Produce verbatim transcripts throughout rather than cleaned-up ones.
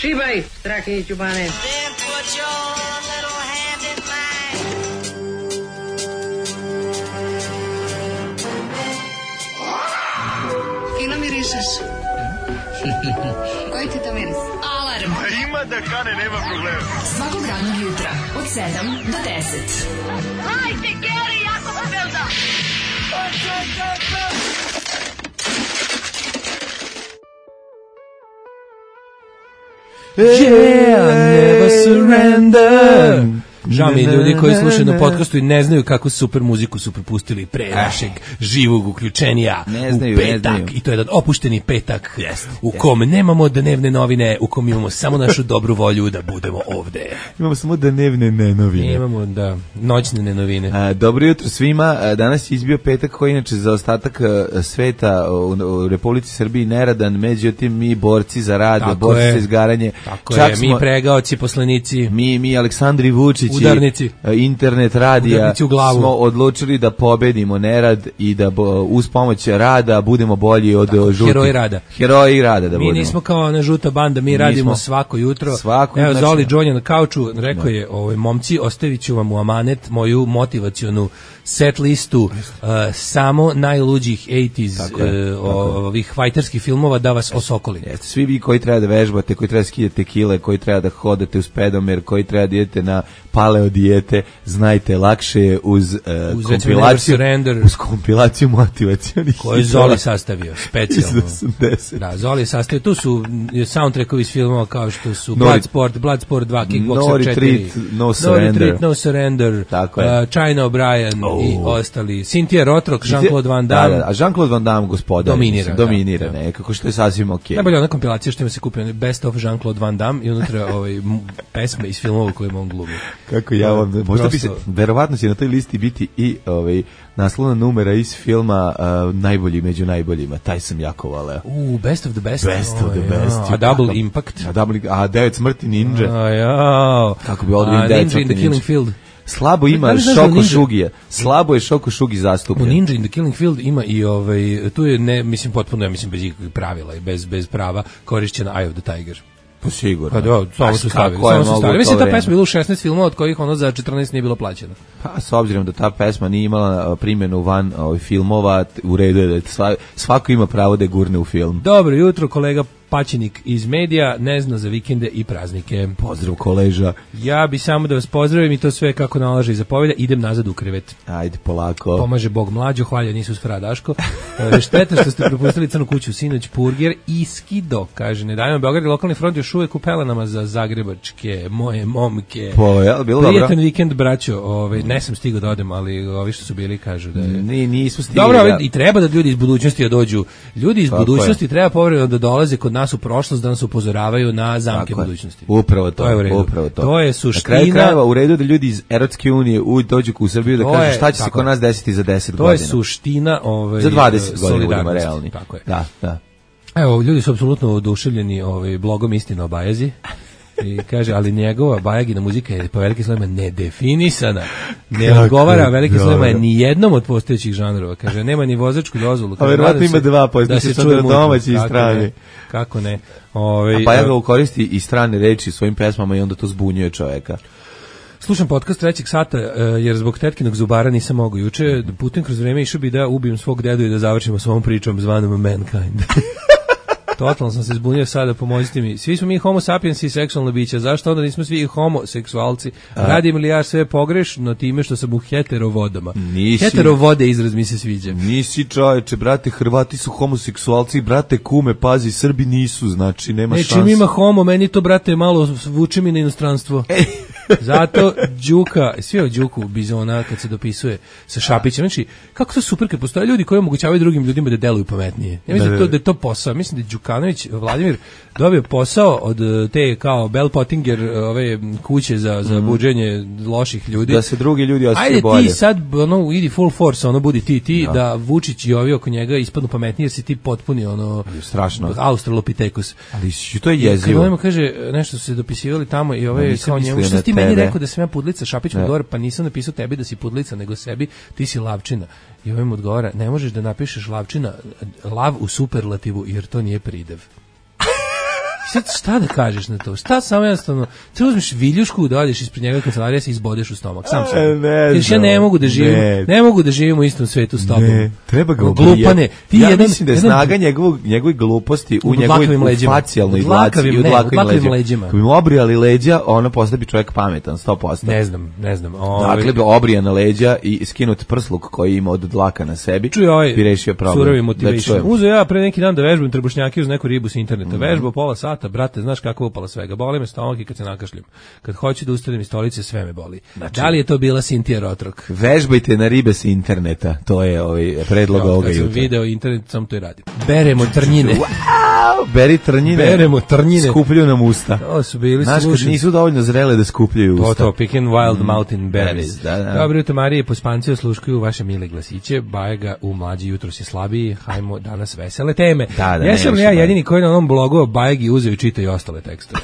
Šibaj, strake i čubane. Fino mirišeš. Koji ti to miris? Alarm. A ima da kane, nema problema. Svakog radnog jutra od sedam do deset. Hajde, Geri, jako se velda. Yeah, never surrender. Žao mi ljudi koji slušaju na podcastu i ne znaju kako super muziku su propustili pre našeg živog uključenja ne znaju, u petak. ne znaju. I to je jedan opušteni petak Jest, u kom nemamo dnevne novine, u kom imamo samo našu dobru volju da budemo ovde. Imamo samo dnevne nenovine. Imamo da noćne nenovine. A, dobro jutro svima. A, danas je izbio petak koji inače za ostatak a, sveta u, u Republici Srbiji neradan, međutim mi borci za rad, Tako borci je. za izgaranje. Tako Čak je, smo, mi pregaoci, poslanici. mi, mi Aleksandri Vučić Udarnici. internet radija Udarnici u glavu. smo odlučili da pobedimo nerad i da bo, uz pomoć rada budemo bolji od Tako, žutih. heroji rada. Heroji rada da Mi budemo. nismo kao ona žuta banda, mi, Mi radimo smo svako jutro. svako, Evo, znači, Zoli da. Džonja na kauču rekao je, ovaj, momci, ostavit ću vam u amanet moju motivacionu set listu uh, samo najluđih osamdesetih Tako je, uh, tako je. ovih fajterskih filmova da vas osokoli. Jeste, svi vi koji treba da vežbate, koji treba da skidate kile, koji treba da hodate uz pedomer, koji treba da idete na paleo dijete, znajte, lakše je uz, uh, Uz, recimo, kompilaciju, Never Surrender. uz kompilaciju motivacionih Koji je hitova Zoli sastavio, specijalno. iz osamdeset. Da, Zoli je sastavio, tu su soundtrackovi iz filmova kao što su No Bloodsport, Bloodsport dva, No Kickboxer četiri, Retreat, No Surrender. No Retreat, No Surrender, Tako je. uh, China O'Brien Oh. i ostali. Cynthia Rothrock, Jean-Claude Van Damme. Da, da, a Jean-Claude Van Damme, gospodar, Dominira, mislim, da, dominira da. nekako, što je sasvim okej. Najbolja ona kompilacija što ima se kupio, Best of Jean-Claude Van Damme i unutra ovaj, m- pesme iz filmova koje on glumi. Kako ja vam, možda bi se, Prosto- verovatno će na toj listi biti i ovaj, naslovna numera iz filma uh, Najbolji među najboljima, taj sam jako voleo. U, Best of the Best. Best of the Oj, best. ja. A Double Impact. A, double, a devet smrti ninja. A, ja. Kako bi ovdje A, vidim devet Ninja in the smrti Killing ninja. Field. Slabo ima Da li znaš da Šoko Ninja- Šugija. Slabo je Šoko Šugi U zastupljen. Ninja in the Killing Field ima i ovaj, tu je ne, mislim, potpuno, ja mislim, bez ikakvih pravila i bez, bez prava korišćena Eye of the Tiger. Pa sigurno. Pa da, samo su stavili. Kako je Samo su mogu stavili. u Mislim, to ta vreme? pesma je bila u šesnaest filmova, od kojih ono za četrnaest nije bilo plaćeno. Pa s obzirom da ta pesma nije imala a, primjenu van ovih filmova, t- u redu je da sva, svako ima pravo da je gurne u film. Dobro jutro, kolega Paćenik iz medija, ne zna za vikende i praznike. Pozdrav koleža. Ja bi samo da vas pozdravim i to sve kako nalaže i zapovelja. Idem nazad u krevet. Ajde, polako. Pomaže Bog mlađo, hvaljen Isus Fra Daško. E, šteta što ste propustili Crnu kuću sinoć, Purger i Skido, kaže, ne dajmo Beograd i lokalni front još uvek u pelenama za zagrebačke, moje momke. Po, jel, bilo dobro? Prijetan vikend, braćo, ovaj, ne sam stigao da odem, ali ovi što su bili kažu da je... Ni, nismo stigli. Dobro, da- ali i treba da ljudi iz budućnosti da dođu. Ljudi iz Tako budućnosti treba povremeno da dolaze kod nas u prošlost, da nas upozoravaju na zamke Tako je. budućnosti. Upravo to, To je u redu. upravo to. To je Na suština. kraju krajeva u redu da ljudi iz Evropske unije u, dođu u Srbiju da To kažu je- šta će se tako kod je. nas desiti za deset To godina. je suština ovaj, Za dvadeset godina budemo solidarnosti. realni. Tako je. Da, da. Evo, ljudi su apsolutno oduševljeni ovaj, blogom Istina o Bajazi. I kaže, ali njegova Bajagina muzika je po velikim slovima nedefinisana. Ne Kako odgovara velikim dobro. slovima ni jednom od postojećih žanrova. Kaže, nema ni vozačku dozvolu. Kaže, verovatno nadam se ima dva, postojeći da se sad čuje na mutno. domaći i Kako strani. ne, Kako ne. Ove, A pa ja ga koristi i strane reči u svojim pesmama i onda to zbunjuje čoveka. Slušam podcast trećeg sata, e, jer zbog tetkinog zubara nisam mogao juče. Putem kroz vreme išao bi da ubijem svog dedu i da završimo s ovom pričom zvanom Mankind. Totalno sam se zbunio sada, pomozite mi. Svi smo mi homo sapiens i seksualna bića, zašto onda nismo svi homoseksualci? Radim li ja sve pogrešno time što sam u heterovodama? Nisi. Heterovode izraz mi se sviđa. Nisi čoveče, brate, Hrvati su homoseksualci, brate, kume, pazi, Srbi nisu, znači nema Ne, šanse. čim ima homo, meni to, brate, malo vuče mi na inostranstvo. Zato Đuka, sve od Đuku Bizona kad se dopisuje sa Šapićem, znači kako to super kad postoje ljudi koji omogućavaju drugim ljudima da deluju pametnije. Ja mislim da, da, to, da je to posao. Mislim da je Đukanović Vladimir dobio posao od te kao Bell Pottinger ove kuće za za buđenje loših ljudi. Da se drugi ljudi osjećaju Ajde bolje. ti sad ono idi full force, ono budi ti ti da, da Vučić i ovi oko njega ispadnu pametnije jer si ti potpuni ono strašno. Australopithecus. Ali to je jezivo. Kad on kaže nešto su se dopisivali tamo i ove kao njemu što ti meni rekao da sam ja pudlica, Šapić mu odgovara, pa nisam napisao tebi da si pudlica, nego sebi, ti si lavčina. I ovaj mu odgovara, ne možeš da napišeš lavčina, lav u superlativu, jer to nije pridev. Sad šta da kažeš na to? Šta samo jednostavno, ti uzmeš viljušku, dođeš ispred njega kancelarija se izbodeš u stomak. Sam sam. Ne, Kažeš, ja ne mogu da živim, ne, ne mogu da živim u istom svetu s tobom. Ne, treba ga glupane. Ti ja jedan, mislim da je jedan, snaga njegovog, njegove gluposti u njegovoj facijalnoj izlaciji i u dlakovim leđima. Kad bi mu obrijali leđa, ono postao bi čovjek pametan, sto posto. Ne znam, ne znam. Dakle, bi obrijana leđa i skinut prsluk koji ima od dlaka na sebi, čuj, ovaj, bi rešio problem. Surovi motivation. Uzo ja pre neki dan da vežbam trbušnjake uz neku ribu s interneta. Mm. Vežbao pola sata, brate, znaš kako upala svega. Boli me stomak i kad se nakašljam. Kad hoću da ustanem iz stolice, sve me boli. Znači, da li je to bila Sintija Rotrok? Vežbajte na ribe s interneta. To je ovaj predlog ovoga jutra. Kad sam video internet, sam to i radim. Beremo trnjine. Wow, beri trnjine. Beremo trnjine. Skupljuju nam usta. To su bili znaš, kad nisu dovoljno zrele da skupljaju usta. To, to, picking wild mm. mountain berries. Da, da. Dobro jutro, Marije, pospanci osluškuju vaše mile glasiće. Bajega u mlađi jutro si slabiji. Hajmo danas vesele teme. Da, da, jesam li ja jedini koji na onom blogu Bajegi uzeo i čita i ostale tekstove?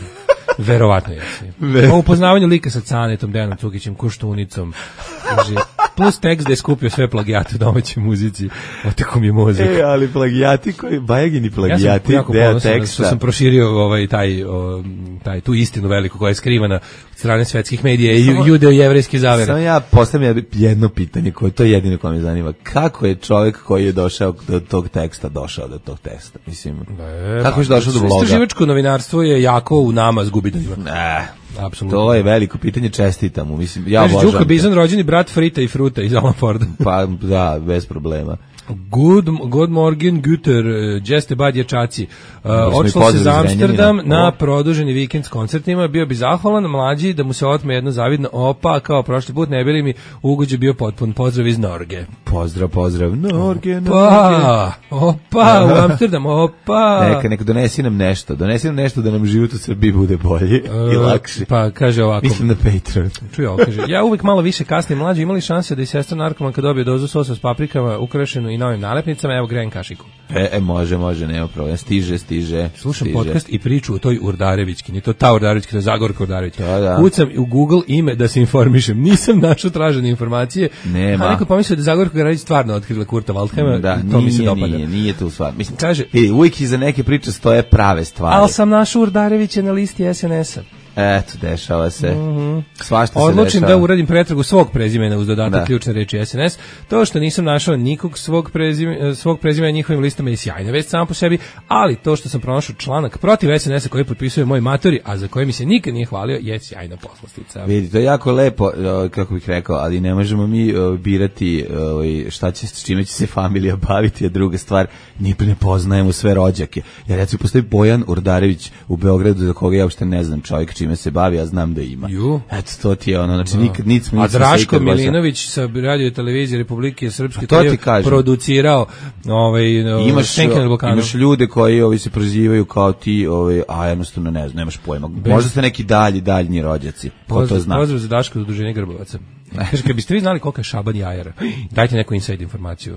Verovatno jesi. O upoznavanju lika sa Canetom, Dejanom Cukićem, Koštunicom. Plus tekst da je skupio sve plagijate u domaćoj muzici. Oteko mi je mozak. E, ali plagijati koji, Bajegini plagijati, ja sam jako ponosan što sam proširio ovaj, taj, o, taj, tu istinu veliku koja je skrivana od strane svetskih medija i judeo-jevrejski zavere. Samo ja postavljam jedno pitanje koje to je jedino koje me zanima. Kako je čovjek koji je došao do tog teksta došao do tog teksta? Mislim, e, kako je došao do bloga? Istraživačko novinarstvo je jako u nama zgubidanjima. Ne. Apsolutno. To je veliko pitanje, čestitam mu. Mislim, ja obožavam. Đuka Bizon, rođeni brat Frita i Fruta iz Alan Forda. Pa da, bez problema. Good, good morgen, Güter, Jeste bad dječaci. Uh, Odšlo se za Amsterdam na produženi vikend s koncertima, bio bi zahvalan mlađi da mu se otme jedno zavidno opa, kao prošli put ne bili mi ugođe bio potpun. Pozdrav iz Norge. Pozdrav, pozdrav, Norge, Norge. Opa, opa, u Amsterdam, opa. Neka, neka donesi nam nešto, donesi nam nešto da nam život u Srbiji bude bolji uh, i lakši. Pa kaže ovako. Mislim na Patreon. Čuj ovo, kaže, ja uvijek malo više kasnije mlađi imali šanse da i sestra narkomanka dobije dozu sosa s paprikama, ukrašenu i novim nalepnicama, evo grejem kašiku. E, e može, može, nema problema. Stiže, stiže. Slušam stiže. podcast i priču o toj Urdarevićki, nije to ta Urdarevićki, to je Zagorka Urdarevićki. Da, da. Kucam u Google ime da se informišem. Nisam našao tražene informacije. Nema. A neko pomislio da je Zagorka Urdarević stvarno otkrila Kurta Waldheima. Da, to nije, mi se dopada. Nije, nije to stvar. Mislim, kaže, e, uvijek iza neke priče stoje prave stvari. Ali sam našao Urdarevića na listi es en es a. Eto, dešava se. Mm-hmm. Svašta se Odlučim dešava. da uradim pretragu svog prezimena uz dodatak da. ključne reči es en es. To što nisam našao nikog svog prezimena, svog prezimena njihovim listama je sjajna vest samo po sebi, ali to što sam pronašao članak protiv es en es a koji potpisuje moj matori, a za koje mi se nikad nije hvalio, je sjajna poslastica. Vidi, to je jako lepo, kako bih rekao, ali ne možemo mi birati šta će, s čime će se familija baviti, a druga stvar, ni ne poznajemo sve rođake. Ja recimo postoji Bojan Urdarević u Beogradu za koga ja uopšte ne znam čovjek čime se bavi, ja znam da ima. Ju. Eto, to ti je ono, znači nikad nic mi A Draško Milinović sa radio televizije Republike Srpske to ti kažem. Producirao ovaj imaš, imaš ljude koji ovi se prozivaju kao ti, ovaj, a jednostavno ne znam, nemaš pojma. Bez... Možda ste neki dalji, daljnji rođaci. Ko to zna? Pozdrav za Daško udruženje Grbovaca. Kaže, kad biste vi znali koliko je Šaban jajara, dajte neku inside informaciju.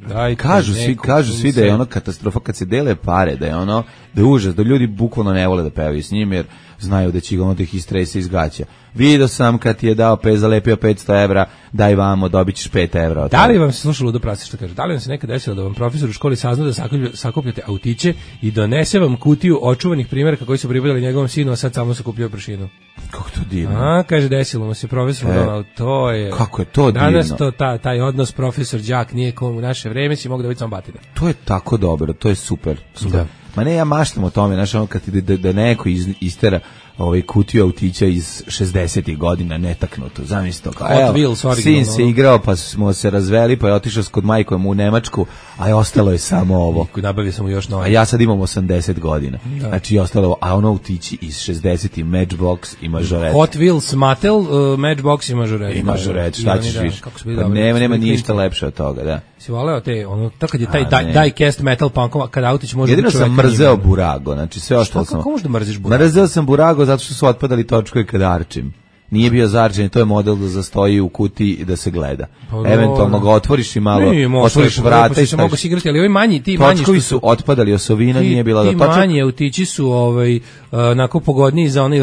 Daj, kažu svi, kažu svi da je ono katastrofa kad se dele pare, da je ono, da je užas, da ljudi bukvalno ne vole da pevaju s njim jer znaju da će ga ono da ih istrese iz gaća. Vidio sam kad ti je dao pet, zalepio petsto evra, daj vamo, dobit ćeš pet evra. Da li vam se slušalo Ludo Prasi što kaže? Da li vam se nekad desilo da vam profesor u školi sazna da sakupljate autiće i donese vam kutiju očuvanih primjeraka koji su pripadali njegovom sinu, a sad samo sakupljaju prašinu? Kako to divno. A, kaže, desilo mu se profesor, e, no, to je... Kako je to divno. Danas to, ta, taj odnos profesor-đak nije kom u naše vreme, si mogu da biti samo batina. To je tako dobro, to je super. super. Da. Ma ne, ja maštam o tome, znaš, ono kad ti da, da neko iz, istera ovaj kutiju autića iz šezdesetih godina netaknuto, zamisli to. Kao, Hot Wheels originalno. Sin se igrao, pa smo se razveli, pa je otišao kod majkom u Nemačku, a je ostalo je samo ovo. I nabavio sam mu još novo. A ja sad imam osamdeset godina. Da. Znači je ostalo ovo, a ono autići iz šezdesetih Matchbox i mažoret. Hot Wheels Mattel, uh, Matchbox i mažoret. I mažoret, šta ćeš više? Pa nema, nema ništa lepše od toga, da. Si voleo te, ono, tako kad je taj die, diecast metal punkova, kada autić može... Jedino sam mrzeo Burago, znači sve ostalo sam... Kako možeš da mrziš Burago? Mrzeo sam Burago zato što su otpadali točkovi kada arčim. Nije bio zarđen, to je model da zastoji u kutiji i da se gleda. Pa, eventualno ga otvoriš i malo, nije, otvoriš vrata i se mogu igrati, ali ovi manji, ti manji točkovi su otpadali, osovina nije bila do točak. točak. Ti manji autići su ovaj, onako pogodniji za onaj...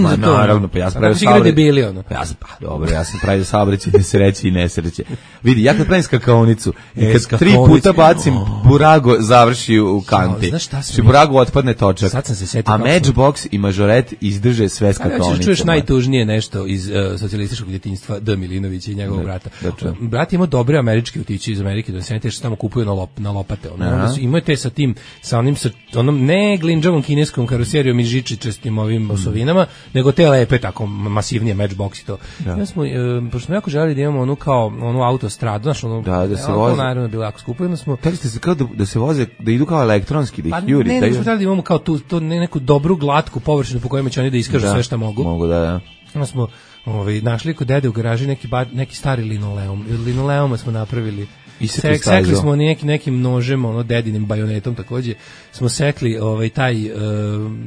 Ma naravno, pa ja sam pravio saobraćaj. Ono. Ja sam, pa dobro, ja sam pravio saobraćaj, nesreće i nesreće. Vidi, ja kad pravim skakaonicu, i kad tri puta bacim, burago završi u kanti. Znaš šta sam... Či burago otpadne točak. Sad sam se setio. A Matchbox i Mažoret izdrže sve skakaonice. Čuješ najtužnije nešto iz uh, socijalističkog djetinjstva D. Milinovića i njegovog brata. Da, brat ima dobre američke utići iz Amerike, da se ne te što tamo kupuju na, lop, na lopate. Ono, onda su, imaju te sa tim, sa onim, sa onom ne glinđavom kineskom karoserijom i žičičastim ovim mm. osovinama, nego te lepe, tako masivnije Matchbox i to. Da. Ja smo, uh, pošto smo jako želeli da imamo onu kao, onu autostradu, znaš, ono, da, da se ono, voze. naravno bilo jako skupo, onda smo... Teli ste se kao da, da se voze, da idu kao elektronski, da ih pa, juri. Ne, da ne, smo htjeli da imamo kao tu, to, ne, neku dobru, glatku površinu po kojima će oni da iskažu da, sve što mogu. Mogu, da, da. Onda smo ovaj, našli kod dede u garaži neki, ba, neki stari linoleum. Linoleuma smo napravili. Sek, sekli smo neki, nekim nožem, ono dedinim bajonetom takođe. Smo sekli ovaj, taj uh,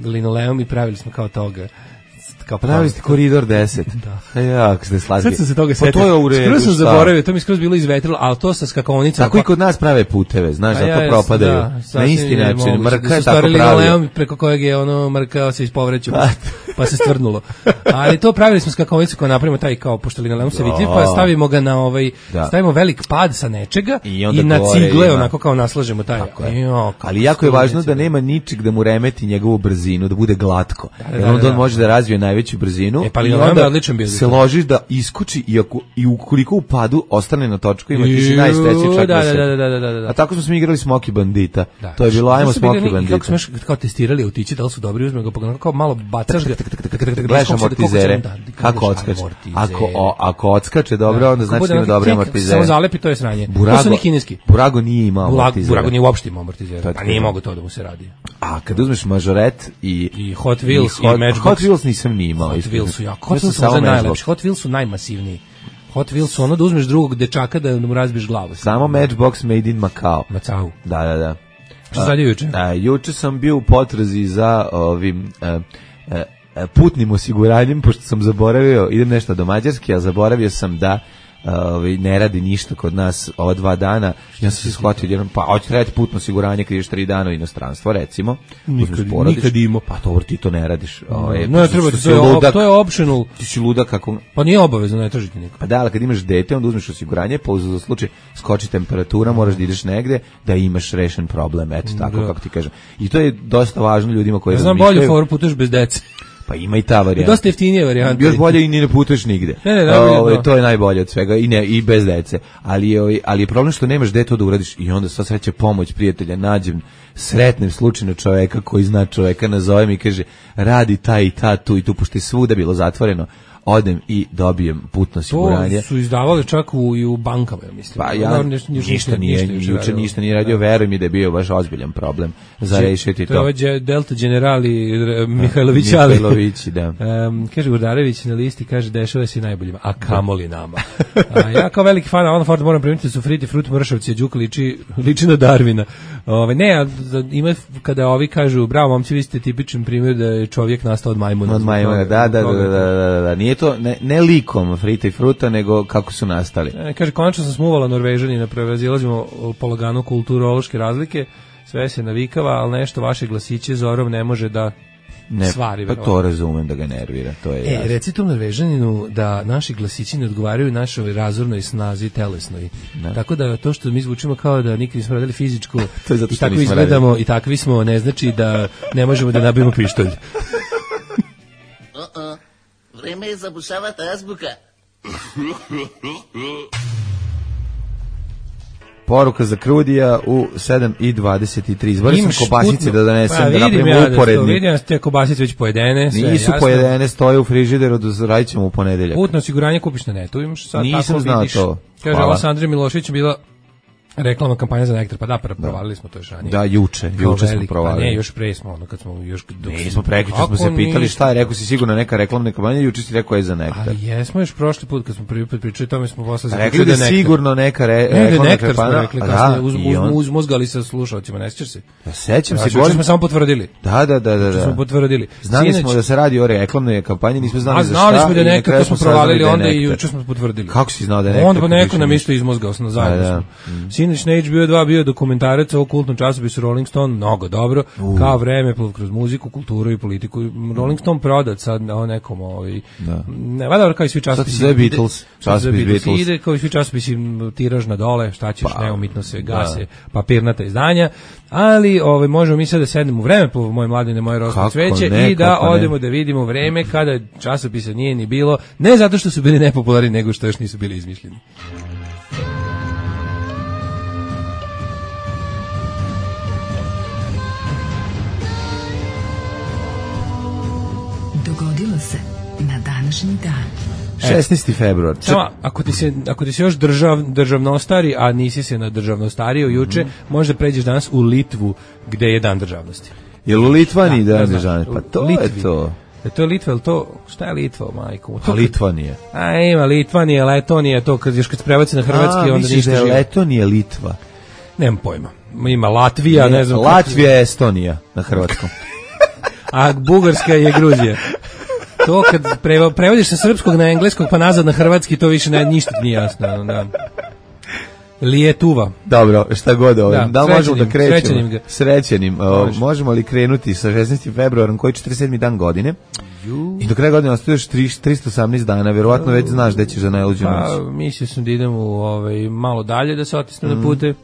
linoleum i pravili smo kao toga. Kao pravili ste koridor deset. Da. Ja, kako ste slagali. Sad sam se toga setio. Pa to je u redu. Skroz sam zaboravio, to mi skroz bilo izvetrilo, ali to sa skakaonicom. Tako pa... i kod nas prave puteve, znaš, da to propadaju. Da, na isti način, Mrka je tako pravio. Preko kojeg je ono Mrka se ispovrećao, pa se stvrdnulo. Ali to pravili smo skakaonicu koja napravimo taj kao pošto linoleum se vitri, pa stavimo ga na ovaj, da. stavimo velik pad sa nečega i, i na cigle ima. Onako kao naslažemo taj. Jo, ali jako je važno da nema ničeg da mu remeti njegovu brzinu, da bude glatko. Jer onda on može da razvije najveću brzinu. E, pa i onda odličan bio. Se ložiš da iskoči i, ako, i ukoliko u padu ostane na točku ima ti si najsrećniji čak da, da se. Da, da, da, da, da. A tako smo se igrali Smoky Bandita. Da. To je bilo ajmo Smoky Bandita. Kako smo kao testirali autići, da li su dobri, uzmemo ga pogledamo kao malo bacaš ga. Gledaš amortizere. Kako odskače? Ako ako odskače dobro, onda znači ima dobre amortizere. Samo zalepi, to je sranje. To su ni kineski. Burago nije imao amortizere. Burago nije uopšte imao amortizere. Pa nije mogao to da mu se radi. A kad uzmeš Mažoret i i Hot Wheels i Matchbox. Hot Wheels nisam ni imao. Hot Wheels su jako. Hot Wheels su najlepši. Hot Wheels su najmasivniji. Hot Wheels su ono da uzmeš drugog dečaka da mu razbiješ glavu. Samo Matchbox made in Macau. Macau. Da, da, da. Što sad je juče? A, juče sam bio u potrazi za ovim a, a, a, putnim osiguranjem, pošto sam zaboravio, idem nešto do Mađarske, a zaboravio sam da Ovaj ne radi ništa kod nas ova dva dana. Ja sam se shvatio jednom, pa hoće trebati putno osiguranje kad ideš tri dana u inostranstvo, recimo. Nikad, nikad ima. Pa dobro, ti to ne radiš. Ovaj, no, ne treba, to je, ludak, to je optional. Ti si ludak kako... Pa nije obavezno, ne tražiti niko. Pa da, ali kad imaš dete, onda uzmeš osiguranje, pa za slučaj skoči temperatura, moraš da ideš negde, da imaš rešen problem, eto tako, da. Kako ti kažem. I to je dosta važno ljudima koji... Ja znam bolju foru putuješ bez dece. Pa ima i ta varijanta. Dosta jeftinije varijanta. Još bolje i ni ne putuješ nigde. Ne, ne, najbolje, o, to je najbolje od svega i ne i bez dece. Ali je ali je problem što nemaš gde to da uradiš i onda sva sreća pomoć prijatelja nađem sretnem slučajno čoveka koji zna čoveka, nazovem i kaže radi taj i ta tu i tu pošto je svuda bilo zatvoreno. Odem i dobijem putno osiguranje. To su izdavali čak u, i u bankama, ja mislim. Pa ja, ništa, ništa, ništa nije, ništa, juče ništa nije radio, veruj mi da je bio baš ozbiljan problem za rešiti to. To je ovaj Delta generali Mihajlović, ali. Mihajlović, da. Um, kaže Urdarević na listi, kaže dešava se najboljima, a kamoli nama. A ja kao veliki fan Alan Ford moram primiti da su Friti Frut Mršavci, Đuka liči, liči na Darvina. Ove, ne, ima kada ovi kažu, bravo momci, vi ste tipičan primjer da je čovjek nastao od majmuna. Od majmuna, da, da, da, da, da, nije to ne, ne likom Frita i Fruta, nego kako su nastali. E, kaže, konačno sam smuvala Norvežanina, prevazilazimo polagano kulturološke razlike, sve se navikava, ali nešto vaše glasiće Zorom ne može da ne, stvari. Pa to razumem da ga nervira, to je. E, reci tom Norvežaninu da naši glasići ne odgovaraju našoj razornoj snazi telesnoj. Ne. Tako da to što mi zvučimo kao da nikad nismo radili fizičku i tako izgledamo radili. I takvi smo, ne znači da ne možemo da nabijemo pištolj. Uh-uh. Vreme je zabušavati azbuka. Poruka za Krudija u sedam i dvadeset tri. Izborio sam kobasice da donesem, pa, da napravimo ja uporedni. Da vidim ja te kobasice već pojedene. Sve, nisu jasno. Pojedene, stoje u frižideru, radit ćemo u ponedeljak. Putno osiguranje kupiš na netu, imaš sad nisam tako znao vidiš. To. Kaže, ova Sandra Milošević bila Reklamna kampanja za nektar, pa da, provalili smo to još ranije. Da, juče, Kao juče smo veliki, provalili. Pa ne, još pre smo, ono, kad smo još... Dok Nismo prekjuče, smo se pitali šta je, rekao si sigurno neka reklamna kampanja, juče si rekao je za nektar. Ali jesmo još prošli put, kad smo prvi put pričali, tome smo posle rekli da sigurno neka re, ne, reklamna nektar kampanja. smo rekli, kasnije, uz, uz, uz, uzmozgali sa slušalcima, ne sjećaš se? Ja sećam se, govorim. smo samo potvrdili. Da, da, da, da. smo potvrdili. Znali Sinoć, smo da se radi o reklamnoj kampanji, nismo znali za šta. Znali smo da je nektar, to smo provalili onda i juče smo potvrdili. Kako si znao da je nektar? Onda pa neko nam isto izmozgao sam zajedno. Sinoć na H B O dva bio dokumentarac o kultnom časopisu Rolling Stone, mnogo dobro, uh. kao vreme kroz muziku, kulturu i politiku. Rolling Stone prodat sad o nekom ovaj da. Ne, valjda kao i svi časopisi. Sad sve Beatles, časopis Beatles. Ide kao i svi časopisi tiraž na dole, šta ćeš, pa, neumitno se gase, papirnata izdanja, ali ovaj možemo mi sad da sednemo u vreme po moje mladine, moje rosno cveće ne, i da odemo ne. Da vidimo vreme kada časopisa nije ni bilo, ne zato što su bili nepopularni, nego što još nisu bili izmišljeni. Dogodilo se na današnji dan. šesnaesti februar. Samo, ako ti se, ako ti se još držav, državno stari, a nisi se na državno stario juče, mm-hmm. možda pređeš danas u Litvu, gde je dan državnosti. Je li u Litvani da, dan državnosti? Pa to Litvi. je to. Je to Litva, ili to, šta je Litva, majko? A Litvanije. A ima Litvanije, Letonije, to kad još kad se prebaci na hrvatski, a, onda ništa živo. A, Letonije, Litva. Nemam pojma. Ima Latvija, ne, ne znam. Latvija je Estonija na hrvatskom. A Bugarska je Gruzija. To kad preva, prevodiš sa srpskog na engleskog pa nazad na hrvatski, to više ne, ništa nije jasno. Da. Lijetuva. Dobro, šta god ovo. Da, da li možemo da krećemo? Srećenim. Ga. Srećenim. Može. Možemo li krenuti sa šesnaestim februarom, koji je četrdeset sedmi dan godine? Ju. I do kraja godine ostaje još tristo osamnaest dana, verovatno već znaš da ćeš za najluđu noć. Pa, mislio sam da idem u, ovaj, malo dalje, da se otisnem mm. na pute.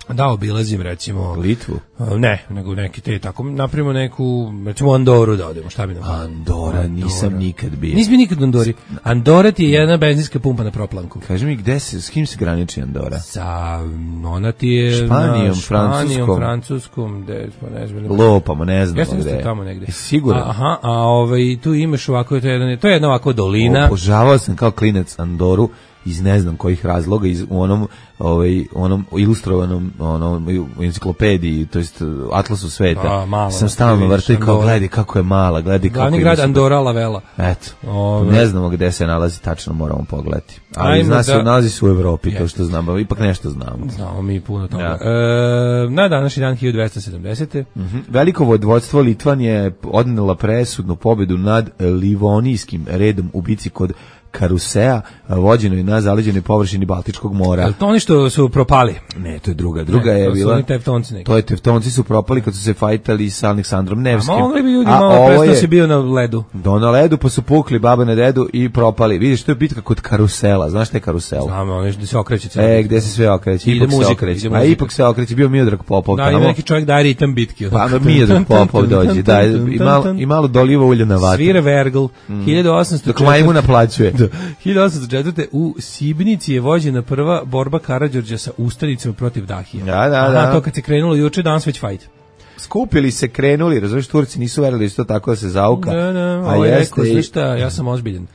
Da obilazim recimo Litvu. Ne, nego neki te tako napravimo neku recimo Andoru da odemo, šta bi nam? Andora, Andora. Nisam nikad bio. Nisam nikad u Andori. Andora ti je jedna benzinska pumpa na proplanku. Kaži mi gde se, s kim se graniči Andora? Sa ona ti je Španijom, na, Francuskom, Španijom, Francuskom, gde pa ne znam. Lopamo, ne znam ja gde. Ja tamo negde. Sigurno. Aha, a ovaj tu imaš ovako to je jedan, to je jedna ovako dolina. Obožavao sam kao klinac Andoru iz ne znam kojih razloga, iz u onom ovaj onom ilustrovanom onom enciklopediji, to jest Atlasu sveta. A, malo, sam stalno vrtao kao gledaj kako je mala, gledaj kako je. Glavni grad Andora la Vela. Eto. Ove. Ne znamo gde se nalazi tačno, moramo pogledati. Ali zna se da... nalazi se u Evropi, yes. To što znamo, ipak nešto znamo. Znamo mi puno toga. Ja. E, na današnji dan hiljadu dvesta sedamdesete. Mm-hmm. Veliko vodstvo Litvan je odnela presudnu pobedu nad Livonijskim redom u bici kod Karusea, vođenoj na zaleđenoj površini Baltičkog mora. Ali to oni što su propali? Ne, to je druga. Druga ne, je to bila... To su Tevtonci neki. To je Tevtonci su propali kad su se fajtali sa Aleksandrom Nevskim. A mogli bi ljudi a malo prestao si bio na ledu. Do na ledu, pa su pukli baba na dedu i propali. Vidiš, to je bitka kod Karusela. Znaš šta je Karusel? Znam, ono gde se okreće. E, gde se sve okreće. Ipak se okreće. A ipak se okreće. Bio Miodrag Popov. Da, ima neki čovjek daje ritam bitki. Pa, Miodrag Popov dođe. Da, i malo, i malo doliva ulja na vatru. Svira Vergl. hiljadu osamsto četvrte. Dok majmu naplaćuje. hiljadu osamsto četvrte. u Sibnici je vođena prva borba Karađorđa sa ustanicima protiv Dahija. Da, da, da. Aha, to kad se krenulo juče, danas već fajt. Skupili se, krenuli, razumiješ, Turci nisu verili isto tako da se zauka. Da, da, ovo je rekao, znaš šta, ja sam ozbiljen.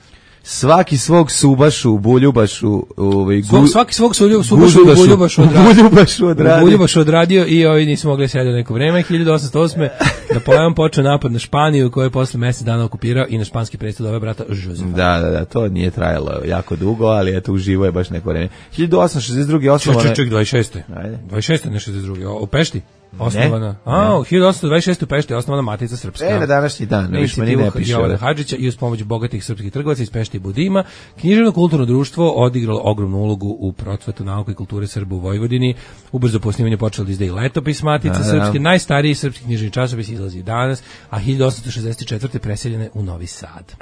Svaki svog subašu, buljubašu, ovaj gu, svaki svog subašu, buljubašu odradio. Buljubašu odradio. Buljubašu odradio i ovi nisu mogli sedeti neko vreme. hiljadu osamsto osme. Napoleon počeo napad na Španiju, koju je posle mjesec dana okupirao i na španski presto doveo brata Josefa. Da, da, da, to nije trajalo jako dugo, ali eto uživo je baš neko vreme. hiljadu osamsto šezdeset druge osnovane. Ček, ček, dvadeset šeste. Ajde. dvadeset šeste, ne šezdeset druge. U Pešti. Osnovana. A, hiljadu osamsto dvadeset šeste u Pešti je osnovana Matica Srpska. E, na današnji dan, ne više meni ne piše. Jovana Hadžića i uz pomoć bogatih srpskih trgovaca iz Pešti i Budima, književno kulturno društvo odigralo ogromnu ulogu u procvatu nauke i kulture Srba u Vojvodini. Ubrzo po snimanju počelo da izdaje letopis Matice Srpske. Najstariji srpski književni časopis izlazi danas, a hiljadu osamsto šezdeset četvrte preseljene u Novi Sad.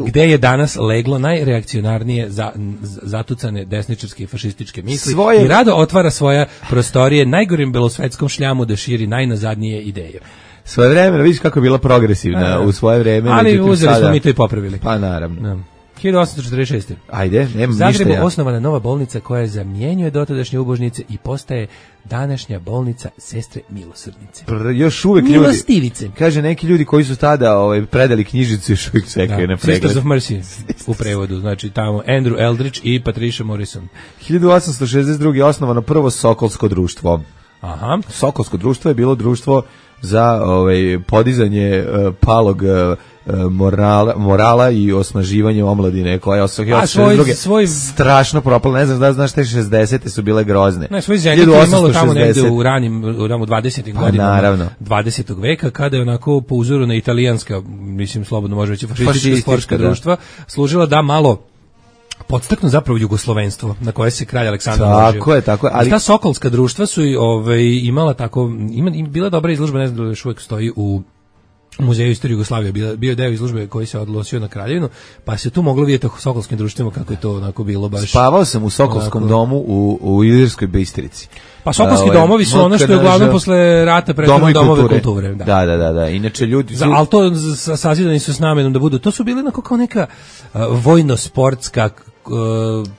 Gde je danas leglo najreakcionarnije za, zatucane desničarske i fašističke misli svoje... i rado otvara svoja prostorije najgorim belosvetskom šljamu da širi najnazadnije ideje. Svoje vreme, vidiš kako je bila progresivna a, u svoje vreme. Ali uzeli sada... smo mi to i popravili. Pa naravno. Da. hiljadu osamsto četrdeset šeste. Ajde, nema ništa Zagrebu ja. osnovana nova bolnica koja zamjenjuje dotadašnje ubožnice i postaje današnja bolnica Sestre Milosrdnice. Pr, još uvek ljudi. Milostivice. Kaže, neki ljudi koji su tada ovaj, predali knjižicu još uvijek čekaju Da, na pregled. Sisters of Mercy u prevodu, znači tamo Andrew Eldridge i Patricia Morrison. hiljadu osamsto šezdeset druge. je osnovano prvo Sokolsko društvo. Aha. Sokolsko društvo je bilo društvo za ovaj, podizanje uh, palog uh, morala, morala i osnaživanje omladine koja je A, svoj- svoj- strašno propala. Ne znam da znaš, te šezdesete su bile grozne. Ne, svoj zenit je imalo tamo negde u ranim, u ranim dvadesetim Pa, godinama naravno. dvadesetog veka, kada je onako po uzoru na italijanska, mislim slobodno može reći fašistička Fašistička, sportska da. društva, služila da malo podstaknu zapravo jugoslovenstvo na koje se kralj Aleksandar uložio. Tako je, tako je, ali- Ali ta sokolska društva su i, ovaj, imala tako, ima, im bila dobra izložba, ne znam da li još uvijek stoji u Muzeju istorije Jugoslavije, bio, bio je deo izložbe koji se odnosio na Kraljevinu, pa se tu moglo vidjeti u sokolskim društvima kako je to onako bilo baš. Spavao sam u Sokolskom onako- domu u, u Ilirskoj Bistrici. Pa sokolski Ovaj, domovi su ono što je uglavnom posle rata pretvoreno domove kulture. Da, da, da, da. Inače ljudi Za, ali to z- sazidani su s namenom da budu. To su bili onako kao neka uh, vojno-sportska uh,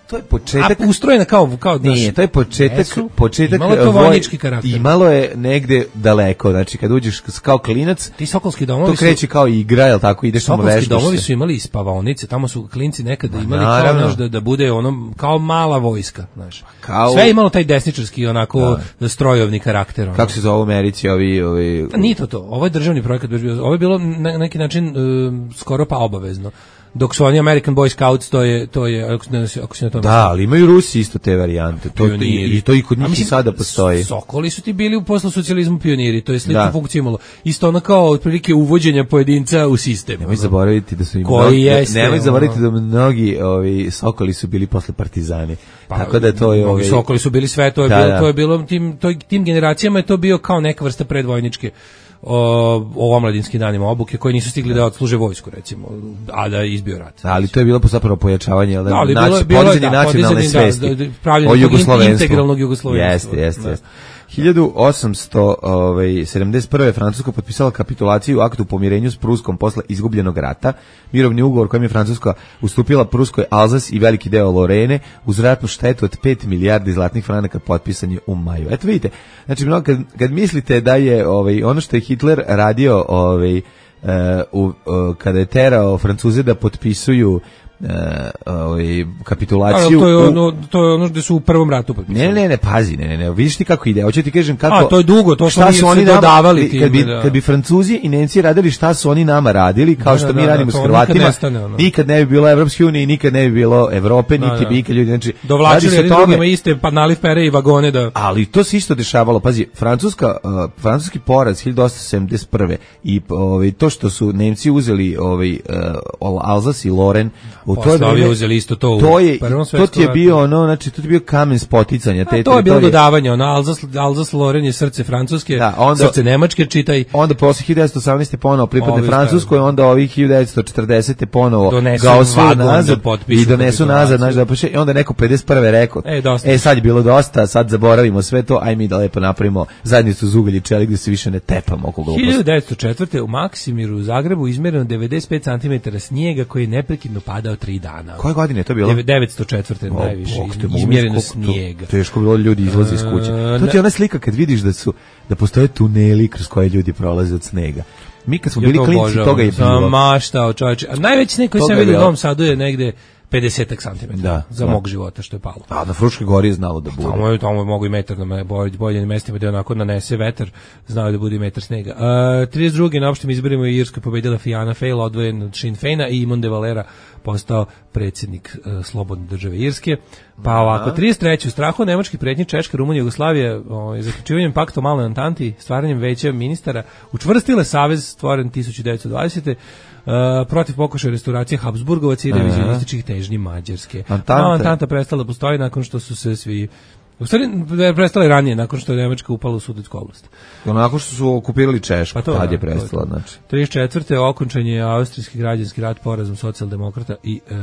to je početak. a, ustrojena kao kao Nije, to je početak, Jesu. početak Imalo je to voj- vojnički karakter. Imalo je negde daleko, znači kad uđeš s- kao klinac, Ti sokolski domovi to kreće kao igra, jel tako, ideš samo Sokolski veštaš domovi se. su imali i spavaonice, tamo su klinci nekada imali kao naravno. znaš, da, da bude ono kao mala vojska, znaš. Kao- Sve je imalo taj desničarski onako strojovni karakter. Ono. Kako se zove u Americi ovi, ovi... Pa nije to to. Ovo je državni projekat, baš bio- ovo je bilo na neki način e, skoro pa obavezno. Dok su oni American Boy Scouts, to je, to je ako, ne, ako se na to Da, ali imaju Rusi isto te varijante. To, i, I to i kod A njih i mislim, sada postoji. Sokoli su ti bili u poslu socijalizmu pioniri, to je sličnu Da. funkciju imalo. Isto ono kao otprilike uvođenja pojedinca u sistem. Nemoj zaboraviti da su im Koji mnogi, jeste, nemoj ono- zaboraviti da mnogi ovi Sokoli su bili posle partizani. Pa, Tako da to je mnogi ovaj Sokoli su bili sve, to je Da, bilo, da. to je bilo tim, to, tim generacijama je to bio kao neka vrsta predvojničke o, o omladinskim danima obuke koji nisu stigli da odsluže vojsku recimo, a da je izbio rat. ali to je bilo zapravo pojačavanje, jel da, Da, ali naci- bilo je- bilo je, podizanje da, nacionalne podizanje, da, svesti da, da, pravljenje o tog jugoslovenstvu. integralnog jugoslovenstva. Jeste, jeste, Da. jeste. hiljadu osamsto sedamdeset prve. Francuska potpisala kapitulaciju u aktu pomirenju s Pruskom posle izgubljenog rata. Mirovni ugovor kojim je Francuska ustupila Pruskoj Alzas i veliki deo Lorene uz ratnu štetu od pet milijardi zlatnih franaka, potpisan je u maju. Eto vidite, znači mnogo, kad, kad mislite da je ovaj, ono što je Hitler radio ovaj, uh, u, uh, kada je terao Francuze da potpisuju Uh, ovaj, kapitulaciju A, to je u- ono, to je ono gde su u prvom ratu potpisali. Ne, ne, ne, pazi, ne, ne, ne, vidiš ti kako ide. Hoću ti kažem kako. A, to je dugo, to šta smo mi se nama- dodavali kad bi, time, da. kad bi Francuzi i Nemci radili šta su oni nama radili, kao Da, što da, mi da, radimo to s nikad Hrvatima, nestane, ono. nikad ne bi bilo Evropske unije i nikad ne bi bilo Evrope, Da, niti da. bi ikad ljudi, znači, radi Dovlačili se o jedni tome- drugima iste pa nalifere i vagone da... ali to se isto dešavalo. Pazi, Francuska, uh, francuski poraz hiljadu osamsto sedamdeset prve i ovaj to što su Nemci uzeli ovaj uh, Alzas i Loren, u to Posle ovi vreme- uzeli isto to u to je Prvom to svetskom ti je ratu. bio ono, znači to ti je bio kamen spoticanja te A, to je bilo teritorije. dodavanje, ono, Alzas, Alzas Loren je srce Francuske, Da, onda- srce Nemačke, čitaj, Onda posle hiljadu devetsto osamnaeste ponovo pripadne Ovi Francuskoj, onda ovih hiljadu devetsto četrdesete ponovo Donesu ga osvoje vagon da nazad potpišu i donesu kapitulaciju. nazad, znaš, da poše, i onda neko pedeset prve rekao, E, dosta. e sad je bilo dosta, sad zaboravimo sve to, aj mi da lepo napravimo zajednicu uz ugalj i čelik da se više ne tepamo oko gluposti. hiljadu devetsto četvrte. u Maksimiru u Zagrebu izmereno devedeset pet centimetara snijega koji je neprekidno padao tri dana. Koje godine je to bilo? devetsto četvrte. O, najviše Bog te, mogu izmjereno misliti koliko to snijega. Teško bilo, ljudi izlaze iz kuće. E, To ti je ne- ona slika kad vidiš da su da postoje tuneli kroz koje ljudi prolaze od snega. Mi kad smo Ja bili to klinci, obožavam. toga je bilo. Sam maštao, čovječe. A najveći snijeg koji Toga sam je vidio u bilo. Novom Sadu je negde pedeset centimetara Da, za da. mog života što je palo. A na Fruškoj gori je znalo da bude. Tamo je, tamo je mogu i metar na me, bolj, bolje mestima gde onako nanese vetar, znao je da bude i metar snega. Uh, trideset druge na opštim izborima u Irskoj pobedila Fianna Fáil, odvojen od Sinn Féina, i Imon de Valera postao predsjednik uh, slobodne države Irske. Pa ovako, trideset treće u strahu od nemačkih pretnji Češka, Rumunija, Jugoslavija, ovaj, zaključivanjem pakta o maloj Antanti, stvaranjem veća ministara, učvrstile savez stvoren hiljadu devetsto dvadesete. Uh, protiv pokušaja restauracije Habsburgovaca i revizionističkih težnji Mađarske. Antanta. Mala Antanta prestala da postoji nakon što su se svi U stvari, prestala je ranije, nakon što je Nemačka upala u Sudetsku oblast. Onako što su okupirali Češku, Pa to, tad da, je prestala, to, znači. trideset četvrte okončan je austrijski građanski rat, porazom socijaldemokrata i e,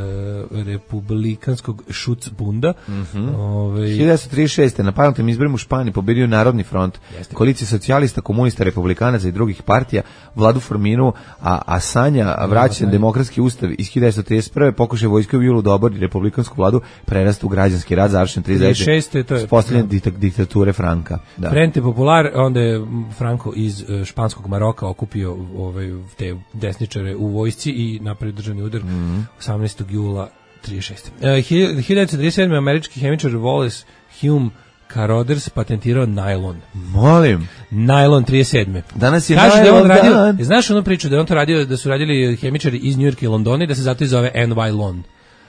republikanskog Schutzbunda. Mm-hmm. Ove, hiljadu devetsto trideset šeste. na parlamentarnim izborima u Španiji pobedio Narodni front, koalicija socijalista, komunista, republikanaca i drugih partija, vladu formiru, a Asanja vraćan demokratski ustav iz hiljadu devetsto trideset prve. pokušaj vojske u julu da obori republikansku vladu, prerastu u građanski rat, završen trideset šeste. to je Postavljanje diktature Franka. Da. Frente Popular, onda je Franco iz uh, španskog Maroka okupio ovaj, te desničare u vojsci i napravio državni udar mm-hmm. osamnaestog jula trideset šeste. Uh, hiljadu devetsto trideset sedme. američki hemičar Wallace Hume Carothers patentirao najlon. Molim. Najlon trideset sedme. Danas je Kaže najlon da radio, dan. znaš onu priču da je on to radio, da su radili hemičari iz Njujorka i Londona i da se zato i zove N Y Lon.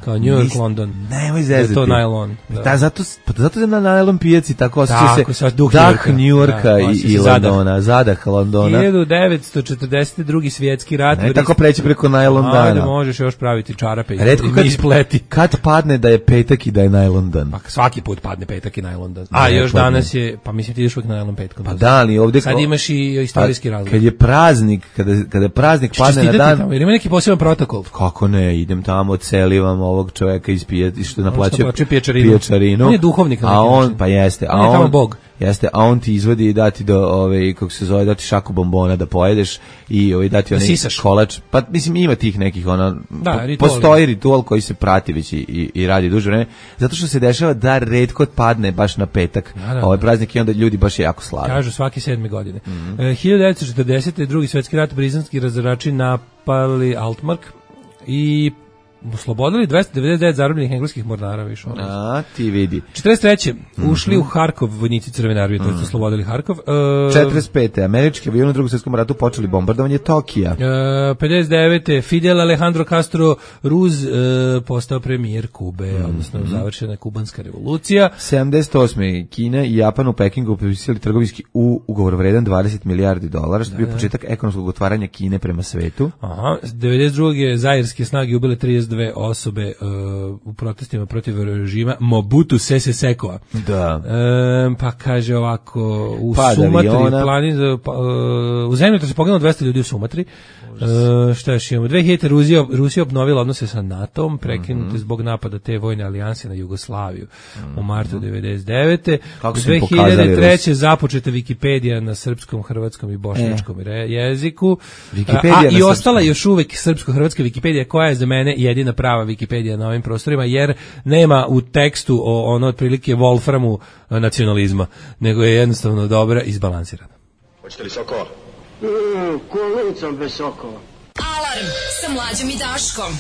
Kao New York, Nis, London. Nemoj zezati. Da je to najlon. Da. Da, zato, pa zato je na najlon pijaci tako osjeća se duh dah New Yorka da, i, i Londona, zadah Londona. hiljadu devetsto četrdeset drugi svjetski rat. Ne tako preći preko najlon dana. Ajde, možeš još praviti čarape Retko i kad, ispleti. Kad padne da je petak i da je najlon dan? Pa svaki put padne petak i najlon dan. A ne, još padne. Danas je, pa mislim ti ideš uvijek na najlon petkom. Pa da, ali ovdje... Sad imaš i istorijski razlog. Kad je praznik, kada, kada praznik padne na dan... Tamo, jer ima neki poseban protokol. Kako ne, idem tamo, odselivam ovog čovjeka iz i što naplaćuje pijačarinu. pijačarinu. On je duhovnik, a on pa jeste, a on je tamo on bog. Jeste, a on ti izvodi i dati do ove kako se zove, dati šaku bombona da pojedeš i ovaj dati onaj kolač. Pa mislim ima tih nekih ona da, po, ritual. Postoji ritual koji se prati već i, i, i radi duže vreme, zato što se dešava da retko padne baš na petak. Da, da, ovaj praznik i onda ljudi baš jako slave. Kažu svake sedme godine. Mm-hmm. E, hiljadu devetsto četrdesete. drugi svjetski rat, britanski razarači napali Altmark i oslobodili dvesta devedeset devet zarobljenih engleskih mornara više. A, ti vidi. četrdeset treće. Mm-hmm. Ušli u Harkov vojnici Crvene armije, mm-hmm. to su oslobodili Harkov. Uh, četrdeset pete. Američki avioni u Drugom svjetskom ratu počeli bombardovanje Tokija. Uh, pedeset devete. Fidel Alejandro Castro Ruz uh, postao premijer Kube, mm-hmm. odnosno završena je kubanska revolucija. sedamdeset osme. Kina i Japan u Pekingu potpisali trgovinski u ugovor vredan dvadeset milijardi dolara, što je bio početak ekonomskog otvaranja Kine prema svetu. Aha. devedeset druge. Zairske snage ubile trideset dve osobe uh, u protestima protiv režima Mobutu Sese Sekoa. Da. E, pa kaže ovako, u Pad Sumatri, aviona. pa, uh, u zemlji to se poginulo dvesta ljudi u Sumatri. Uh, šta još imamo? dve hiljade. Rusija, Rusija obnovila odnose sa NATO-om, prekinute mm-hmm. zbog napada te vojne alijanse na Jugoslaviju mm-hmm. u martu devedeset devete. Kako dve hiljade treće. započeta Wikipedija na srpskom, hrvatskom i bošnjačkom e. jeziku. A i ostala još uvek srpsko-hrvatska Wikipedija koja je za mene jedina prava Wikipedija na ovim prostorima, jer nema u tekstu o ono otprilike Wolframu nacionalizma, nego je jednostavno dobra i izbalansirana. Hoćete li sokova? Mm, kolicom bez sokova. Alarm sa Mlađom i Daškom.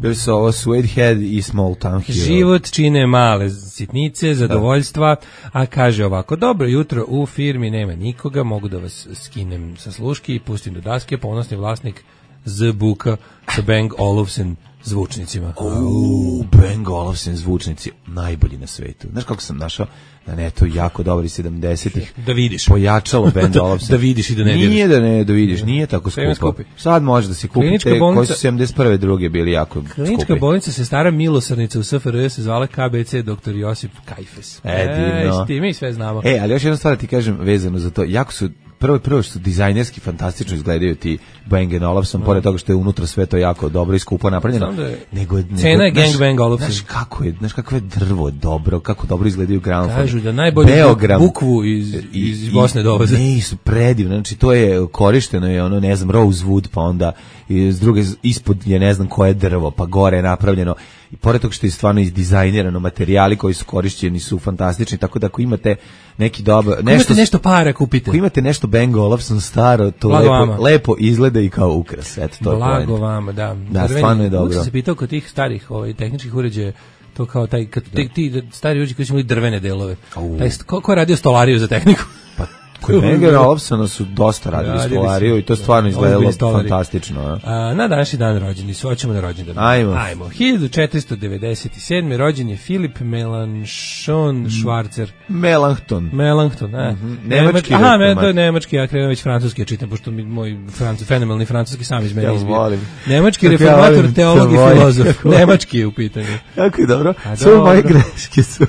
Bili su ovo Sweathead i Small Town Hero. Život čine male sitnice, zadovoljstva, a kaže ovako, dobro jutro, u firmi nema nikoga, mogu da vas skinem sa sluški i pustim do daske, ponosni vlasnik Z-Buka sa Bang Olufsen zvučnicima. Uuu, Bang Olufsen zvučnici, najbolji na svetu. Znaš kako sam našao na netu jako dobri sedamdesetih. Da vidiš. Pojačalo Bang Olufsen. Da vidiš i da ne Nije da ne da vidiš, nije tako skupo. Sad može da se kupi te bolnica, koji su sedamdeset prve druge bili jako skupi. Klinička bolnica Sestara Milosrdnica u S F R J se zvala K B C doktor Josip Kajfes. E, divno. E, mi sve znamo. E, ali još jedna stvar ti kažem vezano za to, jako su prvo prvo što dizajnerski fantastično izgledaju ti Bang and Olufsen, no. Pored toga što je unutra sve to jako dobro i skupo napravljeno. Je, nego, nego cena je Gang Bang Olufsen. Znaš kako je, znaš kako je drvo dobro, kako dobro izgledaju gramofoni. Kažu da najbolji Beogram, bukvu iz, iz Bosne dovoze. Ne, su predivno, znači to je korišteno je ono, ne znam, rosewood, pa onda iz druge, ispod je ne znam koje drvo, pa gore je napravljeno. I pored toga što je stvarno izdizajnirano, materijali koji su korišćeni su fantastični, tako da ako imate neki dobar... Ako imate nešto para, kupite. Ako imate nešto Bang Olufsen staro, to lepo, lepo izgleda i kao ukras. Eto, to Blago je vama, da. Da, stvarno je dobro. Uvijek sam se pitao kod tih starih ovaj, tehničkih uređaja, to kao taj, kad ti, ti stari uređaji koji su imali drvene delove. Taj, ko, ko je radio stolariju za tehniku? Pa, kod Banga Olufsena su dosta radili stolariju i to stvarno izgledalo fantastično. A, na današnji dan rođeni su, hoćemo na rođendan. Ajmo. Ajmo. hiljadu četiristo devedeset sedme. rođen je Filip Melanchthon Schwarzer. Melanchthon. Melanchthon, a. Mm-hmm. Nemački. Aha, me, to je nemački, ja krenuo već francuski, ja čitam, pošto mi moj francu, fenomenalni francuski sam iz mene ja izbio. Volim. Nemački reformator, teolog i filozof. Nemački je u pitanju. Jako je dobro. Sve moje greške su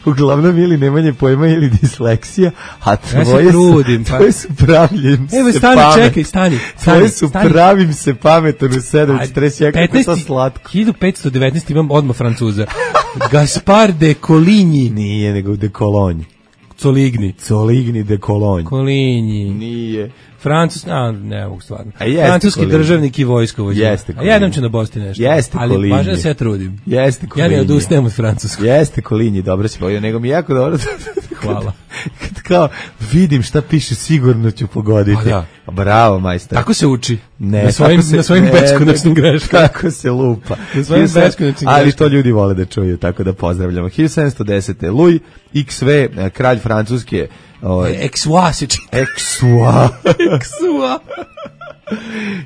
Uglavnom ili nemanje pojma ili disleksija, a tvoje ja se trudim, su, pa. tvoje su pravljim Evo, se stani, pamet. čekaj, stani. stani Tvoje su stani. pravim se pametan u sedam četrdeset jedan, kako je to slatko. hiljadu petsto devetnaest imam odmah Francuza. Gaspar de Coligny. Nije, nego de Cologne. Coligny. Coligny de Cologne. Coligny. Nije. Francus, a ne mogu stvarno. A jeste Francuski Coligny. državnik i vojskovođa. Jeste A jednom ću na Bosti nešto. Jeste ali Coligny. važno da se ja trudim. Jeste Coligny. Ja ne odustajem od francuskog. Jeste Coligny, dobro si pojio, nego mi je jako dobro. Hvala. Kad kao vidim šta piše, sigurno ću pogoditi. A da. Bravo, majstor. Tako se uči. Ne, na svojim, tako se, na svojim ne, beskonačnim greškama. Kako se lupa. Na svojim hiljadu sedamsto beskonačnim Ali greškama. to ljudi vole da čuju, tako da pozdravljamo. hiljadu sedamsto desete. Louis iks ve, kralj Francuske. Ovaj, Eksua se čita. Eksua. Eksua.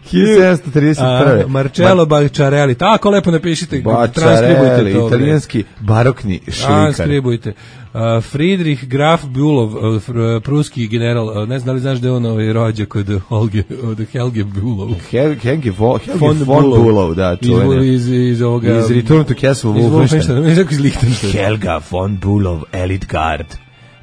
hiljadu sedamsto trideset prve. Marcello Bacciarelli. Tako lepo napišite. Bacciarelli, Transkribujte to. italijanski barokni šlikar. Transkribujte. Uh, Friedrich Graf Bülow, uh, fr, pruski general, uh, ne znam da li znaš da je on ovaj rođa kod Holge, od Helge Bülow. Hel- Helge vo, Helge Von von Bülow. Bülow, da, Iz, čuvene. iz, iz ovoga... Iz Return to Castle Iz Wolfenstein. Wolfenstein, ne znam iz Lichtenstein. Helga von Bülow, Elite Guard.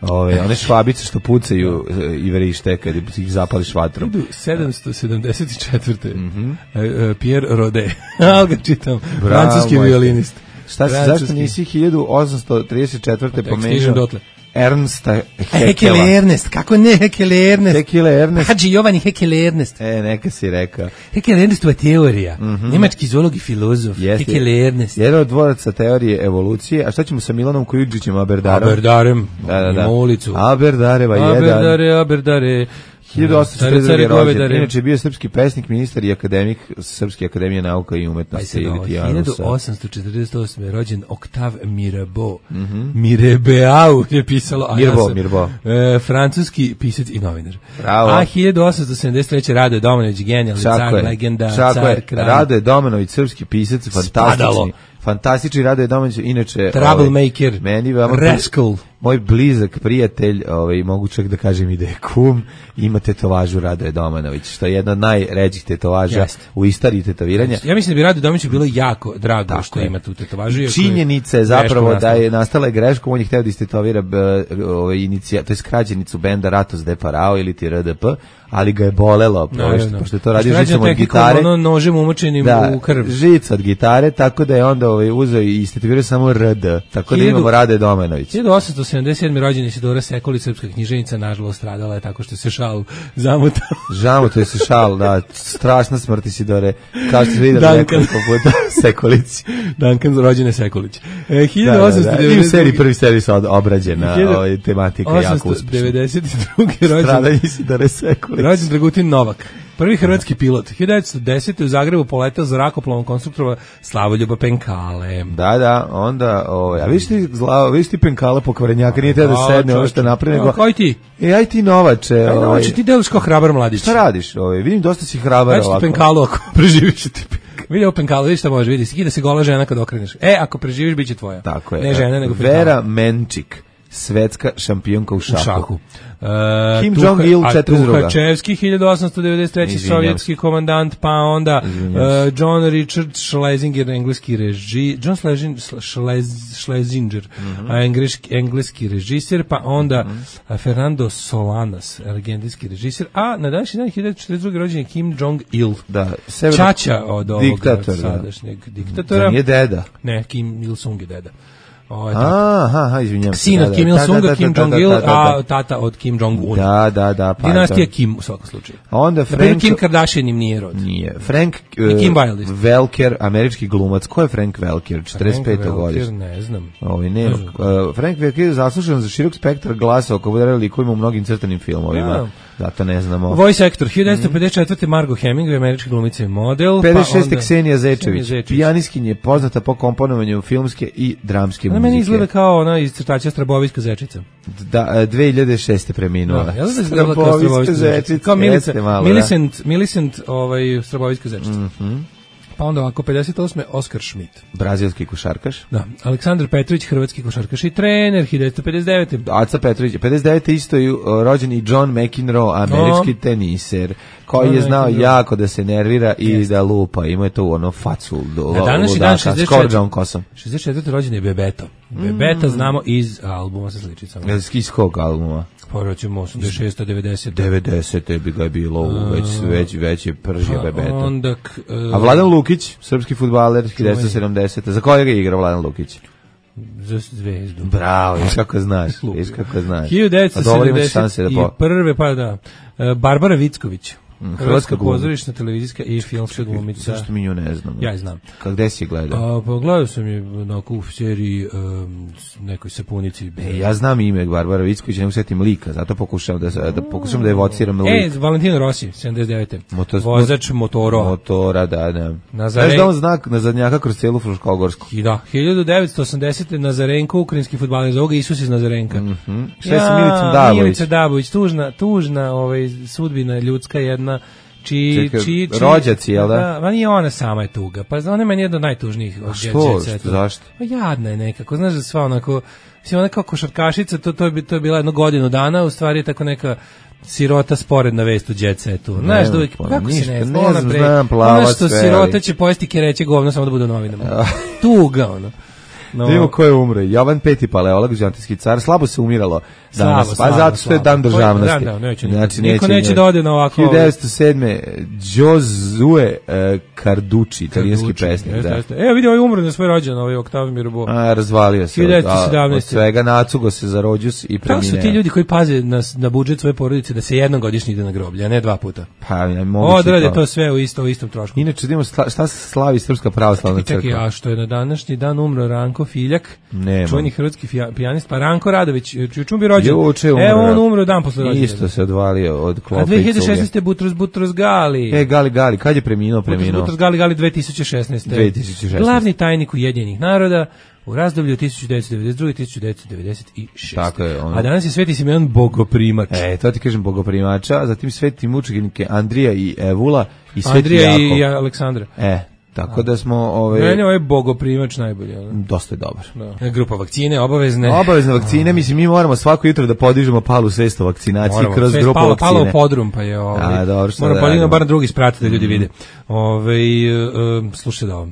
Ove, one švabice što pucaju e, i verište kad ih zapališ vatrom. hiljadu sedamsto sedamdeset četvrte. Mm-hmm. uh, Pierre Rode. Ali ga čitam. Bravo, Francuski majte. violinist. Šta si, Francuski. zašto nisi hiljadu osamsto trideset četvrte Pa tek stižem pomenuo dotle. Ernsta Hekele Hekela? Ernest, kako ne Hekele Ernest? Hekele Ernest. Hadži Jovani Hekele Ernest. E, neka si rekao. Hekele Ernestova teorija. Mm-hmm. Nemački zoolog i filozof. Jeste. Hekele Ernest. Jedan od dvoraca teorije evolucije. A šta ćemo sa Milanom Kujundžićem Aberdarom? Aberdarem. Da, da, da. Na ulicu. Aberdareva jedan. Aberdare, Aberdare. hiljadu osamsto četrdeset Care, druge. care, rođen. govedare. Inače je bio srpski pesnik, ministar i akademik Srpske akademije nauka i Pa umetnosti. se ili ovo, ti Janusa. hiljadu osamsto četrdeset osme. rođen Octave Mirabeau. Mm-hmm. Mirebeau je pisalo. A Mirbeau, ja sam, Mirbeau. E, francuski pisac i novinar. Bravo. A hiljadu osamsto sedamdeset treće. Rado je Domanović, genijalni Tako car, je. legenda, Tako car, je. kralj. Rado je Domanović, srpski pisac, Spadalo. fantastični. Fantastični Rado je Domanović, inače... Troublemaker, ovaj, meni veoma rascal. Moj blizak prijatelj, ovaj, mogu čak da kažem i da je kum, ima tetovažu Rado je Domanović, što je jedna od najređih tetovaža Jeste. u istoriji tetoviranja. Ja mislim da bi Rado Domanoviću bilo jako drago Tako što je. ima tu tetovažu. iako je Činjenica je zapravo greškom da je nastala. nastala je greška, on je hteo da istetovira b, ovaj, inicija, to je skraćenicu benda Ratos de Parao ili ti R D P, ali ga je bolelo, pošto, pošto je to radio žicom od gitare. Ono nožem umočenim Da, u krv. žica od gitare, tako da je onda ovaj, uzeo i istetovirao samo R D, tako da Hiljadu- imamo Rade Domanović. hiljadu osamsto sedamdeset sedme. rođen Isidora Sekolić, srpska književnica, nažalost stradala je tako što se šal zamutao. Žamo, to je se šal, da, strašna smrt Isidore, kao što ste vidjeli Duncan. nekoliko puta Sekolić. Duncan, rođene Sekolić. E, Da, da, hiljadu da. osamsto devedeset druge. I u seriji, prvi seriji se od- obrađena Hiljadu- ovaj, tematika jako osamsto uspešna. devedeset druge. rođen, Stradanje Isidore Sekolić. rođen Dragutin Novak. Prvi hrvatski pilot. hiljadu devetsto desete. u Zagrebu poletao zrakoplovom konstruktora Slavoljuba Penkale. Da, da, onda, ovaj, a viš ti, zla, viš ti Penkala pokvarenjaka, nije teo da A, sedne ono što čovječe. napravi, A, nego, kao i ti. e, aj ti Novače, Aj, ovaj, Novače, ti deliš kao hrabar mladić. šta radiš, ovaj, vidim dosta si hrabar Daj ću ti ovako. Penkalu ako preživiš ti Penkalo. Vidi ovo Penkalu, vidi šta može, vidi, skida se gola žena kad okreneš. E, ako preživiš, bit će tvoja. Tako je. Ne žena, nego Penkala. Vera Menčik, svetska šampionka u U šahu. šahu. Uh, Kim Tuha- Jong-il, a četrdeset druga. Tuhačevski, hiljadu osamsto devedeset treće. Izvinjam sovjetski komandant, pa onda Izvinjam uh, John Richard Schlesinger, engleski reži, John Schlesinger, Schlez, Schlesinger Mhm. a engleski, engleski režiser, pa onda uh, Fernando Solanas, argentinski režiser, a na današnji dan hiljadu devetsto četrdeset druge. rođen je Kim Jong-il. Da, severno- Čača od ovog Diktator, da. sadašnjeg diktatora. Da nije deda. Ne, Kim Il-sung je deda. Ovo je Aha, aha, izvinjam se. sin da, od da, Kim da, da, Il-sunga, da, Kim da, da, Jong-il, da, da, da. a tata od Kim Jong-un. Da, da, da, pa Dinastija to- Kim u svakom slučaju. A onda Na primjer, Frank... Kim Kardashian im nije rod. Nije. Frank I Kim uh, Wilde isto. Welker, američki glumac. Ko je Frank Welker? četrdeset pete Frank Welker, godište. ne znam. Ovaj nema. Ne znam. Uh, Frank Welker je zaslužen za širok spektar glasa oko bude likovima u mnogim crtanim filmovima. Da. Zato ne znamo. Voice actor, hiljadu devetsto pedeset četvrte. Margot Hemingway, američka glumica i model. pedeset šeste. pa onda- Ksenija Zečević. Ksenija Zečević. Pijaniskinja je poznata po komponovanju filmske i dramske Ona muzike. meni izgleda kao ona iz crtača Strabovijska zečica. Da, e, dve hiljade šeste preminula. Da, ja znam da izgleda kao Strabovijska zečica. Kao Milica, jeste malo, da. Millicent, Millicent, ovaj, Strabovijska zečica. Mhm. Pa onda ovako, pedeset osme Oskar Schmidt. Brazilski košarkaš. Da, Aleksandar Petrović, hrvatski košarkaš i trener, hiljadu devetsto pedeset devete. Aca Petrović, pedeset devete isto je uh, rođen i John McEnroe, američki no. teniser, koji John je znao McEnroe. Jako da se nervira i Jest. Da lupa. Ima je to ono facu do na današnji dan šezdeset četvrte rođen je Bebeto. Bebeta mm. znamo iz albuma sa sličicama. Iz kog albuma? Poraćemo osamdeset šeste devedeset devedesete bi ga bilo uh, već već već je pržio pa Bebeto. Onda uh, a Vladan Lukić, srpski fudbaler hiljadu devetsto sedamdesete. Za kojega je igrao Vladan Lukić? Za Zvezdu. Bravo, viš kako znaš, viš kako znaš. hiljadu devetsto sedamdeset i prve, pa da, Barbara Vicković. Hrvatska pozorišna, televizijska i filmska glumica. Zašto mi nju ne znam? Ja je znam. Gde si gledao? A, pa gledao sam je na u seriji um, nekoj sapunici. E, ja znam ime Barbara Vicković, ne usetim lika, zato pokušavam da, da pokušam da evociram lik. E, Valentino Rossi, sedamdeset devete. Motor, vozač Motoro. Motora, da, da. Nazaren... Znaš da on znak na zadnjaka kroz celu Fruškogorsku? I da, hiljadu devetsto osamdesete. Nazarenko, ukrajinski fudbaler, zove ga Isus iz Nazarenka. Mm -hmm. Šta je sa Milicom Dabović? Milica Dabović, tužna, tužna ovaj, sudbina ljudska jedna. Či, Čekaj, či, či, rođaci, jel da? Da, ma nije ona sama je tuga. Pa ona je meni jedna od najtužnijih. A što? što zašto? Pa jadna je nekako. Znaš da sva onako, mislim, ona kao košarkašica, to, to, je, to je bila jedno godinu dana, u stvari je tako neka sirota sporedna vest u Jet Setu. Znaš da uvijek, kako ništa, se ne zna, ona pre, ona što sirota će pojesti kereće govno samo da bude u novinama. Tuga, ono. No. Vidimo ko je umre. Jovan peti paleolog, vizantijski car, slabo se umiralo danas, slabo, pa slabo, zato što je dan državnosti. Dan, da, neće, znači, niko neće, neće da ode na ovako... hiljadu devetsto sedme. Josue uh, Carducci, italijanski pesnik. Da. Evo vidi, ovaj umre na svoj rođen, ovaj Octave Mirabo. A, razvalio se. hiljadu devetsto sedamnaeste. Od svega nacugo se za rođus i premine. Kako su ti ljudi koji paze na, na budžet svoje porodice da se jednom godišnje ide na groblje, a ne dva puta? Pa, ja moguće odrade to. to sve u, isto, u istom trošku. Inače, da šta se slavi Srpska pravoslavna crkva? Čekaj, a što je na današnji dan umro Ranko Filjak, Nema. čuveni hrvatski pijanist, pa Ranko Radović, juče bi rođen. Evo on umro dan posle rođendana. Isto se odvalio od klope. A dve hiljade šesnaeste. Butros Butros Gali. E, Gali Gali, kad je preminuo, preminuo? Butros Butros Gali Gali dve tisuće šesnaeste. dve tisuće šesnaeste. Glavni tajnik Ujedinjenih naroda u razdoblju od tisuću devetsto devedeset druge. do tisuću devetsto devedeset šeste. Tako je. Ono. A danas je Sveti Simeon Bogoprimač. E, to ti kažem Bogoprimača, zatim Sveti mučenike Andrija i Evula i Sveti Andrija Jakov. i Aleksandra. E, tako da smo... Ove... Mene ovaj Bogoprimač najbolje. Ali? Dosta je dobar. Da. Grupa vakcine, obavezne. Obavezne vakcine, mislim, mi moramo svako jutro da podižemo palu svest o vakcinaciji moramo, kroz grupu palo, vakcine. Palo podrum, pa je ovaj... A, dobro, moramo palino bar drugi sprati da ljudi mm. vide. Ove, uh, slušaj da ovo.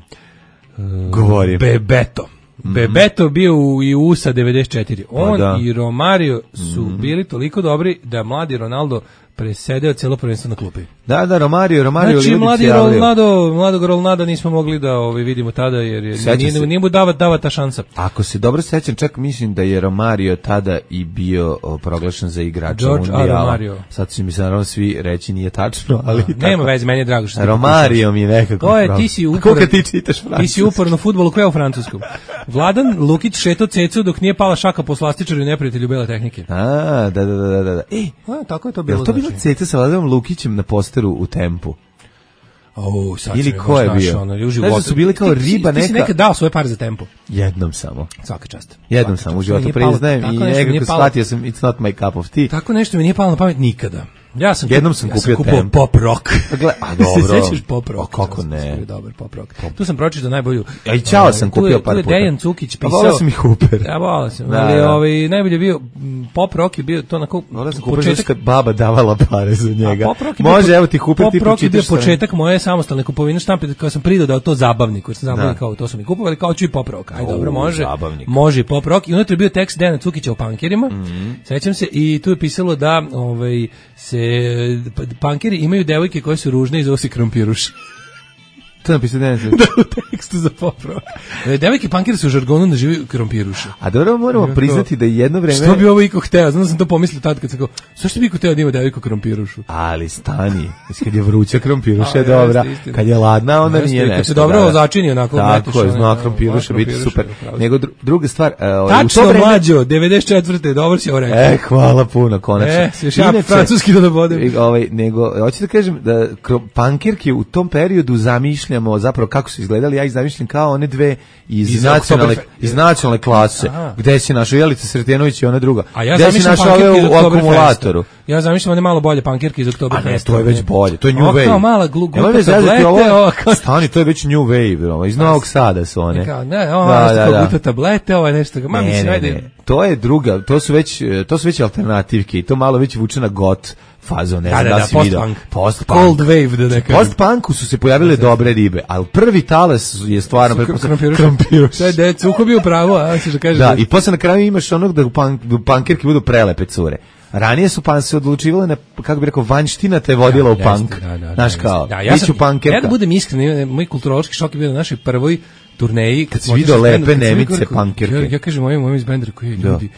Uh, Govori. Bebeto. Mm. Bebeto bio u i u sa devedeset četiri. On pa i Romario su mm. bili toliko dobri da mladi Ronaldo presedeo celo prvenstvo na klupi. Da, da, Romario, Romario znači, mladi Ronaldo, mladog Ronalda nismo mogli da ovaj, vidimo tada, jer, jer nije, nije mu dava, dava ta šansa. Ako se dobro sećam, čak mislim da je Romario tada i bio o, proglašen za igrača Mundijala. Sad će mi se naravno svi reći nije tačno, ali... Da, nema veze, meni je drago što... Romario mi je nekako... To je, ti si uporno... ti čitaš francuski? Ti si uporno futbolu koja u francuskom. Vladan Lukić šeto cecu dok nije pala šaka po slastičaru i neprijatelju bele tehnike. A, da, da, da, da. E, a, tako je to bilo. Je to bilo ceca sa Vladanom Lukićem na posteru u Tempu? Oh, sad ili ko je bio? Ono, znaš da su bili kao ti, riba ti, neka... Ti si nekad dao svoje pare za Tempo? Jednom samo. Svaka čast. Jednom sam u životu priznajem i nekako shvatio sam it's not my cup of tea. Tako nešto mi nije palo na pamet nikada. Ja sam jednom sam ja kupio sam Tempo. Pop rock. Gle, a dobro. Se sećaš pop rock? O, kako ne? Dobar pop rock. Pop. Tu sam pročitao najbolju. Ja i Ćao sam kupio par puta. Tu je Dejan Cukić pisao. A volao sam i Hooper. Ja volao sam. Da, ali da. Ovaj najbolje bio pop rock je bio to onako početak kad baba davala pare za njega. Može, evo ti Hooper ti pročitaš. Pop rock je bio početak moje samostalne kupovine štampe kada sam pridodao to zabavnik, koji sam zabavnik kao to su mi kupovali kao ću i pop rock. Aj dobro, može. Može pop rock i unutra je bio tekst Dejana Cukića o pankerima. Sećam se i tu je pisalo da ovaj se pankeri imaju devojke koje su ružne i zove se krompiruši. To napisao Dejan Cukić. Da, u tekstu za pop rock. Devojke pankeri su u žargonu nazivaju krompiruše. A dobro moramo ja, priznati da jedno vreme... Što bi ovo iko hteo? Znam da sam to pomislio tad kad sam kao, zašto bi iko hteo da ima devojku krompirušu? Ali stani, kad je vruća krompiruša je dobra, kad je ladna onda nije nešto. Kad se dobro ozačini onako. Tako je, zna krompiruša biti super. Nego druga stvar... Tačno mlađo, devedeset četvrte dobro si ovo rekao. E, hvala puno, konačno. E, si još ja francuski da dobodem. Nego, hoću da kažem da pankirke u tom periodu zamišljaju zamišljamo zapravo kako su izgledali, ja ih zamišljam kao one dve iz, Iz nacionalne, Oktoberfe- iz nacionalne klase, Aha. gde si našao Jelica Sretenović i ona druga. A ja gde si zamišljam našao ove pankirke iz u Oktoberfesta. akumulatoru. Ja zamišljam one malo bolje pankirke iz A Oktoberfesta. ne, to je već bolje, to je New Ovo Wave. kao mala glu- Nemoj me glupa zezati, tablete, ovo- ovo kao- Stani, to je već New Wave, ovo, iz Novog Sada su one. Kao, ne, ovo da, nešto kao guta tablete, ovo je nešto. Ma, Ne, mislim, ne, ajde. ne. To je druga, to su već e, to su već alternativke i to malo već vuče na got fazon, ne Da, znam da, da, da, si video. post-punk. Post-punk. Cold wave, da ne kažem. Post-punku su se pojavile dobre ribe, ali prvi talas je stvarno Krampiruša. Krampiruša. Sve decu, uko bio pravo, a se da kaže. Da, i posle na kraju imaš onog da punk, pankirke budu prelepe cure. Ranije su pan se odlučivale na, kako bi rekao, vanština te vodila u Jeste, punk. da, da, Znaš da, kao, da, ja biću sam, pankirka. ja da budem iskren, moj kulturološki šok je bio na našoj prvoj turneji. Kad si smo video otišli s lepe bendom, kad sam Nemice rekao, pankirke. Ja, ja kažem mojim, mojim iz benda, koji Da. ljudi,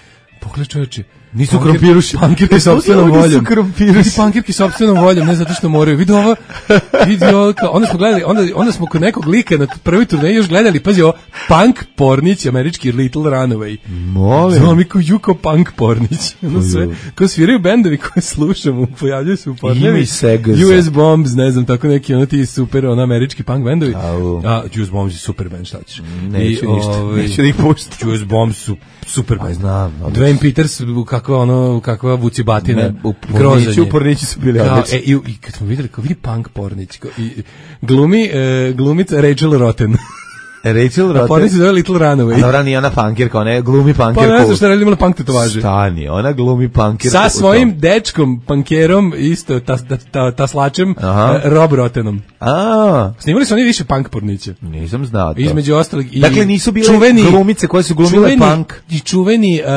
pogledaj čoveče, Nisu pankir- krampiruši. Pankirke sa opstvenom Oni su voljom. krampiruši. Vidi pankirke sa opstvenom voljom, ne zato što moraju. Vidi ovo, vidi ovo, kao, onda smo gledali, onda, onda smo kod nekog lika na prvoj turneji još gledali, pazi ovo, punk pornić, američki Little Runaway. Molim. Znamo mi kao Juko Punk Pornić. Ono sve, kao sviraju bendovi koje slušamo, pojavljaju se u Ima pornevi. i Segaza. U S Bombs, ne znam, tako neki, ono ti super, ono američki punk bendovi. Au. A, U S Bombs je super band, šta ćeš? Neću ništa, ovaj, neću da ih puštam. U S Bombs su super band. znam, ali- Dwayne Peters, kakva ono, kakva vucibatina. Ne, u grozan Porniću, je. u Porniću su bili Kao, odlični. e, i, i kad smo videli, kao vidi punk Pornić, kao, i, glumi, e, glumica Rachel Rotten. Rachel A Rotten. Pornić se zove Little Runaway. Dobra, nije ona pankirka, ona je glumi Pa pankirku. ne znam šta radi, imala punk tetovaže. Stani, ona glumi pankirku. Sa u tom. svojim dečkom, pankerom, isto, ta, ta, ta, taslačem, Aha. e, Rob Rottenom. A, Snimali su oni više punk porniće. nisam znao to. Između ostalog i Dakle, nisu bile čuveni, glumice koje su glumile čuveni, punk. I čuveni uh,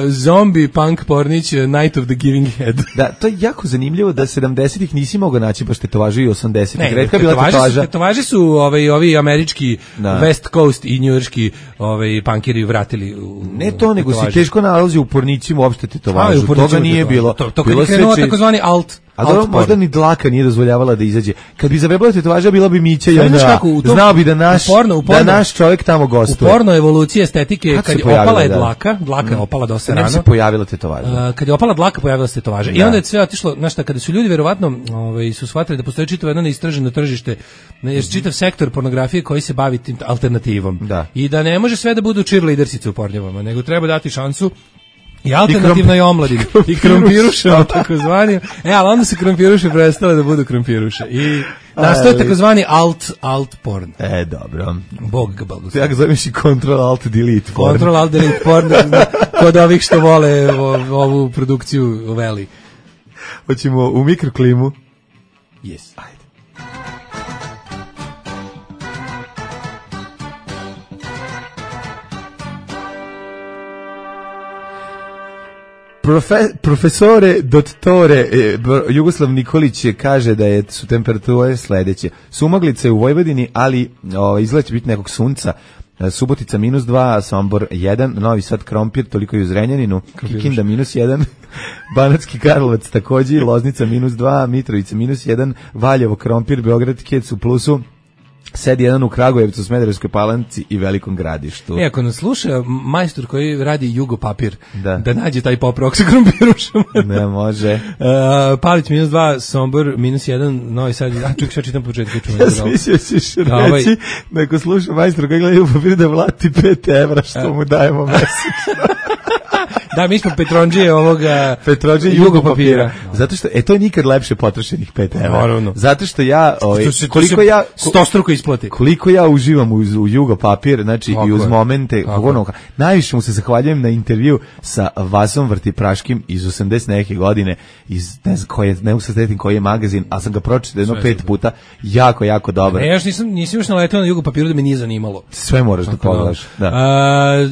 zombi punk pornić uh, Night of the Giving Head. Da, to je jako zanimljivo da sedamdesetih nisi mogao naći baš tetovaže i osamdesetih. Ne, Retka je bila tetovaže su, tetovaža. tetovaže su ovaj, ovi američki Da. West Coast i njujorški ovaj, punkeri vratili u, Ne to, nego si tetovaže. teško nalazi u pornićima uopšte A, i tetovažu. u pornićima Toga nije tetovaže. bilo. To, to kad Bilo je sve krenuo či- takozvani alt, A alt dobro, možda porn. ni dlaka nije dozvoljavala da izađe. Kad bi zavrebala tetovaža, bila bi Mića i Znaš onda. kako, u tom- Znao bi da naš, u porno- u da porno- naš čovjek tamo U gostuje. porno evolucije estetike, Kad kad se je pojavila, opala je da. dlaka, dlaka je opala dosta Kad nam rano. se pojavila tetovaža. Uh, kad je opala dlaka, pojavila se tetovaža. I Da. onda je sve otišlo, znaš šta, kada su ljudi verovatno ovaj, su shvatili da postoji čitavo jedno neistraženo tržište, ne, čitav sektor pornografije koji se bavi tim alternativom. Da. I da ne može sve da budu cheerleadersice u pornjevama, nego treba dati šansu i alternativnoj omladini. I krompirušama, takozvani. E, ali onda su krompiruše prestale da budu krompiruše. I nastoje Ali- takozvani alt, alt porn. E, dobro. Bog ga blagoslov. Ja ga zoveš i Control Alt Delete. porn. Control Alt Delete porn, kod ovih što vole o- ovu produkciju Veli. Hoćemo u mikroklimu. Yes. Ajde. Profe, profesore, dottore, e, br- Jugoslav Nikolić je kaže da je, su temperature sledeće. Sumaglice u Vojvodini, ali o, izgleda će biti nekog sunca. E, Subotica minus dva, Sombor jedan, Novi Sad Krompir, toliko i u Zrenjaninu, Kikinda minus jedan, Banatski Karlovac takođe, Loznica minus dva, Mitrovica minus jedan, Valjevo Krompir, Beograd Kec u plusu, Sed jedan u Kragujevcu, Smederevskoj Palanci i Velikom Gradištu. E, ako nas sluša majstor koji radi Jugo papir, Da. da nađe taj pop rock sa krompirušama. Ne može. Uh, Palić minus dva, Sombor minus jedan, Novi Sad, a ček, šta čitam početku. Čujem, Ja sam mislio ćeš Da, ovaj- reći da ako sluša majstor koji gleda u papir da vlati pet evra što mu dajemo mesečno. Da, mi smo Petronđije ovoga Petrođe i Jugo papira. Zato što, e, to je nikad lepše potrošenih pet evra. Naravno. Zato što ja, ovaj, To se- to koliko se ja, stostruko isplati. koliko ja uživam uz, u Jugo papir, znači Tako i uz je. momente, Tako ono, najviše mu se zahvaljujem na intervju sa Vasom Vrtipraškim iz osamdeset neke godine, iz, ne znam koji je, ne mogu se sjetim koji je magazin, ali sam ga pročitao jedno Sve pet super. puta, jako, jako dobro. Ne, ja još nisam, nisam još naletao na Jugo papiru da me nije zanimalo. Sve moraš da Tako pogledaš. Da. A,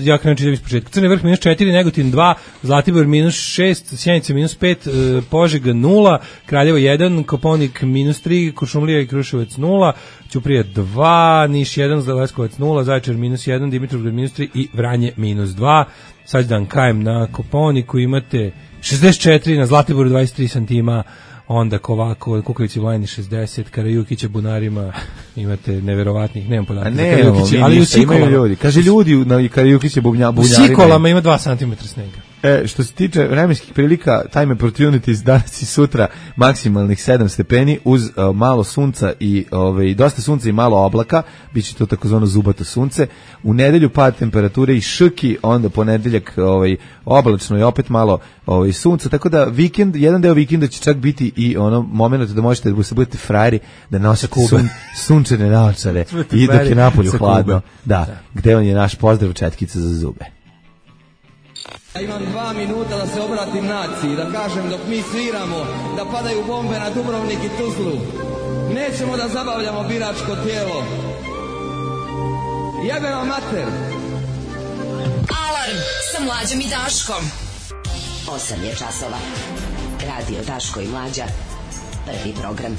ja krenem čitam iz početka. Crni vrh minus četiri, Negotin dva, Zlatibor minus šest, Sjenica minus pet, e, Požega nula, Kraljevo jedan, Koponik minus tri, Kuršumlija i Kruševac nula, Ćuprija dva, Niš jedan, Leskovac nula, Zaječar minus jedan, Dimitrovgrad minus tri i Vranje minus dva. Sad dan kajem na Koponiku imate šezdeset četiri, na Zlatiboru dvadeset tri santima, onda Kovako, Kukavici Vlajni šezdeset, Karajukića Bunarima imate neverovatnih, nemam A podataka. za ne, Karajukiće, ali u ništa, imaju Cikolama. ljudi. Kaže ljudi, na Karajukić je bubnja, U bunjarima. Cikolama ima dva centimetra snega. E, što se tiče vremenskih prilika, time opportunities danas i sutra maksimalnih sedam stepeni uz uh, malo sunca i ovaj dosta sunca i malo oblaka, biće to takozvano zubato sunce. U nedelju pad temperature i šrki, onda ponedeljak ovaj oblačno i opet malo ovaj sunca, tako da vikend, jedan deo vikenda će čak biti i ono momenat da možete da se budete frajeri, da nosite sun, sunčane naočare i dok je napolju hladno. Da, da, gde on je naš pozdrav četkica za zube. Ja imam dva minuta da se obratim naciji, da kažem dok mi sviramo, da padaju bombe na Dubrovnik i Tuzlu. Nećemo da zabavljamo biračko tijelo. Jebe vam mater! Alarm sa Mlađom i Daškom. osam je časova. Radio Daško i Mlađa. Prvi program.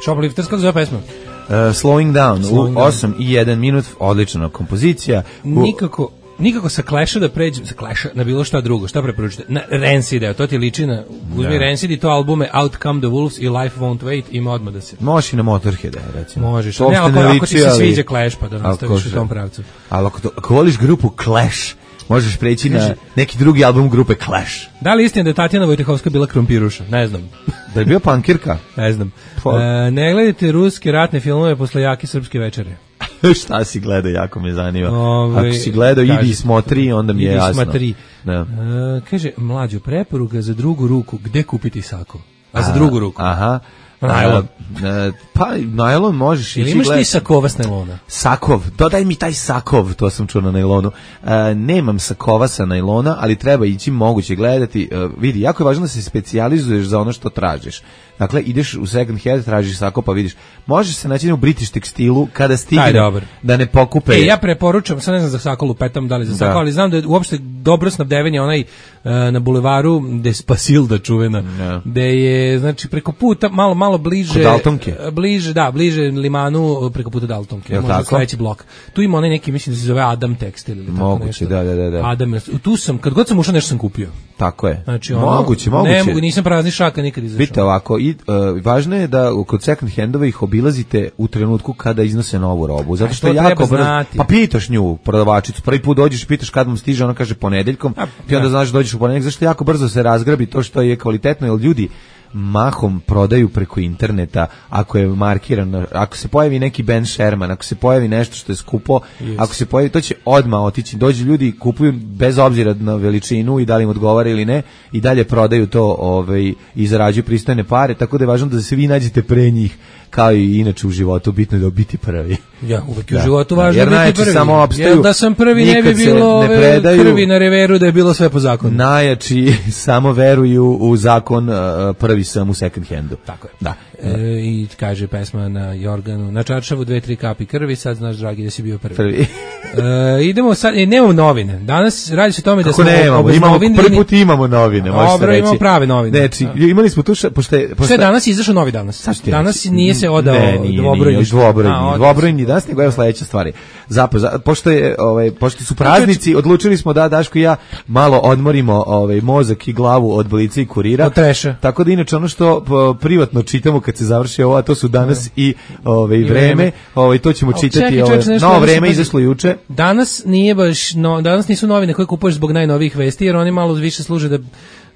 Shoplifters, kako zove pesma? Uh, slowing down, slowing u osam i jedan minut, odlična kompozicija. U... Nikako... Nikako sa Clash-a da pređem, sa Clash-a na bilo šta drugo, šta preporučite? Na Rancid, to ti liči na, uzmi Rancid i to albume Out Come the Wolves i Life Won't Wait, ima odmah da se... Možeš i na Motorhead, recimo. Možeš, ne, ako, ne ako ti se sviđa Clash, pa da nastaviš u tom pravcu. Ali ako, to, ako voliš grupu Clash, možeš preći na neki drugi album grupe Clash. Da li istina da je Tatjana Vojtehovska bila krompiruša? Ne znam. Da je bio punkirka? Ne znam. E, ne gledajte ruske ratne filmove posle jake srpske večere. Šta si gledao, jako me zanima. Ove, Ako si gledao, idi i smotri, onda mi je idi jasno. Smatri. Da. E, kaže, Mlađo, preporuka za drugu ruku, gde kupiti sako? A za drugu ruku? Aha. Najlon. A, pa, najlon možeš ili ići imaš gled... ti sakova s najlona? Sakov, dodaj mi taj sakov, to sam čuo na najlonu. A, nemam sakova sa najlona, ali treba ići moguće gledati. A, vidi, jako je važno da se specijalizuješ za ono što tražiš. Dakle, ideš u second hand, tražiš sako, pa vidiš. Možeš se naći u British tekstilu kada stigne da ne pokupe. E, ja preporučam, sad ne znam za sako lupetam, da li za sako, da. Ali znam da je uopšte dobro snabdevanje onaj uh, na bulevaru Despasilda čuvena, yeah. Gde je, znači, preko puta, malo, malo bliže... Kod Daltonke? Bliže, da, bliže limanu, preko puta Daltonke. Je možda sledeći blok. Tu ima onaj neki, mislim da se zove Adam Tekstil ili tako moguće, nešto. Da, da, da. Adam, tu sam, kad god sam ušao, nešto sam kupio. Tako je. Znači, ono, moguće, moguće. Ne mogu, nisam prazni šaka nikad izašao. Vidite ovako, i, uh, važno je da kod second handova ih obilazite u trenutku kada iznose novu robu. Zato što je jako brzo. Pa pitaš nju, prodavačicu, prvi put dođeš i pitaš kad vam stiže, ona kaže ponedeljkom, a, ti onda znaš da dođeš u ponedeljak, zašto jako brzo se razgrabi to što je kvalitetno, jer ljudi mahom prodaju preko interneta, ako je markiran, ako se pojavi neki Ben Sherman, ako se pojavi nešto što je skupo, yes. Ako se pojavi, to će odmah otići, dođu ljudi, kupuju bez obzira na veličinu i da li im odgovara ili ne, i dalje prodaju to ovaj, i zarađuju pristojne pare, tako da je važno da se vi nađete pre njih, kao i inače u životu, bitno je da biti prvi. Ja, uvek u životu važno jer biti prvi. Samo opstaju, jer da sam prvi ne bi bilo ne predaju, krvi na reveru, da je bilo sve po zakonu. Najjači samo veruju u zakon, uh, prvi sam u second handu. Tako je. Da. E, I kaže pesma na Jorganu, na čaršavu dve, tri kapi krvi, sad znaš, dragi, da si bio prvi. Prvi. e, idemo sad, e, nemamo novine. Danas radi se o tome da kako smo nemamo, imamo, prvi put imamo novine, možeš se reći. Imamo prave novine. Znači, imali smo tu, šta, pošto je... Pošto je danas izašao novi danas. Danas nije se odao dvobrojni. Dvobrojni, dvobrojni danas, nego evo sledeća stvar je. Zapravo, pošto, je, ovaj, pošto su praznici, odlučili smo da Daško i ja malo odmorimo ovaj, mozak i glavu od Blica i Kurira. Od treša. Tako da inače ono što privatno čitamo kad se završi ovo, a to su danas i ovaj, vreme, ovaj, to ćemo čitati. Ovaj, novo vreme izašlo juče. Danas nije baš, no, danas nisu novine koje kupuješ zbog najnovijih vesti, jer oni malo više služe da...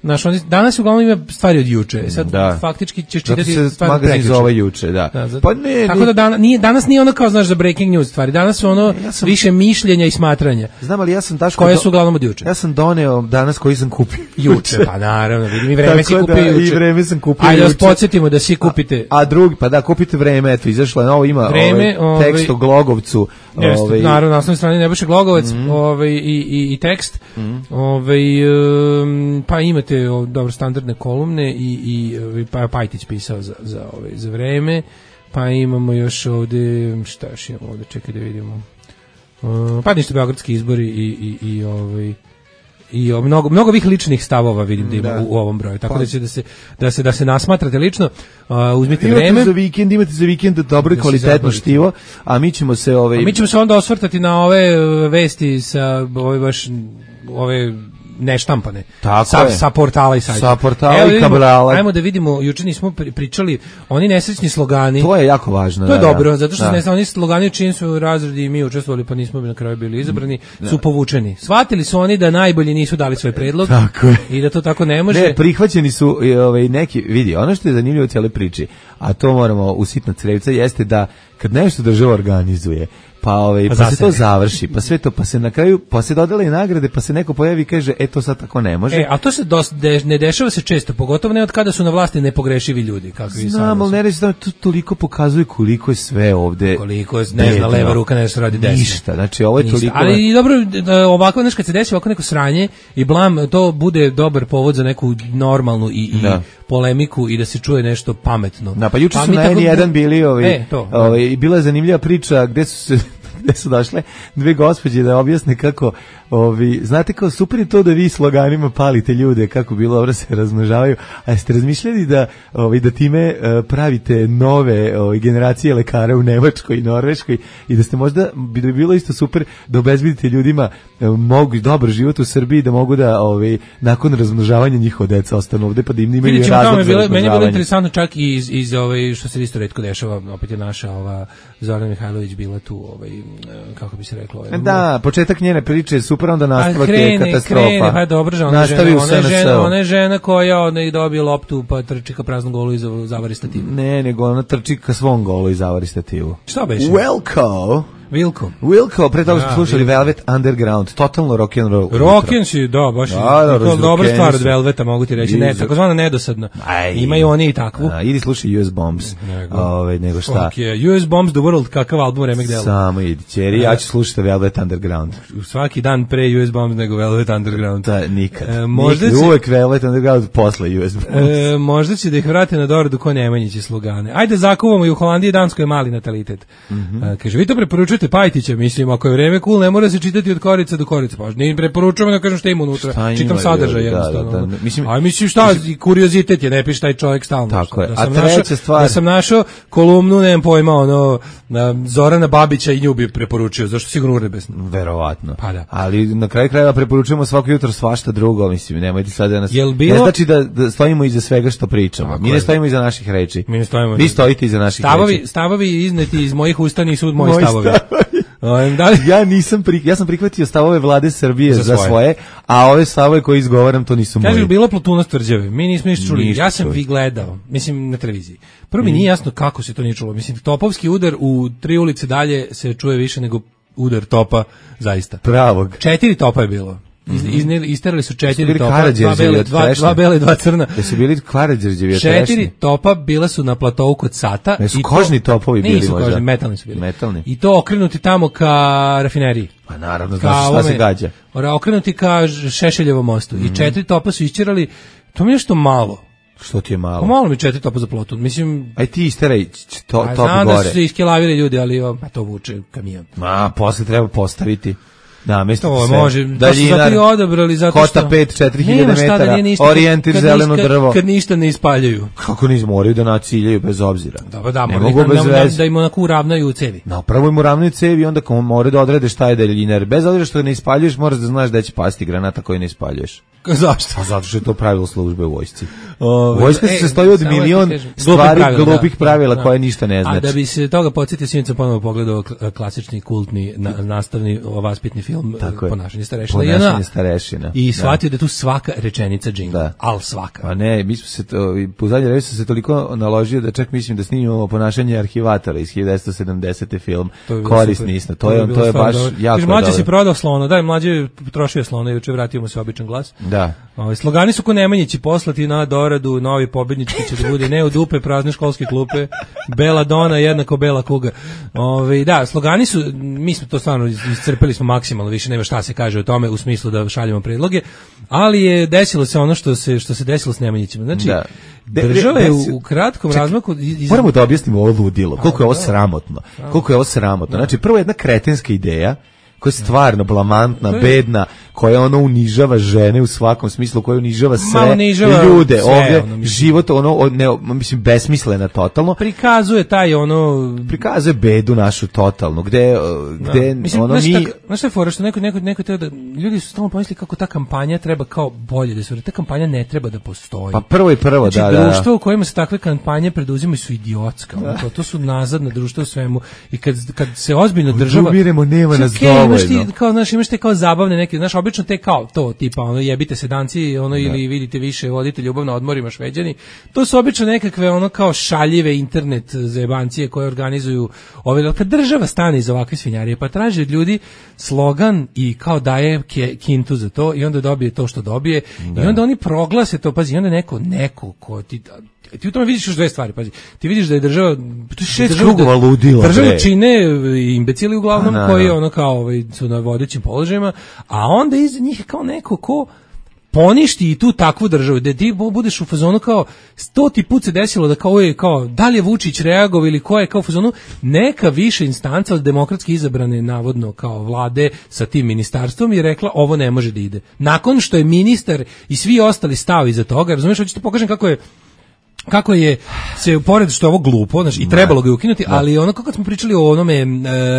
Naš, on, danas uglavnom ima stvari od juče. Sad da. Faktički ćeš čitati se stvari od prekjuče. Zove juče, da. da zato, pa ne, tako da dan, nije, danas nije ono kao, znaš, za breaking news stvari. Danas su ono ja sam, više mišljenja i smatranja. Znam, ali ja sam Daško... Koje su uglavnom od juče. Ja sam doneo danas koji sam kupio. Juče, pa naravno. Vidim, i vreme si kupio da, juče. I vreme sam kupio Ajde, juče. Ajde, podsjetimo da svi kupite... A, a drugi, pa da, kupite vreme, eto, izašlo je novo, ima vreme, ovaj, tekst o Glogovcu. Jeste, ovaj, naravno, na osnovnoj strani Nebojša Glogovac, mm. ovaj, i, i, i tekst. Mm. Ovaj, um, pa imate o, dobro, standardne kolumne i, i pa Pajtić pisao za, za, ovaj, za vreme, pa imamo još ovde, šta još imamo ovde, čekaj da vidimo, uh, pa ništa, beogradski izbori i, i, i ovaj, i o, mnogo mnogo ovih ličnih stavova vidim da ima da. U, u ovom broju, tako pa. da će da se da se da se nasmatrate lično, uh, uzmite imate vreme za vikend, imate za vikend dobro i da kvalitetno štivo, a mi ćemo se ovaj a mi ćemo se onda osvrtati na ove vesti sa ove baš ove neštampane. Tako sa, je. sa portala i sajta. Sa portala Evo, i vidimo, kabrala. Ajmo da vidimo, juče nismo pri- pričali, oni nesrećni slogani. To je jako važno. To je da, dobro, da. zato što da. ne znam, oni slogani u čijim su razredi i mi učestvovali, pa nismo na kraju bili izabrani, su povučeni. Shvatili su oni da najbolji nisu dali svoj predlog. Tako je. I da to tako ne može. Ne, prihvaćeni su i, ovaj, neki, vidi, ono što je zanimljivo u cijeloj priči, a to moramo usitna crevca, jeste da kad nešto država organizuje, pa ovaj Pa pa, se zasede. to završi, pa sve to, pa se na kraju, pa se dodele i nagrade, pa se neko pojavi i kaže, e to sad tako ne može. E, a to se dos, de, ne dešava se često, pogotovo ne od kada su na vlasti nepogrešivi ljudi, kako i sada. Znam, ali ne reći da to toliko pokazuje koliko je sve ovde. Koliko je, ne zna, leva ruka ne se radi desna. Ništa, znači ovo je Ništa. toliko. Ali i dobro, da ovako, znaš, kad se desi ovako neko sranje i blam, to bude dobar povod za neku normalnu i, i Da. polemiku i da se čuje nešto pametno. Da, pa juče su mi na tako- N jedan bili ovaj, E, to, da. ovaj, i bila je zanimljiva priča gde su se gde su došle dve gospođe da objasne kako, ovi, znate kao super je to da vi sloganima palite ljude, kako bilo dobro se razmnožavaju, a jeste razmišljali da, ovi, da time e, pravite nove ovi, generacije lekara u Nemačkoj i Norveškoj i da ste možda, bi da bilo isto super da obezbedite ljudima e, mogu dobar život u Srbiji, da mogu da ovi, nakon razmnožavanja njihova deca ostanu ovde pa da im imaju Vidjet ćemo, tamo razlog je za bilo, meni je bilo razmnožavanje. interesantno čak i iz, iz ovaj, što se isto retko dešava, opet je naša ova Zorana Mihajlović bila tu, ovaj, e, kako bi se reklo, ovaj, Da, početak njene priče je super, onda a nastavak je krene, katastrofa. krene, pa dobro, žena, ona, Nastavi žena, u ona, je žena, S N S-u. ona je žena koja onda i dobije loptu pa trči ka praznom golu i za- zavari stativu. Ne, nego ona trči ka svom golu i zavari stativu. Šta beše? Wilco. Vilko. Wilco, pre toga smo Da, slušali Wilco. Velvet Underground, totalno rock and roll. Rocken si, da, baš Da, je da, to dobra razrokeni stvar od su. Velveta, mogu ti reći, ne, Izu- takozvana nedosadna. Aj. Imaju oni i takvu. A, idi slušaj U S Bombs. Nego. Ove, nego šta? Fuck yeah. U S Bombs the World, kakav album remek dela. Samo idi, ćeri, ja ću slušati Velvet Underground. Svaki dan pre U S Bombs nego Velvet Underground. Da, nikad. E, možda nikad. će- Uvek Velvet Underground posle U S Bombs. E, možda će da ih vrate na doradu ko Nemanjići slogane. Ajde zakuvamo i u Holandiji i Danskoj je mali natalitet. Mhm. E, kaže, vi to preporučujete Pajtića, mislim, ako je vreme cool, ne mora se čitati od korica do korica. Pa ne preporučujemo da kažem šta ima unutra. Šta ima, Čitam sadržaj da, jednostavno. da, da, mislim- A mislim šta, i kuriozitet je, ne piše taj čovjek stalno. Tako je. Da A sam treća našao, stvar- Da sam našao kolumnu, nemam pojma, ono, na Zorana Babića i nju bi preporučio, zašto sigurno urebesno. Verovatno. Pa da. Ali na kraju krajeva preporučujemo svako jutro svašta drugo, mislim, nemojte sad da nas... Jel bilo- Ne znači da, da stojimo iza svega što pričamo. Tako Mi ne je. stojimo iza naših reči. Mi ne stojimo Vi iza- stojite iza naših Stavovi, reči. stavovi izneti iz mojih usta nisu moji Moji stavovi. stavovi. Um, da li, Ja nisam pri, ja sam prihvatio stavove vlade Srbije Za za svoje. svoje, a ove stavove koje izgovaram to nisu Kaže, moji. bilo Plutuna tvrđave. Mi nismo ništa čuli. Ništa Ja sam čuli. vi gledao, mislim na televiziji. Prvo mi nije jasno kako se to nije čulo. Mislim, topovski udar u tri ulice dalje se čuje više nego udar topa, zaista. Pravog. Četiri topa je bilo. Iz, izne- isterali su četiri bili topa, dva Karađorđevi bele, od dva, trešnje? dva bele, dva crna. Jesu bili Karađorđevi od Četiri trešnje? topa bila su na platovu kod Sata. Jesu i to- kožni topovi bili Nisu možda? kožni, metalni su bili. Metalni. I to okrenuti tamo ka rafineriji. Pa naravno, Ka znaš šta se ovome- gađa. ora, okrenuti ka Ž- Šešeljevom mostu. I četiri topa su isčerali, to mi je nešto malo. Što ti je Pa malo? malo mi četiri topa za plotu. Mislim, Aj ti isteraj č- to, a top znam da gore. su se iskelavili ljudi, ali o, pa to vuče kamion. A, posle treba postaviti. Da, mesto To sve. može, to su Daljinar, zato i odabrali, zato što... Kota pet, četiri hiljade Nema šta da metara, nije ništa, orijentir kad- zeleno kad- drvo. Kad ništa ne ispaljuju. Kako niz moraju da naciljaju bez obzira. Dobro, da, ne moraju mogu da, bez da, da, veze. da im onako uravnaju cevi. Napravo im uravnaju cevi i onda kao moraju da odrede šta je daljiner. Bez obzira što ne ispaljuješ, moraš da znaš da će pasti granata koju ne ispaljuješ. Zašto? Pa zato što je to pravilo službe u vojsci. Ove, Vojska se e, sastoji od samo da ti milion kažem, stvari, pravila, glupih da, pravila da. koje ništa ne A znači. da bi se toga podsjetio, sinoć sam ponovo pogledao kl- klasični, kultni, na, nastavni, vaspitni film Tako je. Ponašanje starešina. Ponašanje I ona- starešina. I Da. shvatio da je tu svaka rečenica džingl. Da. Al svaka. Pa ne, mi smo se to, i po zadnje vreme sam se toliko naložio da čak mislim da snimamo Ponašanje arhivatora iz hiljadu devetsto sedamdesete film. To bi bilo Korisni super. isto. To je, bi to je bilo baš stvarno dobro. jako Kaže, mlađe dobro. si prodao slona, daj, mlađe je potrošio slona, juče vratio mu se običan glas. Da. Ovaj slogani su ko Nemanjići poslati na doradu, novi pobednički će da bude ne u dupe, prazne školske klupe, bela dona jednako bela kuga. Ovaj da, slogani su, mi smo to stvarno iscrpeli smo maksimalno, više nema šta se kaže o tome u smislu da šaljemo predloge, ali je desilo se ono što se što se desilo s Nemanjićima. Znači, Da. De- država de- je desi- u, u kratkom Čekaj, razmaku iz- Moramo da objasnimo ovo ludilo, koliko je ovo da. sramotno. Koliko je ovo sramotno. Znači, prvo jedna kretenska ideja koja je stvarno blamantna, bedna, koja ono unižava žene u svakom smislu, koja unižava sve unižava ljude, sve, ovdje ono, život ono ne, mislim besmislena totalno. Prikazuje taj ono prikazuje bedu našu totalnu, gde gde da. Mislim, ono znaš, mi tak, znaš šta je fora, što neko neko neko treba da ljudi su stalno pomislili kako ta kampanja treba kao bolje da se ta kampanja ne treba da postoji. Pa prvo i prvo znači, da da. Društvo u kojima se takve kampanje preduzimaju su idiotska. To, to su nazadna društva u svemu i kad kad se ozbiljno država umiremo nema nas okay, dovoljno. Imaš ti kao znaš, imaš te kao zabavne neke, znaš, obično te kao to tipa ono jebite se danci, ono da. Ili vidite više vodite ljubav na odmorima Šveđani. To su obično nekakve ono kao šaljive internet zajebancije koje organizuju ove, kad država stane iz ovakve svinjarije pa traži od ljudi slogan i kao daje ke, kintu za to i onda dobije to što dobije da. I onda oni proglase to, pazi, i onda neko neko ko ti ti u tome vidiš još dve stvari, pazi. Ti vidiš da je država to šest krugova ludila. Država čine imbecili uglavnom a, koji ono kao ovaj, su na vodećim položajima, a onda iza njih kao neko ko poništi i tu takvu državu, da ti budeš u fazonu kao stoti put se desilo da kao je kao da li je Vučić reagovao ili ko je kao u fazonu neka više instanca od demokratski izabrane navodno kao vlade sa tim ministarstvom je rekla ovo ne može da ide. Nakon što je ministar i svi ostali stao iza toga, razumiješ, hoćete pokažem kako je kako je se pored što je ovo glupo, znači i trebalo ga je ukinuti, da. Ali ono kako smo pričali o onome e,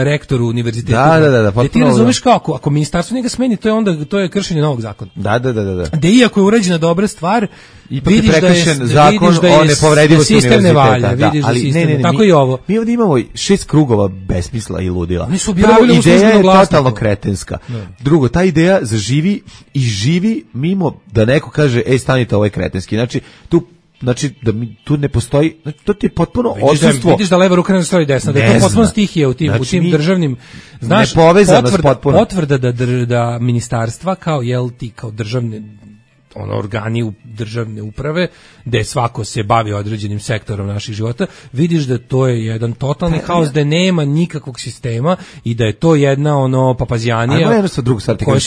rektoru univerziteta. Da, da, da, da, ti razumeš kako ako ministarstvo njega smeni, to je onda to je kršenje novog zakona. Da, da, da, da. Da iako je urađena dobra stvar, ipak je prekršen da je, zakon vidiš da je o nepovredivosti univerziteta. Valja, da, vidiš ali da ne, ne, ne, tako mi, i ovo. Mi ovdje imamo šest krugova besmisla i ludila. Oni su objavili u službenom glasniku. Ideja je totalno kretenska. Ne. Drugo, ta ideja zaživi i živi mimo da neko kaže ej stanite, ovo je kretenski. Znači tu Znači da mi tu ne postoji, znači to ti je potpuno odsustvo. Vidiš da leva ruka ne stoji desna, da je to potpuno stihija u tim znači, u tim državnim, znaš, potvrda, potvrda da da ministarstva kao jel ti kao državne ono organi u državne uprave gde svako se bavi određenim sektorom naših života, vidiš da to je jedan totalni pa, haos, da nema nikakvog sistema i da je to jedna ono papazijanija. Ajmo jednostavno drugu stvar, kako,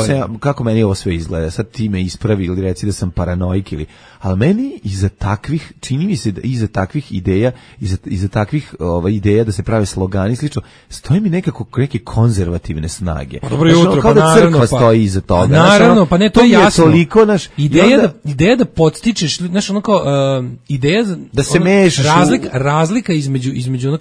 se, kako meni ovo sve izgleda, sad ti me ispravi ili reci da sam paranoik ili, ali meni iza takvih, čini mi se da iza takvih ideja, iza, iza takvih ovaj, ideja da se prave slogani slično, stoji mi nekako neke konzervativne snage. Pa dobro jutro, kao pa da crkva naravno, stoji iza toga. Pa naravno, pa ne, to je jasno. Toliko, naš, ideja, onda, da, ideja da podstičeš, znaš, ono kao, uh, ideja da se ono, mešaš razlika, razlika između, između ono,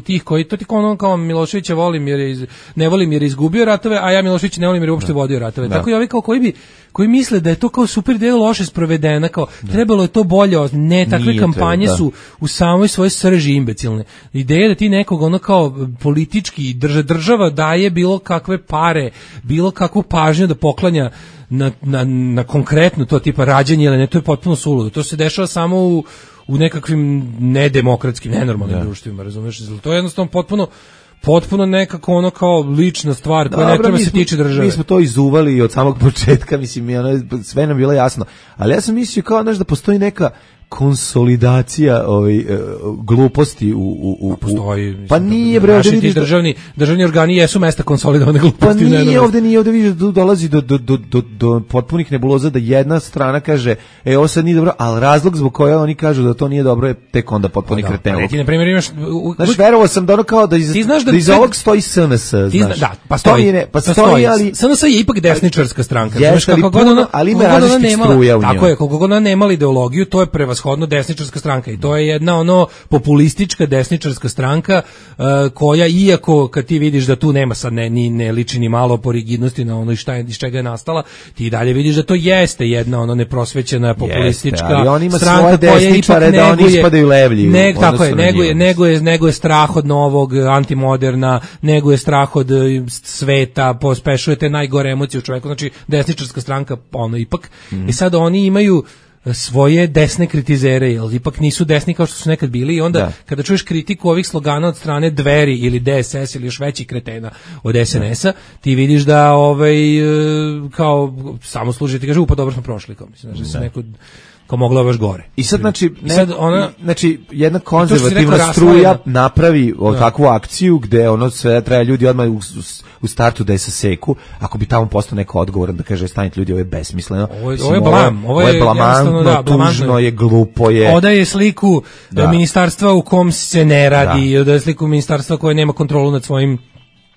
tih koji, to ti kao ono kao Miloševića volim jer je, iz, ne volim jer je izgubio ratove, a ja Miloševića ne volim jer je uopšte vodio ratove. Da. Tako i ovi kao koji bi, koji misle da je to kao super ideja loše sprovedena, kao da. Trebalo je to bolje, ne, takve nije kampanje treba, su u samoj svojoj srži imbecilne. Ideja da ti nekog ono kao politički drža, država daje bilo kakve pare, bilo kakvu pažnju da poklanja na, na, na konkretno to tipa rađanje ili ne, to je potpuno suludo. To se dešava samo u, u nekakvim nedemokratskim, nenormalnim ja. društvima, razumeš? To je jednostavno potpuno potpuno nekako ono kao lična stvar koja Dobre, ne treba se tiče države. Mi smo to izuvali od samog početka, mislim, ono, sve nam bilo jasno. Ali ja sam mislio kao, znaš, da postoji neka konsolidacija ovaj uh, gluposti u u u postoji pa nije bre ovdje vidiš državni državni organi jesu mesta konsolidovane gluposti. Pa nije ovdje nije ovdje vidiš da dolazi do do do do do potpunih nebuloza da jedna strana kaže e ovo sad nije dobro, al razlog zbog kojeg oni kažu da to nije dobro je tek onda potpuni kretenluk. Ti na primjer imaš znaš, verovao sam da ono kao da iz da, da iz ovog stoji S N S, znaš. Da, pa stoji, ne, pa stoji, ali S N S je ipak desničarska stranka, znaš kako god ona, ali ima različitih struja u njoj. Tako je, kako god ona nemala ideologiju, to je prevashodno desničarska stranka i to je jedna ono populistička desničarska stranka uh, koja iako kad ti vidiš da tu nema sad ne, ni, ne liči ni malo po rigidnosti na ono šta je, iz čega je nastala, ti dalje vidiš da to jeste jedna ono neprosvećena populistička jeste, ali on ima stranka koja ipak neguje, da oni ispadaju levlji. Ne, tako je, neguje, neguje, neguje strah od novog, antimoderna, neguje strah od sveta, pospešuje te najgore emocije u čoveku, znači desničarska stranka ono ipak. Mm. I sad oni imaju svoje desne kritizere, jer ipak nisu desni kao što su nekad bili i onda da. Kada čuješ kritiku ovih slogana od strane Dveri ili D S S ili još većih kretena od S N S-a, ti vidiš da ovaj, kao samo služi, ti kaže, upa dobro smo prošli, kao mislim, znači da se neko kao moglo baš gore. I sad znači ne, I sad ona, znači jedna konzervativna struja napravi o takvu akciju gde ono sve treba ljudi odmah u, u startu da je saseku, ako bi tamo postao neko odgovoran da kaže stanite ljudi, ovo je besmisleno. Ovo je, ovo je blam, ovo je, je blamantno, da, tužno je, glupo je. Odaje sliku da. ministarstva u kom se ne radi, da. Odaje sliku ministarstva koje nema kontrolu nad svojim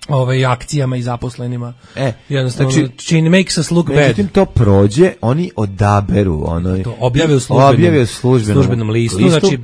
ovaj akcijama i zaposlenima. E, jednostavno znači, čini makes us look bad. Međutim, to prođe, oni odaberu, ono, to objave u službenom, objave u službenom, službenom listu, listu, znači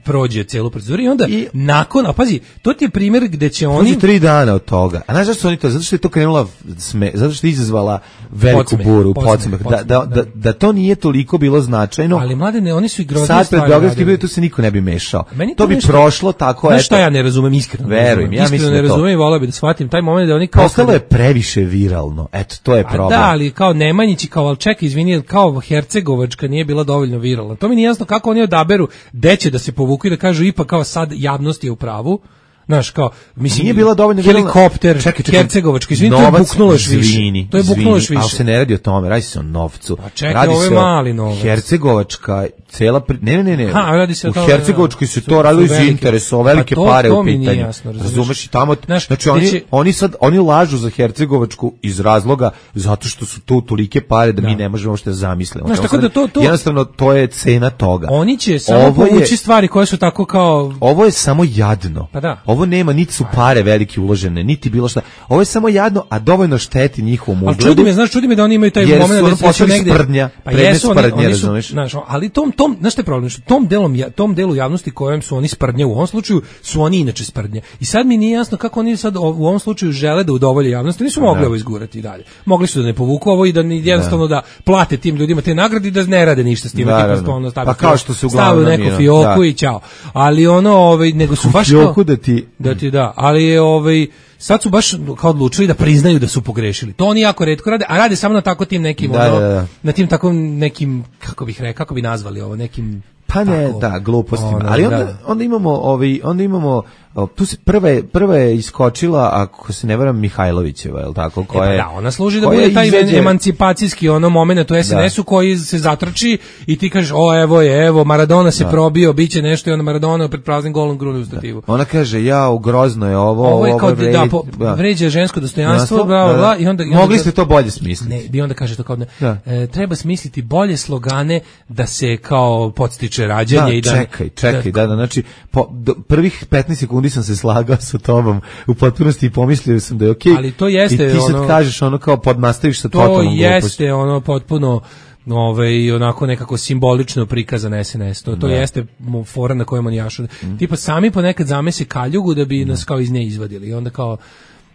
prođe celu proceduru i onda I, nakon, a pazi, to ti je primjer gde će oni... Prođe tri dana od toga. A znaš zašto su oni to? Zato što je to krenula, sme, zato što je izazvala veliku podsmeh, buru, podsmeh, podsmeh, podsmeh, da, da, da, da to nije toliko bilo značajno. Ali mladene, oni su i groznije sad stvari pred Beogradski radili. bili, tu se niko ne bi mešao. Meni to bi nešto, prošlo tako, znaš eto. šta ja ne razumem, iskreno. Verujem, ja iskreno mislim ne da to. razumem i voleo bi da shvatim taj moment da oni kao... Postalo je previše viralno, eto, to je problem. A da, ali kao Nemanjići, kao, ali čekaj, izvini, kao Hercegovačka nije bila dovoljno viralna. To mi nije jasno kako oni odaberu gde će da se povuku i da kažu ipak kao sad javnost je u pravu. Znaš, kao, mislim, nije bila dovoljno helikopter, čekaj, čekaj, Hercegovački, izvini, to je buknulo još više. Zvini, to je buknulo još više. Ali se ne radi o tome, radi se o novcu. Pa čekaj, radi ovo je se mali novac. Hercegovačka, cela, pri... ne, ne, ne, ne. Ha, radi se o u tome, Hercegovačkoj se su- to radilo su iz velike- interesa, o velike pa to- pare to u mi nije pitanju. jasno, razumeš? Razumeš i tamo, Znaš, znači oni, gde će- oni sad, oni lažu za Hercegovačku iz razloga zato što su tu tolike pare da, mi ne možemo što da zamislimo. Znaš, To tako sad- da to- to- Jednostavno, to je cena toga. Oni će samo Ovo je- povući stvari koje su tako kao... Ovo je samo jadno. Pa da. Ovo nema, niti su pare velike uložene, niti bilo šta. Ovo je samo jadno, a dovoljno šteti njihovom Ali ugledu. čudi me, znaš, čudi me da oni imaju taj Jer su moment ono da se postali negde sprdnja, pa predmet jesu oni, sprdnje, oni su, razumeš? znaš, ali tom tom, znaš šta je problem, što tom delom ja- tom delu javnosti kojem su oni sprdnje u ovom slučaju su oni inače sprdnje. I sad mi nije jasno kako oni sad o- u ovom slučaju žele da udovolje javnosti, nisu mogli ovo izgurati i dalje. Mogli su da ne povuku ovo i da ni jednostavno da plate tim ljudima te nagrade i da ne rade ništa s tim, Naravno. tipa ono stavi Pa kao što se stavi u uglavnom neku je, fioku da. i ćao. Ali ono, ovaj nego su baš kao Fioku da ti... da ti da, ali je ovaj sad su baš kao odlučili da priznaju da su pogrešili. To oni jako retko rade, a rade samo na tako tim nekim Da, ono, da, da. na tim takvom nekim kako bih rekao, kako bi nazvali ovo, nekim Pa ne, tako, da, glupostima. ono, Ali onda, da. onda imamo, ovaj, onda imamo, o, tu se prva je, prva je iskočila, ako se ne varam, Mihajlovićeva, je li tako? E pa Koja je, da, ona služi da koja bude taj izađe- emancipacijski ono moment u es en esu koji se zatrči i ti kažeš, o evo je, evo, Maradona se probio, biće nešto i onda Maradona pred praznim golom grune u stativu. Ona kaže, ja, grozno je ovo, Ovo je kao da, vređa- po, da. vređa žensko dostojanstvo, Jasno, bla, bla, da, da. bla, i onda... i onda Mogli ga- ste to bolje smisliti. Ne, i onda kaže to kao ne, Da. e, treba smisliti bolje slogane da se kao podstiče rađanje Da, i da... čekaj, čekaj, da, da, znači, po, do, prvih petnaest sekundi sam se slagao sa tobom u potpunosti i pomislio sam da je okej. Ali to jeste I ti sad ono- kažeš ono kao podnastaviš sa To totalnom glupošću. jeste ono potpuno ovaj onako nekako simbolično prikazan es en es. To to Da. jeste mo- fora na kojem oni jašu. Tipa sami ponekad zamese kaljugu da bi nas kao iz nje izvadili. I onda kao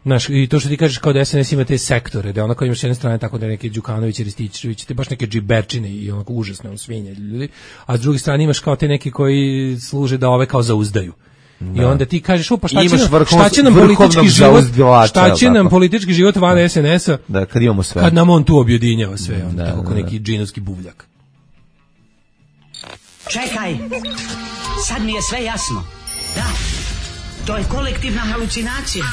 znaš, i to što ti kažeš kao da es en es ima te sektore, da onako imaš s jedne strane tako da neki Đukanović, Rističević, te baš neke džiberčine i onako užasne on svinje ljudi, a s druge strane imaš kao te neki koji služe da ove kao zauzdaju. I onda ti kažeš, o, pa šta će, Imaš nam, vrhunskog- šta će nam vrhovnog politički život, zauzdivača, šta će jel nam tako? politički život van es en esa, Da, kad imamo sve. kad nam on tu objedinjava sve, onda, Da, tako da, ko da. neki džinovski buvljak. Čekaj, sad mi je sve jasno. Da, to je kolektivna halucinacija.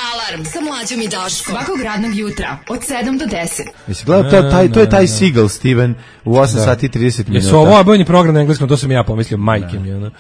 Alarm sa mlađom i Daškom. Svakog radnog jutra od sedam do deset. Jesi gledao, to, taj, to je taj Seagal, Steven, u osam sati i trideset minuta. Jesu ovo obojni program na engleskom, to sam ja pomislio, majke mi. Ono.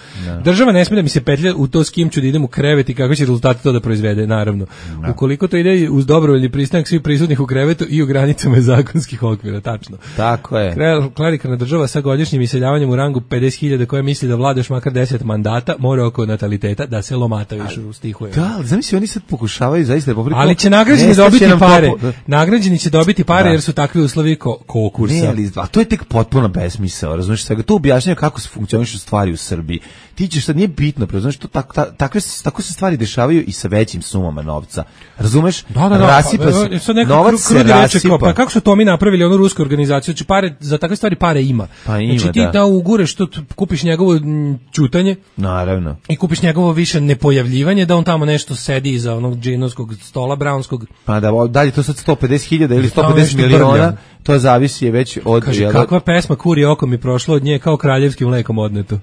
Država ne smije da mi se petlja u to s kim ću da idem u krevet i kako će rezultati to da proizvede, naravno. Ukoliko to ide uz dobrovoljni pristanak svih prisutnih u krevetu i u granicama zakonskih okvira, tačno. Tako je. Kre- Klerikalna država sa godišnjim iseljavanjem u rangu pedeset hiljada koja misli da vlada još makar deset mandata, mora oko nataliteta da se lomata više u stihu. Da, ali zamisli, oni sad pokušavaju zaista da popriko... Ali će nagrađeni Nestaće dobiti nam to pare. po- Nagrađeni će dobiti pare Da. jer su takvi uslovi ko konkursa. Ne, ali, a to je tek potpuno besmisao, razumiješ svega. To objašnjava kako se funkcionišu stvari u Srbiji. Ti ćeš sad, nije bitno, razumiješ, to tako, ta, takve, se- tako se stvari dešavaju i sa većim sumama novca. Razumeš? Da, da, da. Rasipa pa, se, sad neko novac kru- se krudi reče rasipa. kao, pa kako su to mi napravili onu rusku organizaciju, znači pare, za takve stvari pare ima. Pa ima, znači ti da. da, ugureš, to, t- kupiš njegovo mm, ćutanje Naravno. i kupiš njegovo više nepojavljivanje, da on tamo nešto sedi iza onog džinovskog stola, brownskog. Pa da, o, dalje to sad sto pedeset hiljada ili sto Tamo pedeset nešto miliona, brlja. to zavisi je već od... Kaže, jel da- kakva pesma kuri oko mi prošlo od nje kao kraljevskim mlekom odneto.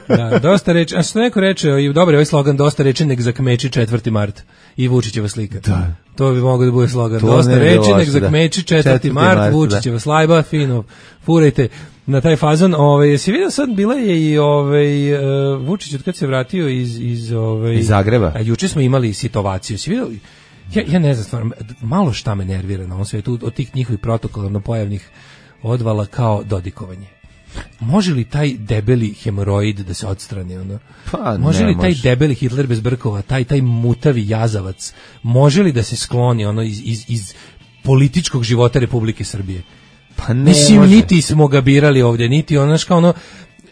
Da, dosta reči, a što neko reče, i dobro je ovaj slogan, dosta reči nek zakmeči četvrti mart i Vučićeva slika. Da. To bi mogao da bude slogan. To Dosta ne bi reči, bilo nek loše, da. zakmeči četvrti četvrti mart, mart, Vučićeva slajba, fino, furajte na taj fazon. Ovaj, jesi vidio sad, bila je i ovaj, uh, Vučić od kad se vratio iz... Iz, ovaj, Iz Zagreba. A juče smo imali sitovaciju. Si vidio? Ja, ja ne znam, stvarno, malo šta me nervira na ovom svijetu od tih njihovih protokolarno pojavnih odvala kao dodikovanje. može li taj debeli hemoroid da se odstrani, ono? Pa, može ne, li taj može. debeli Hitler bez brkova, taj taj mutavi jazavac, može li da se skloni ono iz, iz, iz političkog života Republike Srbije? Pa ne Mislim, može. niti smo ga birali ovdje, niti ono što ono,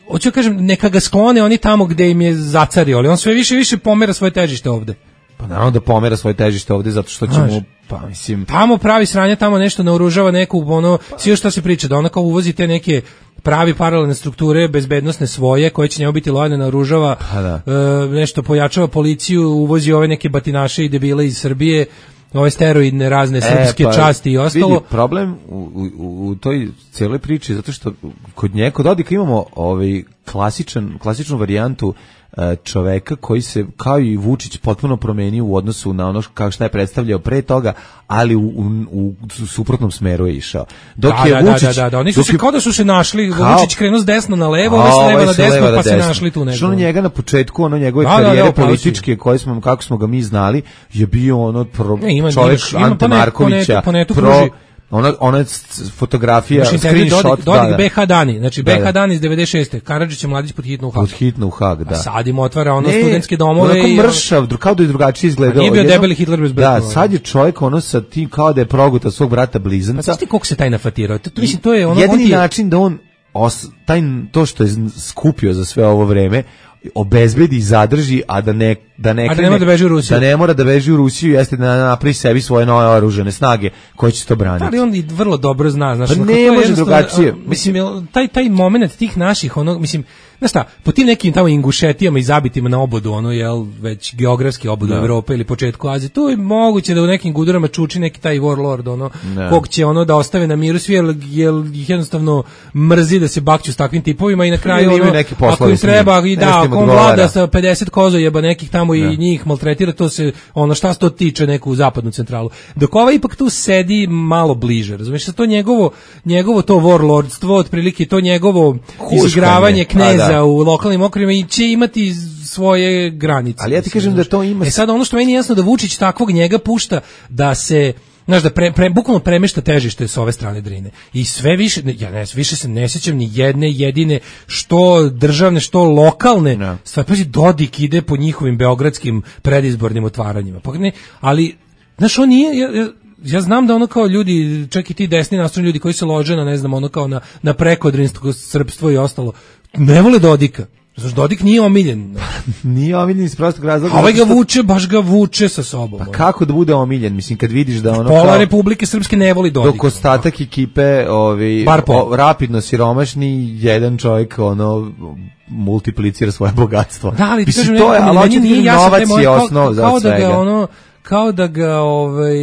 hoću da kažem, neka ga sklone oni tamo gde im je zacario, ali on sve više i više pomera svoje težište ovde. Pa naravno da pomera svoje težište ovde zato što će Znaš, mu, pa mislim... Tamo pravi sranja, tamo nešto naoružava neku, ono, svi što se priča, da ona kao uvozi te neke pravi paralelne strukture, bezbednosne svoje, koje će njemu biti lojalne, naoružava, Pa da. e, nešto pojačava policiju, uvozi ove neke batinaše i debile iz Srbije, ove steroidne razne srpske E, pa, časti i ostalo. Vidi, problem u, u, u toj cijeloj priči, zato što kod nje, kod Dodika imamo ovaj klasičan, klasičnu varijantu e, čoveka koji se, kao i Vučić, potpuno promenio u odnosu na ono kao šta je predstavljao pre toga, ali u, u, u suprotnom smeru je išao. Dok da, je da, Vučić, da, da, da, oni su dok se je- kao da su se našli, Kao- Vučić krenuo s desna na levo, A, ovaj s leva ovaj na sa desno, leva na pa se desno. našli tu negdje. Što ono njega na početku, ono njegove Da, da, da, karijere upravo si. političke, koje smo, kako smo ga mi znali, je bio ono pro, Ne, ima- čovjek imaš- ima Ante po net- po Markovića, netu- po netu pro, kruži. ona, ona s- fotografija, Znači, intervju screenshot, Dodik, Dodik da, da. B H dani, znači Da, B H da. dani iz devedeset šeste Karadžić je mladić pod hitno u Hag. Pod hitno u Hag, da. A sad im otvara ono Ne, studentske domove onako i mršav, dru- kao da je drugačije izgledao. A nije bio Jedno- debeli Hitler bez Da, brkova. sad je čovjek ono sa tim kao da je progutao svog brata Pa blizanca. znaš ti koliko se taj nafatirao? To, to, mislim, to je ono... on Jedini ti je- način da on os, taj, to što je z- skupio za sve ovo vreme obezbedi i zadrži, a da ne da ne, A da ne krene- mora da beži u Rusiju. da ne mora da beži u Rusiju, jeste da napravi sebi svoje nove oružane snage koje će to braniti. Ali on i vrlo dobro zna, znaš, Pa ono, ne kako je može jednostavno, drugačije. a, Mislim, jel, taj taj momenat tih naših, ono, mislim, znaš šta, po tim nekim tamo Ingušetijama i zabitima na obodu, ono, jel, već geografski obodu Da. Evrope ili početku Azije, tu je moguće da u nekim gudurama čuči neki taj warlord, ono, Da. kog će ono da ostave na miru svi, jel, jel ih jednostavno mrzi da se bakću s takvim tipovima i na kraju, Ili imaju ono, neke poslove ako im s njim. treba, i Nešto da, im ako on odgovara. vlada sa pedeset kozojeba nekih tamo Da. i njih maltretira, to se, ono, šta se to tiče neku zapadnu centralu. Dok ovaj ipak tu sedi malo bliže, razumiješ, sa to njegovo, njegovo to warlordstvo, otprilike to njegovo Huškanje. izigravanje Pa kneza da. u lokalnim okvirima i će imati svoje granice. Ali ja ti kažem da to ima- E sad ono što meni je jasno da Vučić takvog njega pušta da se znaš, da pre, pre, bukvalno premešta težište s ove strane Drine. I sve više, ne, ja ne, više se ne sjećam ni jedne jedine, što državne, što lokalne, Da. stvar, pazi, Dodik ide po njihovim beogradskim predizbornim otvaranjima. Pa ne, ali, znaš, on nije, ja, ja, ja znam da ono kao ljudi, čak i ti desni nastrojeni ljudi koji se lože na, ne znam, ono kao na, na prekodrinsko srpstvo i ostalo, ne vole Dodika. Znaš, Dodik nije omiljen. Nije omiljen iz prostog razloga. A ovaj ga zato što- vuče, baš ga vuče sa sobom. Pa ono. kako da bude omiljen? Mislim, kad vidiš da ono Pola kao- Republike Srpske ne voli Dodika. dok ostatak ekipe ovi, Bar pola. o, rapidno siromašni, jedan čovjek ono multiplicira svoje bogatstvo. Da, ali ti Mislim, kažem, to je, nekako, ali meni hoću ti nije kažem, jasno taj novac moment, je kao- osnov za kao da svega. ga ono kao da ga ovaj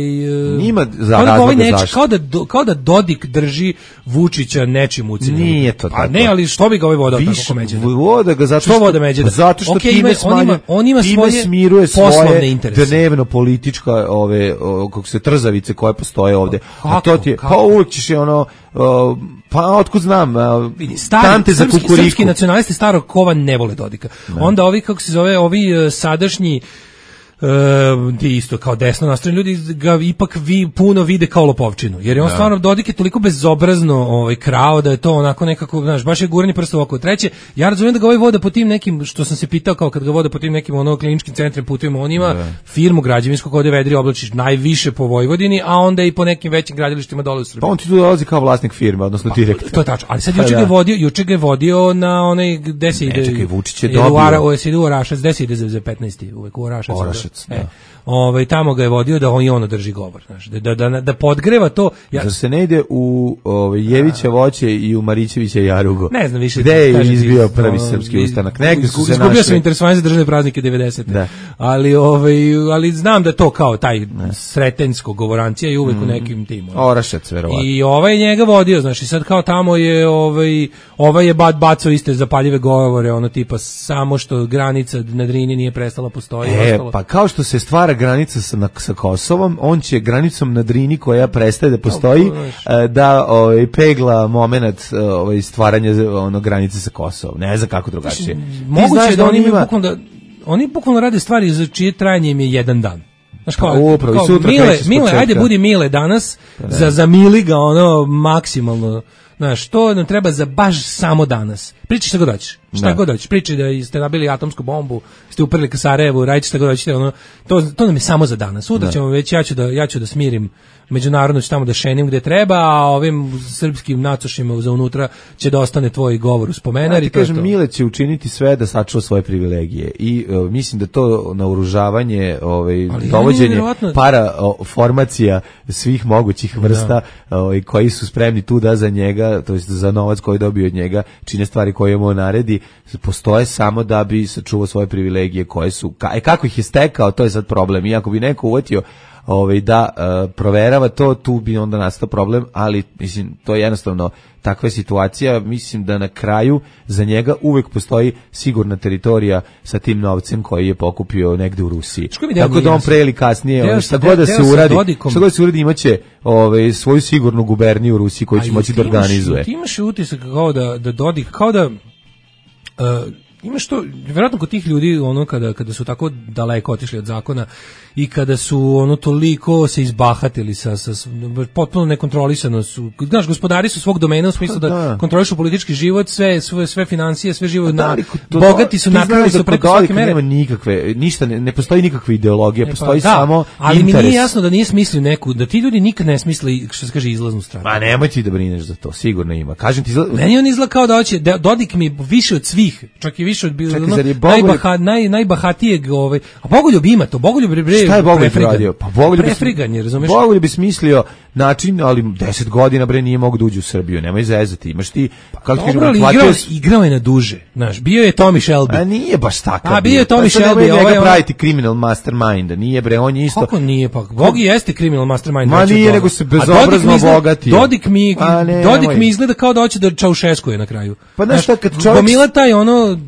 Ima za kao da ga ovaj razloga neč- zašto. kao da do- kao da Dodik drži Vučića nečim ucenjenim. Nije to Pa tako. ne, ali što bi ga ovaj vodao tako Više Međeda? voda ga zato Što što, voda Međeda? zato što Okej, time ima- on ima- smanjuje, on ima time svoje smiruje poslovne svoje interese. dnevno politička ove o, kako se trzavice koje postoje ovde. A Kako? to ti je, Kako? pa uvijek ćeš je ono o, pa otkud znam, a, Vidi, stari, tante za srpski, kukuriku. srpski nacionalisti starog kova ne vole Dodika. Onda ovi, kako se zove, ovi e, sadašnji Uh, ti isto kao desno nastrojeni ljudi ga ipak vi puno vide kao lopovčinu, jer je on Da. stvarno Dodik je toliko bezobrazno ovaj krao da je to onako nekako, znaš, baš je guranje prsta u oko. Treće, ja razumijem da ga ovaj vode po tim nekim, što sam se pitao kao kad ga vode po tim nekim ono kliničkim centrima, putovima, on ima firmu građevinsku kod Vedri oblačiš najviše po Vojvodini, a onda i po nekim većim gradilištima dole u Srbiji. Pa on ti tu dolazi kao vlasnik firme, odnosno direktor. To je tačno, ali sad Pa juče ga da. je vodio, juče ga je vodio na onaj gde se Ne, ide. čekaj, Vučić je ide u dobio. Ara- o, se ide u Orašac, gde se ide za, za petnaesti uvek u Orašac. Orašac, E, da. ovaj, tamo ga je vodio da on i ono drži govor, znaš, da, da, da, da podgreva to. Ja, Zar se ne ide u ovaj, Jevića voće i u Marićevića jarugo? ne znam više. Gde je kažem ti, izbio prvi ono, srpski iz- ustanak? Negde su se Izgubio sam našli. interesovanje za državne praznike devedesete. Da. Ali, ovaj, ali znam da je to kao taj sretensko govorancija i uvek u nekim tim. ono. Orašac, verovatno. I ovaj je njega vodio, znači sad kao tamo je ovaj ovaj je bad bacao iste zapaljive govore, ono tipa samo što granica na Drini nije prestala postoji i E, ostalo. pa kao što se stvara granica sa, na, sa Kosovom, on će granicom na Drini koja prestaje da postoji e, da ovaj, pegla moment ovaj, stvaranja ono, granice sa Kosovom. Ne znam kako drugačije. Ti Moguće znaš je da oni on imaju ima- bukvalno da oni bukvalno rade stvari za čije trajanje im je jedan dan. Znaš kao, Pa upravo, i kao sutra Mile, kreće s Mile, početka. ajde budi Mile danas, za, za Mili ga ono maksimalno Znaš, to nam treba za baš samo danas. Pričaj šta god hoćeš. Šta Da. god hoćeš. Pričaj da ste nabili atomsku bombu, ste uprli ka Sarajevu, radite šta god hoćete, ono, to, to nam je samo za danas. Sutra Da. ćemo već, ja ću da, ja ću da smirim međunarodno, ću tamo da šenim gde treba, a ovim srpskim nacošima za unutra će da ostane tvoj govor u spomenar. Ja i ti to je kažem, to. Mile će učiniti sve da sačuva svoje privilegije i uh, mislim da to naoružavanje, ovaj, Ali dovođenje nevjerovatno- para o, formacija svih mogućih vrsta ovaj, koji su spremni tu da za njega, to jest za novac koji dobio od njega, čine stvari koje mu naredi, postoje samo da bi sačuvao svoje privilegije koje su, ka, e, kako ih je stekao, to je sad problem. Iako bi neko uvatio ovaj, da uh, proverava to, tu bi onda nastao problem, ali mislim, to je jednostavno takva je situacija. Mislim da na kraju za njega uvek postoji sigurna teritorija sa tim novcem koji je pokupio negde u Rusiji. Što mi deo Tako da on nije pre ili kasnije, Deo ono, sa- šta deo- god da deo se sa uradi, Dodikom. šta god da se uradi imaće ovaj, svoju sigurnu guberniju u Rusiji koju će A moći ti da imaš- organizuje. Ti imaš utisak kao da, da Dodik, kao da... Uh, imaš to, vjerojatno kod tih ljudi ono kada kada su tako daleko otišli od zakona i kada su ono toliko se izbahatili sa, sa, sa potpuno nekontrolisano su, znaš, gospodari su svog domena u smislu da, Da. kontrolišu politički život, sve sve sve financije, sve život Da, na ali kod- to- bogati su ti nakrali znaš da su kod preko svake Dodika mere. nema nikakve, ništa, ne, ne postoji nikakva ideologija, E, pa postoji da, samo ali interes. mi nije jasno da nije smislio neku, da ti ljudi nikad ne smisle, što se kaže, izlaznu stranu. Ma nemoj ti da brineš za to, sigurno ima. Kažem ti, izla- Meni on izgleda kao da hoće, da Dodik mi više od svih, čak i više od bilo, Čekaj, ono, zar je Bogoljub- najbaha, naj, najbahatijeg, ovaj, a Bogoljub ima to, Bogoljub bre, bre šta je Bogoljub prefrigan. radio? Pa Bogoljub bi- Prefriganje, razumeš? Bogoljub bi smislio način, ali deset godina bre nije mogu da uđe u Srbiju, nemoj zezati. Imaš ti, kako ti kažem, Dobro, ali platio igrao, si- igrao je na duže, znaš, bio je Tommy Shelby. A nije baš takav. A, bio je Tommy Pa sad nemoj Shelby, njega ovaj, ono- praviti criminal mastermind, nije bre, on je isto. Kako nije, pa Bogi jeste criminal mastermind. Ma veći od nije, toga. nego se A Dodik bezobrazno mi izgleda- obogatio. Dodik mi, A ne, Dodik nemoj. mi izgleda kao da hoće da Čaušeskuje na kraju. Pa znaš šta, kad čovjek- Gomila taj ono,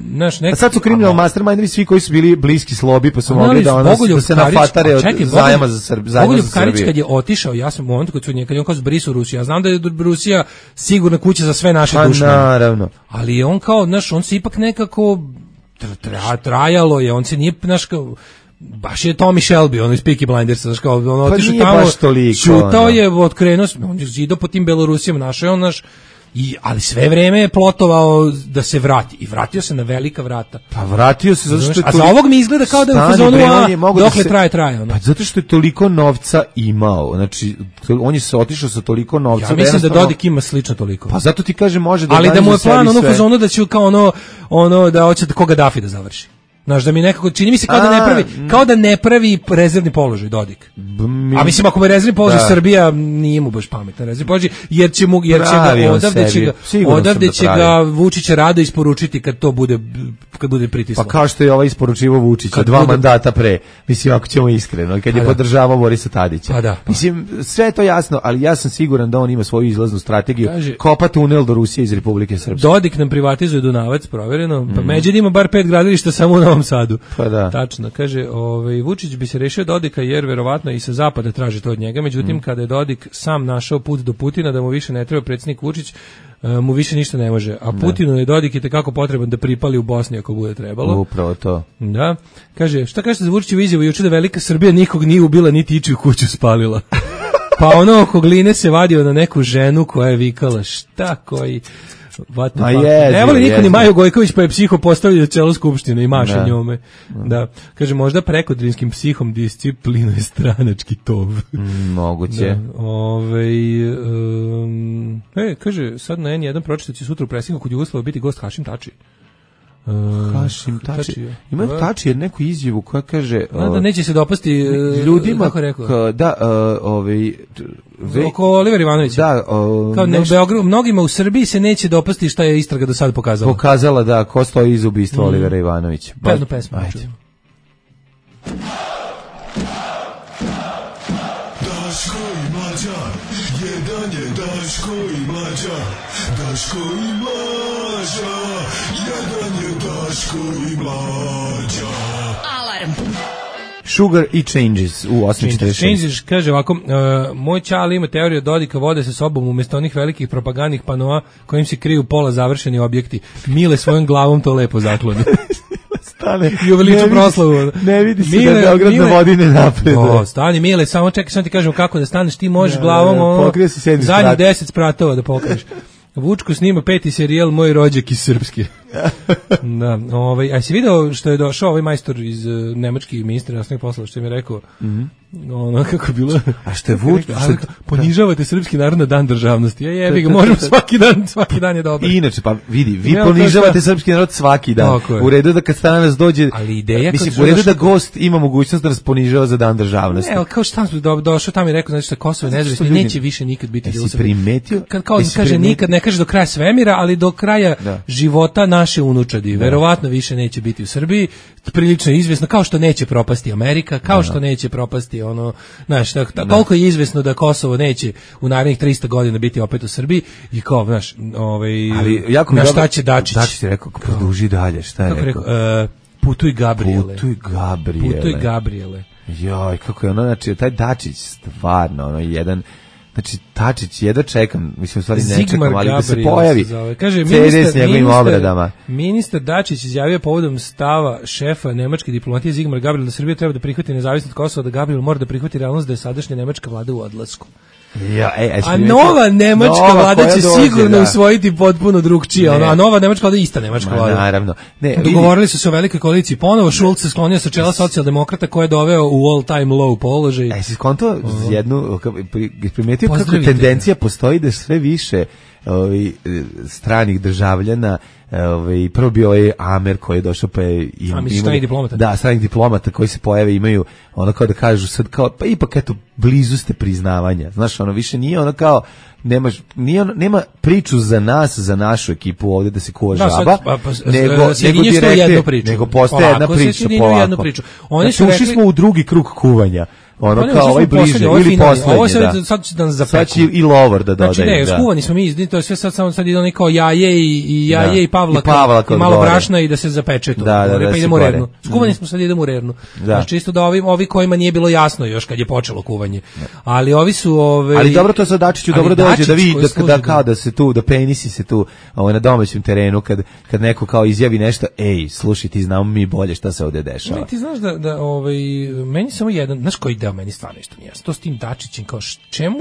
znaš, neki... A sad su criminal mastermindovi svi koji su bili bliski slobi, pa su A mogli znali da, su ono, Bogoljub da se Karić- nafatare a od čekaj, zajama Bogoljub- za, Srb, zajma Bogoljub za Karić Srbiju. kad je otišao, ja sam u momentu kad su njega, kad je on kao zbrisao Rusiju, ja znam da je Rusija sigurna kuća za sve naše Pa dušmane. naravno. Ali je on kao, znaš, on se ipak nekako tra, tra, trajalo je, on se nije, znaš, kao, baš je Tommy Shelby, ono iz Peaky Blindersa, znaš, kao, ono, Pa otišao nije tamo, baš toliko, čutao ono. je, otkrenuo, se, on je zidao po tim Belorusijama, našao je on, naš, i, ali sve vreme je plotovao da se vrati, i vratio se na velika vrata. Pa vratio se zato što je A za toliko- ovog mi izgleda kao da je u Stani, fazonu, bre, a, on je mogao da dokle se- traje, traje, ono. Pa zato što je toliko novca imao. Znači, to- on je se otišao sa toliko novca. Ja mislim da jednostavno- Dodik ima slično toliko. Pa zato ti kaže može da ali da mu je organizuje plan sebi ono sve. fazonu da će kao ono ono da hoće da koga Dafi da završi. Znaš, da mi nekako čini mi se kao da ne A, pravi, kao da ne pravi rezervni položaj Dodik. mi- A mislim ako mu je rezervni položaj Da. Srbija nije mu baš pametan rezervni položaj jer će mu jer će Pravi ga on odavde će sebi. ga Sigurno sam odavde da će pravi. ga Vučić rado isporučiti kad to bude kad bude pritislo. Pa kao što je ovaj isporučivo Vučića Kad dva bude- mandata pre, mislim ako ćemo iskreno, kad je Pa da. podržavao Borisa Tadića. Pa da, pa. Mislim, sve je to jasno, ali ja sam siguran da on ima svoju izlaznu strategiju, Kaže- kopa tunel do Rusije iz Republike Srpske. Dodik nam privatizuje Dunavac, provjereno. Pa Međed ima bar pet gradilišta samo u Novom Sadu. Pa da. Tačno, kaže, ovaj, Vučić bi se rešio Dodika jer verovatno i sa zapada traži to od njega, međutim kada je Dodik sam našao put do Putina da mu više ne treba predsjednik Vučić, e, mu više ništa ne može. A Putinu je Dodik i tekako potreban da pripali u Bosni ako bude trebalo. Upravo to. Da. Kaže, šta kažete za Vučićevu izjavu juče da velika Srbija nikog nije ubila niti ičiju kuću spalila. Pa ono oko Gline se vadio na neku ženu koja je vikala šta koji What the Ma fuck? jezivo, Ne voli niko ni jezivo. Maju Gojković pa je psiho postavio na celu skupštine i maše Da. njome. Da. Kaže, možda prekodrinskim psihom disciplinuje stranački tov. Mm, moguće. Da, ovaj, um, e, kaže, sad na en jedan pročitaći će sutra u presingu kod Jugoslava biti gost Hašim Tači. Uh, Hašim Tači. je. Ima Da. Tači jer neku izjavu koja kaže... Da, uh, da neće se dopasti uh, ljudima, kako je rekao? k- da, uh, ovaj... ve- Oko Oliver Ivanovića. Da, uh, Kao ne, u nešto Beogradu, mnogima u Srbiji se neće dopasti šta je istraga do sada pokazala. pokazala da ko stoji iza ubistva Mm. Olivera Ivanovića. Pa jednu pesmu. Ajde. čujemo. Daško i Mlađa, jedan je Daško i Mlađa, Daško i Mlađa, jedan je Daško i Mlađa. Alarm. Sugar i Changes u osam četrdeset šest. Changes, kaže ovako, uh, moj čale ima teoriju Dodika vode sa sobom umjesto onih velikih propagandnih panoa kojim se kriju pola završeni objekti. Mile svojom glavom to lepo zaklone. stane. I uveliču proslavu. Ne vidi se Mile, da Beograd na vodi ne napreduje. O, stani Mile, samo čekaj, samo ti kažem kako da staneš, ti možeš Da, glavom da, ono, pokrije se sedmi zadnjih sprat. deset spratova da pokriješ. Vučko snima peti serijal Moj rođak iz Srpske. Da, ovaj, a si video što je došao ovaj majstor iz uh, nemački ministar inostranih poslova, što je mi rekao, Mhm. ono kako je bilo. A što je Vuč, Rekao, ali ponižavate srpski narod na dan državnosti. Ja jebi ga, možemo svaki dan, svaki dan je dobro. I inače, pa vidi, vi Ja, to ponižavate šta? srpski narod svaki dan. Tako je. U redu da kad stranac dođe, Ali ideja mislim, kad su u redu došli- da gost ima mogućnost da nas ponižava za dan državnosti. Ne, ali kao šta smo do, došao tamo i rekao, znači da Kosovo je Zato što nezavisno, ljudi- neće više nikad biti Jesi deo Srbije. primetio? Kad kao Jesi kaže primetio? nikad, ne kaže do kraja svemira, ali do kraja Da. života naše unučadi. Verovatno više neće biti u Srbiji, prilično je izvesno, kao što neće propasti Amerika, kao što neće propasti ono, znaš, tako, tako, koliko je izvesno da Kosovo neće u narednih trista godina biti opet u Srbiji i kao, znaš, ovaj, Ali jako mi na dobro- šta će Dačić? Dačić je rekao, produži dalje, šta je Kako je rekao? rekao? E, putuj Gabriele. Putuj Gabriele. Putuj Gabriele. Joj, kako je ono, znači, taj Dačić, stvarno, ono, jedan, znači, Dačić, jedva čekam, mislim, u stvari ne Zigmar čekam, ali da se Gabriel pojavi se zove. Kaže, C D s ministar, njegovim ministar- obradama. Ministar Dačić izjavio povodom stava šefa nemačke diplomatije Zigmar Gabriel da Srbija treba da prihvati nezavisnost Kosova, da Gabriel mora da prihvati realnost da je sadašnja nemačka vlada u odlasku. Ja, ej, A nova nemačka Nova vlada koja će dođe, sigurno da. usvojiti potpuno drugčije, Ne. ono, a nova nemačka vlada je ista nemačka Ma, vlada. naravno. Ne, vidi- Dogovorili su se o velikoj koaliciji ponovo, Schulz se sklonio sa čela socijaldemokrata koje je doveo u all time low položaj. E, si skonto jednu, ka- pri- primetio kako Pozdravite tendencija postoji da sve više ovi, e, stranih državljana, ovaj prvo bio ovaj Amer koji je došao pa je im, A, misliš imali- stranih diplomata? Da, stranih diplomata koji se pojave imaju ono kao da kažu sad kao pa ipak eto blizu ste priznavanja. Znaš, ono više nije ono kao nemaš nije ono, nema priču za nas, za našu ekipu ovdje da se kuva Da, sad, žaba, pa, pa, s- nego s- nego sjedinješ to u direktno- jednu priču. nego postaje jedna Polako se priča sjedinjuju u polako. jednu priču. Oni Znači, su ušli rekli- smo u drugi krug kuvanja. Ono Pa ne, kao ušli ovaj smo u bliže poslednji, ovo je ili finalni. poslednji, Ovo sad, da. sad će da nas zapeku. Sad će i Lovor da dodaje. Znači ne, da. skuvani smo mi, to je sve sad samo sad ide oni kao jaje i, i jaje Da. i Pavlaka, I Pavlaka i malo gore. brašna i da se zapeče to. Da, da, Gore, da pa se idemo u gore. Rernu. Skuvani Mm. smo sad idemo u Rernu. Da. Znači čisto da ovi, ovi kojima nije bilo jasno još kad je počelo kuvanje. Ali ovi su ove Ali dobro to sa Dačiću ali dobro dođe Dačić da vi koji da, služi da da- kao da se tu da penisi se tu ovaj na domaćem terenu kad kad neko kao izjavi nešto, ej, slušaj ti znamo mi bolje šta se ovde dešava. Ne, ti znaš da, da ovaj, meni samo jedan, znaš koji deo meni stvarno isto nije jasno, to s tim Dačićem, kao š- čemu,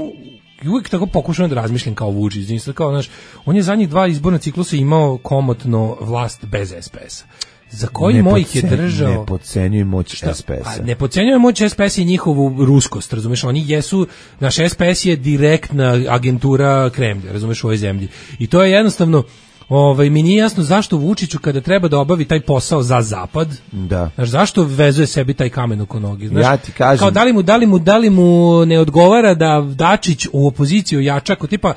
i uvijek tako pokušavam da razmišljam kao Vučić, znači, kao, znaš, on je zadnjih dva izborna ciklusa imao komotno vlast bez S P S-a. Za koji Ne mojih je podcen- držao... Ne podcenjuj moć Šta? S P S-a. Pa ne podcenjuje moć S P S i njihovu ruskost, razumeš, oni jesu, naš S P S je direktna agentura Kremlja, razumeš, u ovoj zemlji. I to je jednostavno, ovaj, mi nije jasno zašto Vučiću kada treba da obavi taj posao za zapad, Da. znaš, zašto vezuje sebi taj kamen oko noge, znaš, Ja ti kažem- kao da li mu, da li mu, da li mu ne odgovara da Dačić u opoziciju jača, ako tipa,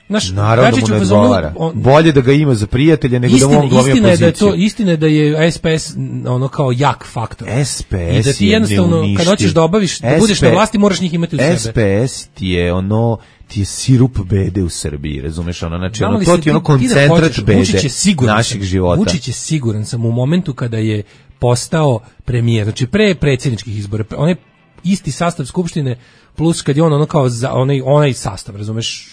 znaš, Naravno da Dačić mu u ne fazonu, odgovara. on- Bolje da ga ima za prijatelja nego da mu Istina, on glumi istina je da je opoziciju. to istina je da je S P S ono kao jak faktor. S P S I da ti je jednostavno kad neuništiv. hoćeš da obaviš da budeš na S P vlasti moraš njih imati u sebe. S P S ti je ono ti je sirup bede u Srbiji, razumeš, ono, znači, Znam ono, li to se ti je ono ti- ti da koncentrat hoćeš, bede Vučić je siguran naših sam, života. Vučić je siguran sam u momentu kada je postao premijer, znači pre predsjedničkih izbora, pre- onaj isti sastav skupštine plus kad je on ono kao za, onaj, onaj sastav, razumeš,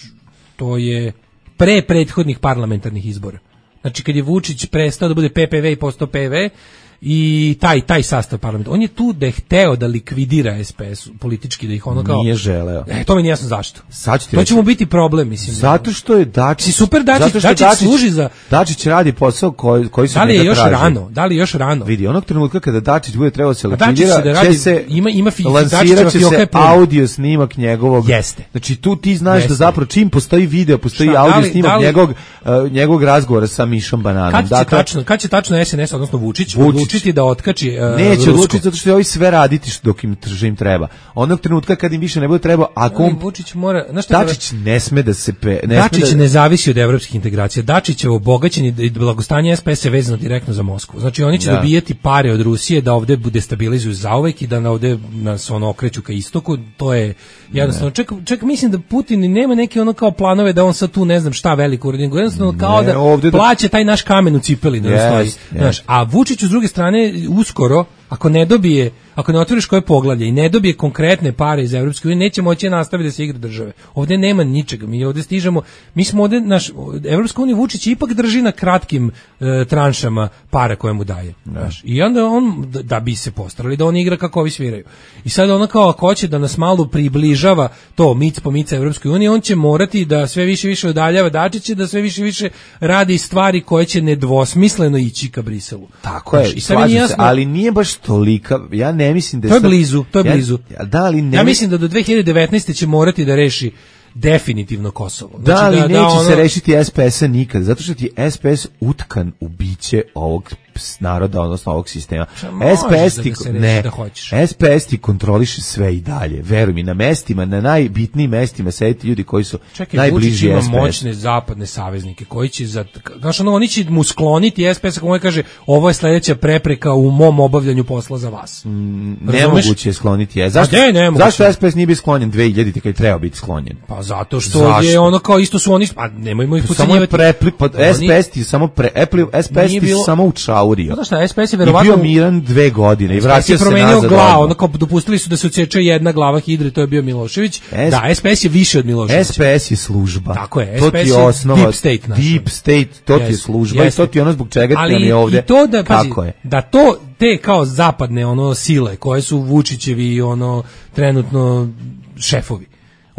to je pre prethodnih parlamentarnih izbora. Znači kad je Vučić prestao da bude P P V i postao P V i taj taj sastav parlamenta. On je tu da je hteo da likvidira S P S politički, da ih ono kao... Nije želeo. E, to mi nije jasno zašto. Sad ću ti To reći. će mu biti problem, mislim. Zato što je Dačić... Si super Dačić, zato što Dačić služi za- Dačić radi posao koji, koji se Da li je njega još traži. rano? Da li je još rano? Vidi, onog trenutka kada Dačić bude trebao se A Dačić likvidira, će da radi- će se ima- ima fi- lansirat Dačićeva će fioka se je puna. audio snimak njegovog. Jeste. Znači tu ti znaš Jeste. da zapravo čim postoji video, postoji Šta, da audio li- snimak da li- njegovog, uh, njegovog razgovora sa Mišom Bananom. Kad će Dakle, tačno, kad će tačno S N S, odnosno Vučić, Vučić. odlučiti da otkači uh, neće Rusko? odlučiti zato što će ovi sve raditi što dok im, što im treba. Onog trenutka kad im više ne bude treba, ako Ali on, Vučić mora, znaš šta, Dačić ne sme da se pe, ne Dačić sme da, ne zavisi od evropskih integracija. Dačićevo bogaćenje i blagostanje S P S je vezano direktno za Moskvu. Znači oni će Da. dobijati pare od Rusije da ovde bude stabilizuju zauvek i da na ovde nas ono okreću ka istoku. To je jednostavno. Ček, ček, mislim da Putin i nema neke ono kao planove da on sad tu ne znam šta veliko uradi. nego Jednostavno kao Ne, da ovde da- plaća taj naš kamen u cipeli da Jest, stoji. jest. Znaš, a Vučiću s druge strane uskoro ako ne dobije, ako ne otvoriš koje poglavlje i ne dobije konkretne pare iz Evropske unije, neće moći nastaviti da se igra države. Ovdje nema ničega. Mi ovdje stižemo, mi smo ovdje, naš, Evropska unija Vučić ipak drži na kratkim e, tranšama para koje mu daje. Znaš. I onda on, da, da bi se postarali, da on igra kako ovi sviraju. I sad ono kao ako hoće da nas malo približava to mic po mica Evropskoj uniji, on će morati da sve više više odaljava Dačića, da sve više više radi stvari koje će nedvosmisleno ići ka Briselu. Tako je, i slažem jasno, se, ali nije baš tolika, ja ne mislim da je... To je blizu, to je ja, blizu. Da, ali ne ja mislim da do dve hiljade devetnaeste će morati da reši definitivno Kosovo. Znači, da, ali da, neće da ono... se rešiti S P S-a nikad, zato što ti S P S utkan u biće ovog naroda, odnosno ovog sistema. S P S ti, da ne, da hoćeš. S P S ti kontroliše sve i dalje. Veruj mi, na mestima, na najbitnijim mestima sedite ljudi koji su Čekaj, najbliži S P S. Čekaj, Vučić ima moćne zapadne saveznike koji će, za, znaš, ono, oni će mu skloniti S P S, kako on kaže, ovo je sledeća prepreka u mom obavljanju posla za vas. Mm, nemoguće je skloniti. Je. Zašto, ne, ne zašto S P S nije bio sklonjen dve hiljadite kad je trebao biti sklonjen? Pa zato što zašto? Je ono kao isto su oni, a nemojmo ih potcenjivati. Samo je prepli, pod, S P S ti samo pre, S P S ti bilo... samo učaurio. Znaš šta, S P S je verovatno... I bio miran dve godine i vratio se nazad. Glavu, ono kao dopustili su da se odseče jedna glava hidre, to je bio Milošević. S... Da, S P S je više od Miloševića. S P S je služba. Tako je, to S P S je osnova, deep state. Naš. Deep state, to yes, ti je služba yes. I to ti je ono zbog čega ti nam je ovde. Ali i to da, pazi, kako je? Da to, te kao zapadne ono sile, koje su Vučićevi ono trenutno šefovi,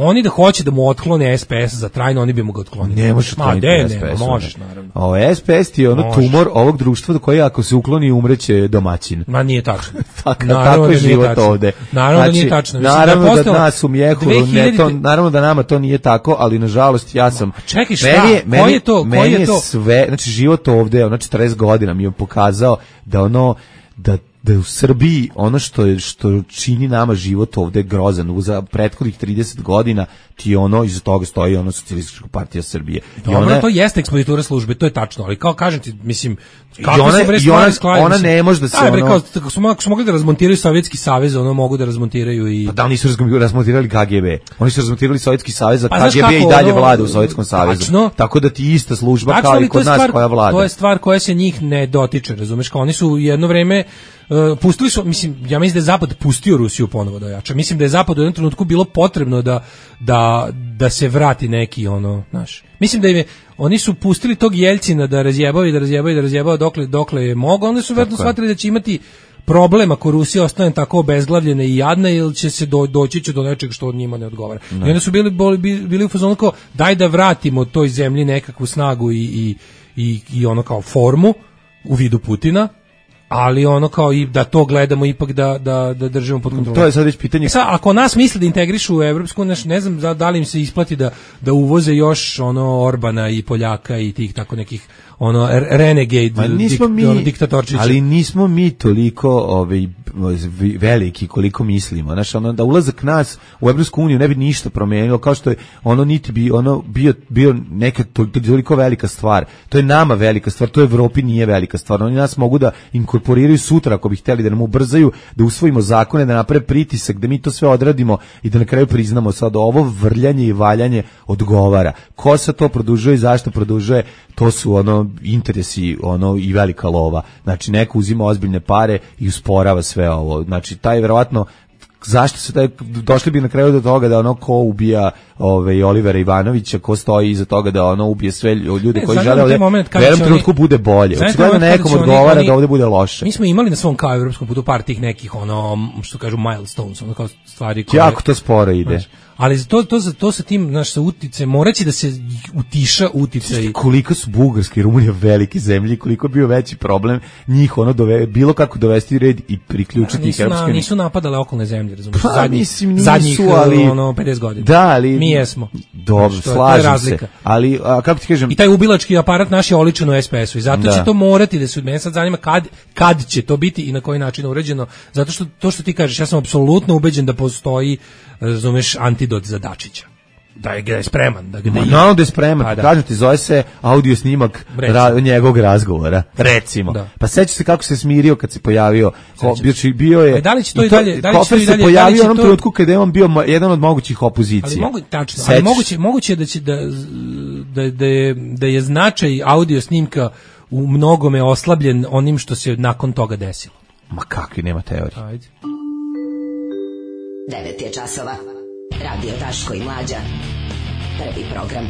oni da hoće da mu otklone S P S za trajno, oni bi mu ga otklonili. Ne možeš otkloniti S P S. Ne, možeš, naravno. Ovo S P S ti je ono možeš. Tumor ovog društva do koji ako se ukloni umreće domaćin. Ma nije tačno. tako, tako je život tačno. Ovde. Naravno znači, da nije tačno. Mislim, naravno da, je da nas u mjehu, dve hiljade... ne to, naravno da nama to nije tako, ali nažalost ja sam... Čekaj, šta? Meni je, meni, ko je to? Meni je to? sve, znači život ovde, ono četrdeset godina mi je pokazao da ono, da da u Srbiji ono što je što čini nama život ovde grozan za prethodnih trideset godina ti ono iza toga stoji ono Socijalistička partija Srbije. I ona, ona to jeste ekspozitura službe, to je tačno, ali kao kažem ti, mislim, kako ona, se bre stvari skladi, ona ne može da se ono... Kao, kako su, su mogli da razmontiraju Sovjetski savez, ono mogu da razmontiraju i... Pa da, nisu razmontirali K G B. Oni su razmontirali Sovjetski savez, a pa, K G B i dalje ono, vlada u Sovjetskom savezu. Tačno, tako da ti ista služba tačno, kao i kod nas stvar, koja vlada. To je stvar koja se njih ne dotiče, razumeš, kao oni su jedno vreme Uh, pustili su, mislim, ja mislim da je Zapad pustio Rusiju ponovo da jača. Mislim da je Zapad u jednom trenutku bilo potrebno da, da, da se vrati neki ono, znaš. Mislim da im je, oni su pustili tog Jeljcina da razjebao i da razjebao i da razjebao dokle, dokle je mogao, onda su vjerojatno shvatili da će imati problem ako Rusija ostane tako obezglavljena i jadna ili će se do, doći će do nečeg što od njima ne odgovara. Ne. I onda su bili, bili, bili u fazonu kao daj da vratimo toj zemlji nekakvu snagu i, i, i, i ono kao formu u vidu Putina, ali ono kao i da to gledamo ipak da da da držimo pod kontrolom. To je sad već pitanje. E sad, ako nas misle da integrišu u evropsku, ne, ne znam da, da li im se isplati da da uvoze još ono Orbana i Poljaka i tih tako nekih ono renegade nismo dik, mi, ono, diktatorčića. Ali nismo mi toliko ovaj veliki koliko mislimo. Znači ono da ulazak nas u Evropsku uniju ne bi ništa promenilo, kao što je ono niti bi ono bio bio neka toliko velika stvar. To je nama velika stvar, to Evropi nije velika stvar. Oni nas mogu da inkorporiraju sutra ako bi hteli da nam ubrzaju, da usvojimo zakone, da naprave pritisak, da mi to sve odradimo i da na kraju priznamo sad ovo vrljanje i valjanje odgovara. Ko se to produžuje i zašto produžuje, to su ono interesi ono i velika lova. Znači neko uzima ozbiljne pare i usporava sve ovo. Znači taj verovatno zašto se taj došli bi na kraju do toga da ono ko ubija ovaj Olivera Ivanovića, ko stoji iza toga da ono ubije sve ljude ne, koji žele ovdje, u jednom trenutku bude bolje. Očigledno nekom odgovara oni, da ovdje bude loše. Mi smo imali na svom kao evropskom putu par tih nekih ono što kažu milestones, ono kao stvari koje jako to sporo ide. Znaš, ali to to za to sa tim naš sa utice moraće da se utiša uticaj. Koliko su Bugarska i Rumunija velike zemlje, koliko je bio veći problem njih ono dove, bilo kako dovesti red i priključiti ih evropskim. Na, nisu napadale okolne zemlje, razumiješ? Pa, zadnjih mislim, nisu, zadnjih ali, ono pedeset godina. Da, ali mi jesmo. Dobro, znači, to, slažem se. Ali a, kako ti kažem? I taj ubilački aparat naš je oličen u S P S-u i zato da. Će to morati da se mene sad zanima kad kad će to biti i na koji način uređeno, zato što to što ti kažeš, ja sam apsolutno ubeđen da postoji, razumeš, antidot za Dačića. Da je, da je spreman. Da, da je, no, da je spreman. Pa, da. Kažem ti, zove se audio snimak ra, njegovog razgovora. Recimo. Da. Pa seća se kako se smirio kad se pojavio. Ko, bio, bio je... A da li će to i dalje... Da li će to i dalje, se pojavio u onom to... trenutku kada je on bio jedan od mogućih opozicija. Ali, mogu, tačno, ali moguće, moguće da, će da, da, da, je, da je značaj audio snimka u mnogome oslabljen onim što se nakon toga desilo. Ma kakvi, nema teorije. Ajde. devet je časova. Radio Daško i Mlađa. Prvi program.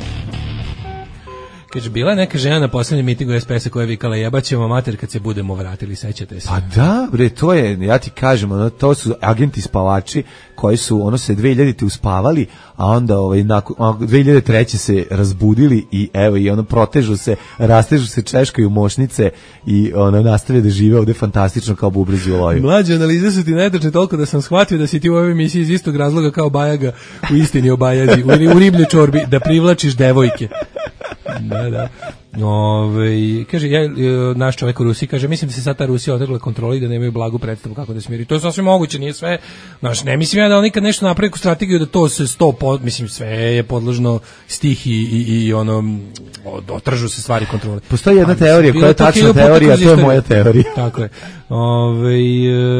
Kaže, bila je neka žena na poslednjem mitingu es pe es-a koja je vikala jebaćemo mater kad se budemo vratili, sećate se? Pa da, bre, to je, ja ti kažem, ono, to su agenti spavači koji su, ono, se dve hiljadite uspavali, a onda ovaj, nakon, dve hiljade treće se razbudili i evo, i ono, protežu se, rastežu se, češkaju mošnice i ono, nastave da žive ovde fantastično kao bubrezi u loju. Mlađe analize su ti netačne toliko da sam shvatio da si ti u ovoj emisiji iz istog razloga kao Bajaga u istini o Bajazi, u, u ribljoj čorbi, da privlačiš devojke. Da, da. Ove, kaže, ja, naš čovjek u Rusiji kaže, mislim da se sad ta Rusija otrgla kontroli i da nemaju blagu predstavu kako da smiri. To je sasvim moguće, nije sve. Znaš, ne mislim ja da on nikad nešto napravi strategiju da to se sto pod, mislim, sve je podložno stih i, i, i ono, otržu se stvari kontrole. Postoji jedna teorija koja je tačna teorija, a to je moja teorija. Tako je. Ove,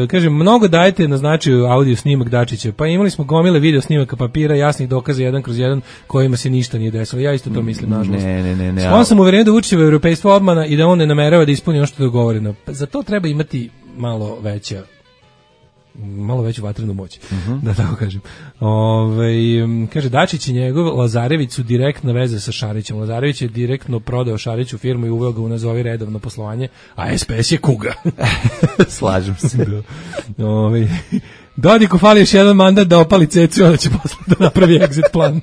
kaže, mnogo dajete na značaju audio snimak Dačića, pa imali smo gomile video snimaka papira, jasnih dokaza jedan kroz jedan kojima se ništa nije desilo. Ja isto to mislim, nažalost. Ne, ne, ne, ne. On sam uveren da Vučićevo europejstvo obmana i da on ne namerava da ispuni ono što je dogovoreno. Pa za to treba imati malo veća malo veću vatrenu moć, uh-huh. da tako kažem. Ove, kaže, Dačić i njegov Lazarević su direktna veza sa Šarićem. Lazarević je direktno prodao Šariću firmu i uveo ga u nazovi redovno poslovanje, a es pe es je kuga. Slažem se. Da. Ove, Dodiku fali još jedan mandat da opali cecu, onda će posle da napravi exit plan.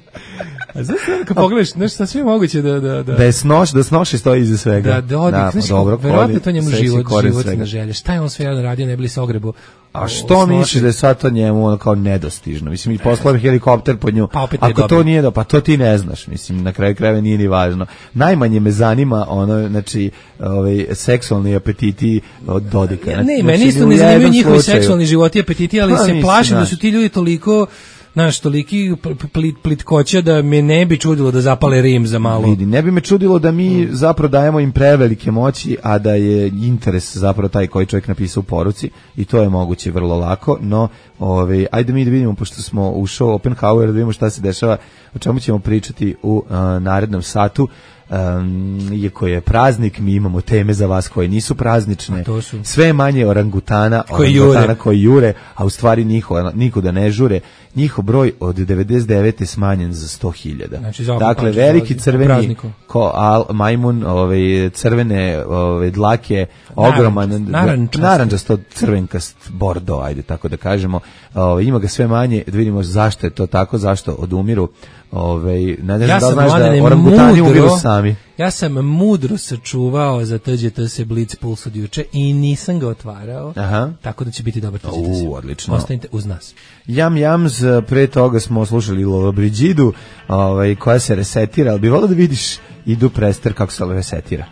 A znaš, kad pogledaš, nešto sa sve moguće da... Da, da, da je snoš, da snoši stoji iza svega. Da, Dodik, da, znaš, dobro, verovatno to njemu život, životna želja. Šta je on sve jedan radio, ne bili se ogrebo? A što misliš da je sad to njemu ono kao nedostižno? Mislim, i poslao helikopter po nju. Pa ako to nije do, pa to ti ne znaš. Mislim, na kraju krajeva nije ni važno. Najmanje me zanima ono, znači, ovaj, seksualni apetiti od Dodika. Ja, ne, meni isto ne zanimaju njihovi seksualni životi i apetiti, ali ha, se plašim da su ti ljudi toliko... Znaš, toliki plit, plitkoća da me ne bi čudilo da zapale Rim za malo. Vidi, ne bi me čudilo da mi mm. zapravo dajemo im prevelike moći, a da je interes zapravo taj koji čovjek napisao u poruci i to je moguće vrlo lako, no ove, ajde mi da vidimo, pošto smo u show Oppenhauer, da vidimo šta se dešava, o čemu ćemo pričati u uh, narednom satu. Um, iako je praznik, mi imamo teme za vas koje nisu praznične, su... sve manje orangutana koji orangutana jure. koji jure, a u stvari niko, niko da ne žure, njihov broj od devedeset devete smanjen za sto hiljada. Znači, dakle, veliki crveni ko al, majmun, ove, crvene ove, dlake, ogroman naranđasto crvenkast bordo, ajde tako da kažemo, ove, ima ga sve manje, da vidimo zašto je to tako, zašto odumiru. Ove, ne znam ja da znaš da orangutani umiru sami. Ja sam mudro sačuvao za T G T S Blitz Puls od juče i nisam ga otvarao. Aha. Tako da će biti dobar T G T S. U, odlično. Ostanite uz nas. Jam Jams, pre toga smo slušali Lollobrigidu, ovaj, koja se resetira, ali bi volio da vidiš Idu Prester kako se resetira.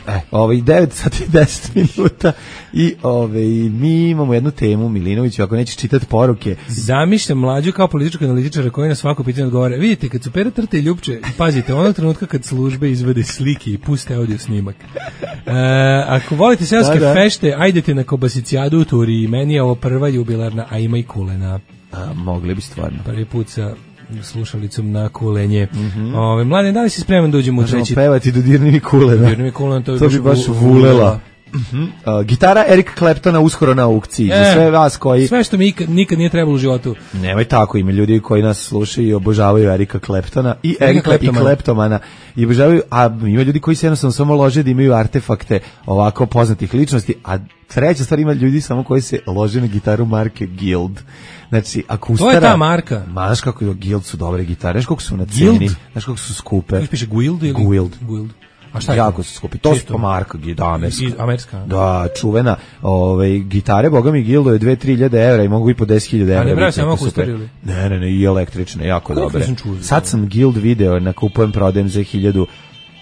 E, ovaj, devet sati i deset minuta i ovaj, mi imamo jednu temu, Milinoviću, ako nećeš čitati poruke. Zamišljam Mlađu kao političkog analitičara koji na svako pitanje odgovara. Vidite, kad su Pera Trte i Ljupče, pazite, onog trenutka kad službe izvede slike i puste audio snimak. E, ako volite seoske da, da. fešte, ajdete na Kobasicijadu u Turiji. Meni je ovo prva jubilarna, a ima i kulena. A, mogli bi stvarno. Prvi put sa slušalicom na kulenje. Mm-hmm. Ove, Mlade, da li si spreman da uđemo u treći? Možemo pevati Dodirni mi kulena. Dodirni mi kulena, to, to bi baš vulela. Uh-huh. Uh, gitara Eric Claptona uskoro na aukciji. E, za sve vas koji... Sve što mi nikad, nikad nije trebalo u životu. Nemoj tako, ima ljudi koji nas slušaju i obožavaju Erika Claptona i Erika i Kleptomana. I obožavaju, a ima ljudi koji se jednostavno samo lože da imaju artefakte ovako poznatih ličnosti, a treća stvar, ima ljudi samo koji se lože na gitaru marke Guild. Znači, ako ustara... To je ta marka. Znaš kako je Guild su dobre gitare, znaš kako su na ceni, znaš kako su skupe. Kako piše Guild ili? Guild. Guild. A šta je jako su skupi. To su pa marka, da, amerska. Amerska. Da, čuvena. Ove, gitare, boga mi, Gildo je dve do tri hiljade evra i mogu i po deset hiljada evra. A ne pravi samo kustarili? Ne, ne, ne, i električne, jako Koliko dobre. Čuzi, sad sam Guild video, na kupujem, prodajem za hiljadu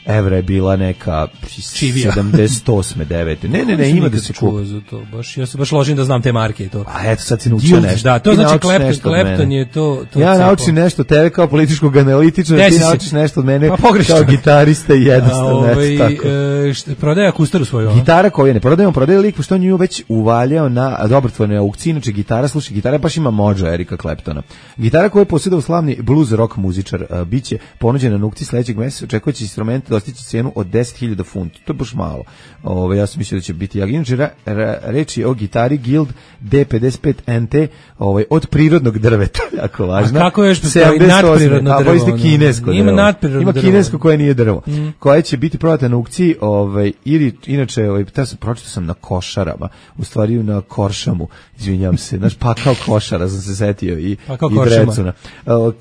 evra je bila neka sedamdeset osme devete Ne, ne, ne, ima da se kupa. Za to. Baš, ja se baš ložim da znam te marke i to. A eto, sad si naučio nešto. Da, to znači Clapton, Clapton je to... to ja naučim nešto tebe kao političkog analitičara, ti naučiš nešto od mene kao gitarista i jednostavno. Ovaj, e, prodaje akustaru svoju. Gitara koju ne prodajemo, prodaje lik, pošto on nju već uvaljao na dobrotvornoj aukciji, inače gitara, slušaj, gitara baš ima mođo Erika Claptona. Gitara koju je posjedao slavni blues rock muzičar, biće ponuđena na aukciji sledećeg meseca, očekujući instrument dostići cenu od deset hiljada funti. To je baš malo. Ove, ja sam mislio da će biti jak. Inače, ra, ra, reči o gitari Guild D pedeset pet N T ovaj, od prirodnog drveta, jako važno. A kako je još nadprirodno drvo? A ovo je kinesko Ima nadprirodno Ima drvo. kinesko koje nije drvo. Mm. Koja će biti prodata na aukciji, ovaj, ili, inače, ovaj, ta sam, pročitao sam na Košarama, u stvari na Koršamu, izvinjam se, znaš, pakao Košara, sam se setio, i, i Drecuna. Uh,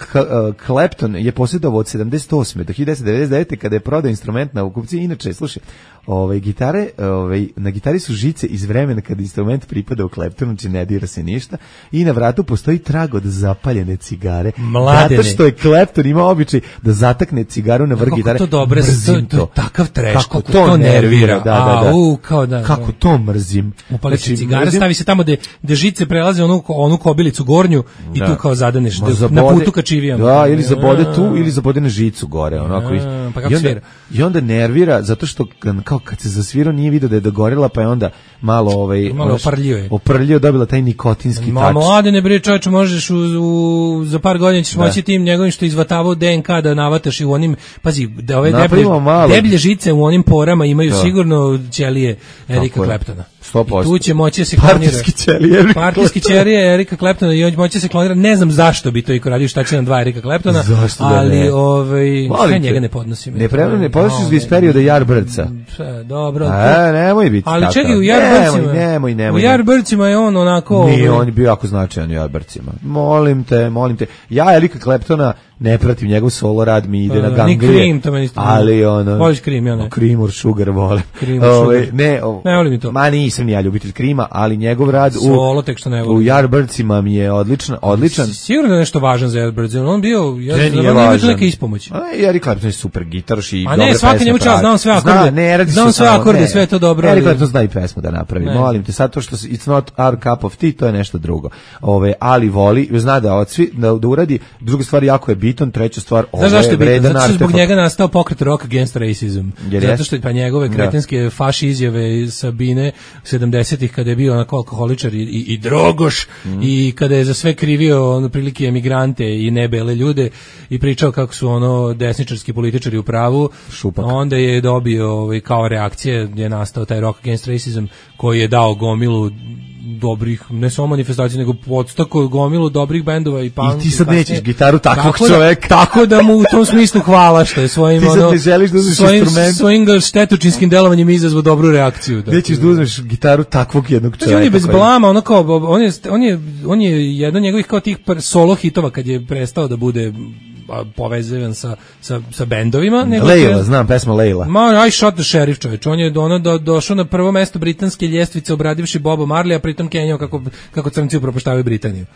Clapton je posjedovao od sedamdeset osme do hiljadu devetsto devedeset devete kada je prodao instrument na aukciji. Inače, slušaj, ovaj, gitare, ovaj, na gitari su žice iz vremena kada instrument pripada u Claptonu, znači ne dira se ništa, i na vratu postoji trag od zapaljene cigare. Mladene. Zato što je Clapton imao običaj da zatakne cigaru na vrh gitare. Kako to dobro, to, to, to takav treš, kako, kako to, to nervira. nervira. Da, da, da. A, u, kao da, kako to mrzim. Upali se cigara, mrzim. Stavi se tamo gde, gde žice prelaze onu, onu kobilicu gornju i da. Tu kao zadaneš, da, zabode, na putu ka čivijama. Da, ili zabode tu, ili zabode na žicu gore. Onako. A, pa kako I, onda, svira? I onda nervira, zato što kao kad se zasvirao nije vidio da je dogorela, pa je onda malo ovaj malo oprljio je. Oprljio, dobila taj nikotinski tač. Ma mladene bre, čoveče, možeš u, u za par godina ćeš da. Moći tim njegovim što izvatavao D N K da navataš i u onim, pazi, da ove deblje, deblje žice u onim porama imaju da. Sigurno ćelije Erika Claptona. sto posto. I tu će moći da se klonira. Partijski ćelije. Partijski ćelije Erika Claptona i on moći da se klonira. Ne znam zašto bi to iko radio, šta će nam dva Erika Claptona, zašto da ali ne? ovaj sve njega ne podnosim. Ne prema ne podnosiš iz perioda Yardbirdsa. Sve dobro. A, nemoj biti. Ali čekaj, u Yardbirdsima. Nemoj, nemoj. U Yardbirdsima je on onako. Nije, on je bio jako značajan u Yardbirdsima. Molim te, molim te. Ja Erika Claptona ne pratim njegov solo rad, mi ide uh, na ganglije. Ni Cream, to meni isto. Ali ono. Voliš Cream, ja ne. Cream or Sugar volim. Cream or Sugar. Ne, o, ne volim to. Ma nisam ni ja ljubitelj Creama, ali njegov rad u solo tek što ne volim. U Yardbirdsima mi je odličan, odličan. Sigurno da je nešto važan za Yardbirds. On bio, ja ne, znam, on ima neke ispomoći. A Eric Clapton je super gitaraš i dobre pesme. A ne, svaki njemu čas, znam sve akorde. Zna, ne, radi znam sve akorde, sve je to dobro. Eric Clapton zna i pesmu da napravi. Molim te, sad to što it's not our cup of tea, to je nešto drugo. Ove, ali voli, zna da odsvi, da, da uradi. Druga stvar jako je bitan, treća stvar, ovo je vredan zato što zbog njega nastao pokret Rock Against Racism. Jer zato što pa njegove kretenske faši izjave iz Sabine sedamdesetih kada je bio onako alkoholičar i, i, i drogoš mm. i kada je za sve krivio ono prilike emigrante i nebele ljude i pričao kako su ono desničarski političari u pravu, Šupak. Onda je dobio ovaj, kao reakcije je nastao taj Rock Against Racism koji je dao gomilu dobrih, ne samo manifestacija, nego podstako gomilu dobrih bendova i punk. I ti sad kasnije nećeš gitaru takvog tako čoveka. Da, tako da mu u tom smislu hvala što je svojim, ono, ne želiš da uzmeš svojim, instrument. svojim štetočinskim delovanjem izazvao dobru reakciju. Da. Nećeš da uzmeš gitaru takvog jednog čoveka. On je bez blama, ono kao, on je, on je, on je jedan njegovih kao tih solo hitova kad je prestao da bude povezivan sa, sa, sa bendovima. Leila, je, znam, pesma Leila. Ma, I Shot the Sheriff, čovječ. On je ono do, došao na prvo mesto britanske ljestvice obradivši Boba Marleya, a pritom Kenjao kako, kako crnci upropaštavaju Britaniju.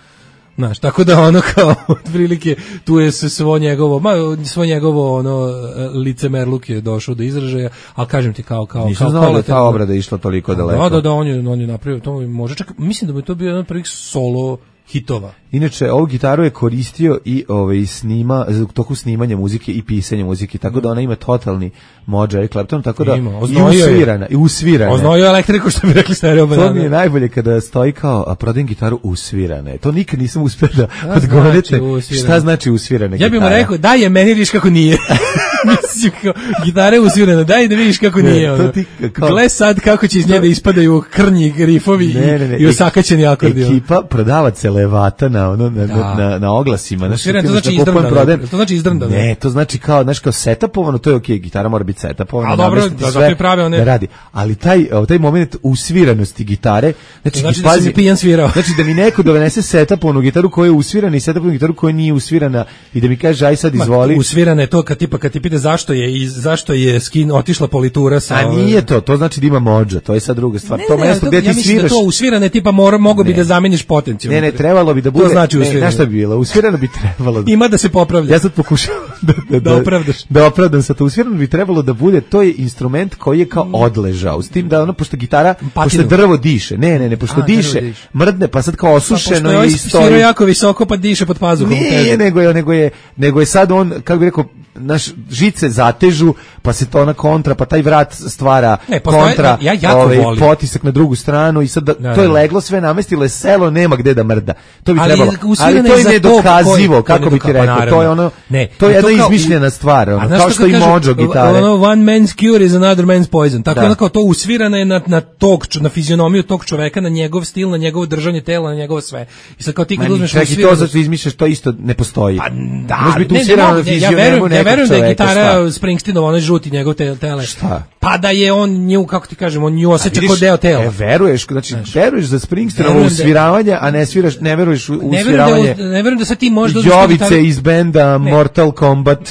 Znaš, tako da ono kao otprilike tu je se svo njegovo, ma svo njegovo ono licemerluk je došao do izražaja, al kažem ti kao kao Nisam kao znao da je ta obrada išla toliko daleko. Da, da, da, on je on je napravio to, može čak mislim da bi to bio jedan od prvih solo hitova. Inače, ovu gitaru je koristio i ovaj snima u toku snimanja muzike i pisanja muzike, tako da ona ima totalni mođa Eric Clapton, tako da ima, i usvirana, i usvirana. Oznojio elektriku, što bi rekli stereo banana. To mi je najbolje kada stoji kao, a prodajem gitaru usvirane. To nikad nisam uspeo da odgovorite. Znači šta znači usvirane gitare? Ja bih mu rekao, daj je meni vidiš kako nije. Mislim, kao, gitara je usvirana, daj da vidiš kako nije. Ono. Kao... Gle sad kako će iz nje da ispadaju krnji rifovi ne, ne, ne. i osakaćeni akordi. Ekipa prodava celevata na ono na, da. na, na oglasima, znači to znači izdrndano. To znači izdrndano. Ne, to znači kao, znači kao setapovano, to je okej, okay, gitara mora biti setapovana. A dobro, da sve prave one. Da radi. Ali taj taj moment usviranosti gitare, znači, znači da se pijan svirao. Znači da mi neko donese setapovanu gitaru koja je usvirana i setapovanu gitaru koja nije usvirana i da mi kaže aj sad izvoli. Ma, usvirana je to kad tipa kad ti pita zašto je i zašto je skin otišla politura sa. A nije to, to znači da ima modža, to je sad druga stvar. Ne, to ne, mesto gde ti ja sviraš. Da to usvirane tipa mora mogu bi da zameniš potencijal. Ne, ne, trebalo bi da bude. To znači usvirano. Znaš šta bi bilo? Usvirano bi trebalo. Da, ima da se popravlja. Ja sad pokušavam da da, da opravdaš. Da opravdam sa to. Usvirano bi trebalo da bude, to je instrument koji je kao odležao. S tim da ono pošto gitara, Patinu. Pošto drvo diše. Ne, ne, ne, pošto A, diše, diše, mrdne, pa sad kao osušeno pa, i stoji. Svira jako visoko pa diše pod pazuhom. Ne, nego je, nego je, nego je sad on, kako bih rekao, naš žice zatežu, pa se to na kontra, pa taj vrat stvara ne, postoje, kontra, ja jako ovaj, volim. potisak na drugu stranu i sad da, da, to je da. leglo sve namestilo je selo, nema gde da mrda. To bi ali trebalo. Ali to je nedokazivo, kako bi ti rekao. Pa to je ono, ne, to je jedna to kao, izmišljena stvar, ono, kao što i kažu, Mojo gitare. Ono, one man's cure is another man's poison. Tako da. ono kao to usvirano je na, na tog, na fizionomiju tog čoveka, na njegov stil, na njegovo držanje tela, na njegovo sve. I sad kao ti kad uzmeš usvirano... Čekaj, to zato izmišljaš, to isto ne postoji. Pa da, može biti ne, usvirano ne, na ne, ja fizionomiju verujem, ja nekog verujem da je čoveka, gitara Springsteenova, onaj žuti njegov te, tele. Šta? Pa da je on nju, kako ti kažem, on nju osjeća kao deo tela. E, veruješ, znači, znači veruješ za Springsteenovo usviravanje, a ne sviraš, ne veruješ u usviravanje. Ne verujem da sad ti možda Jovice iz benda Mortal Kombat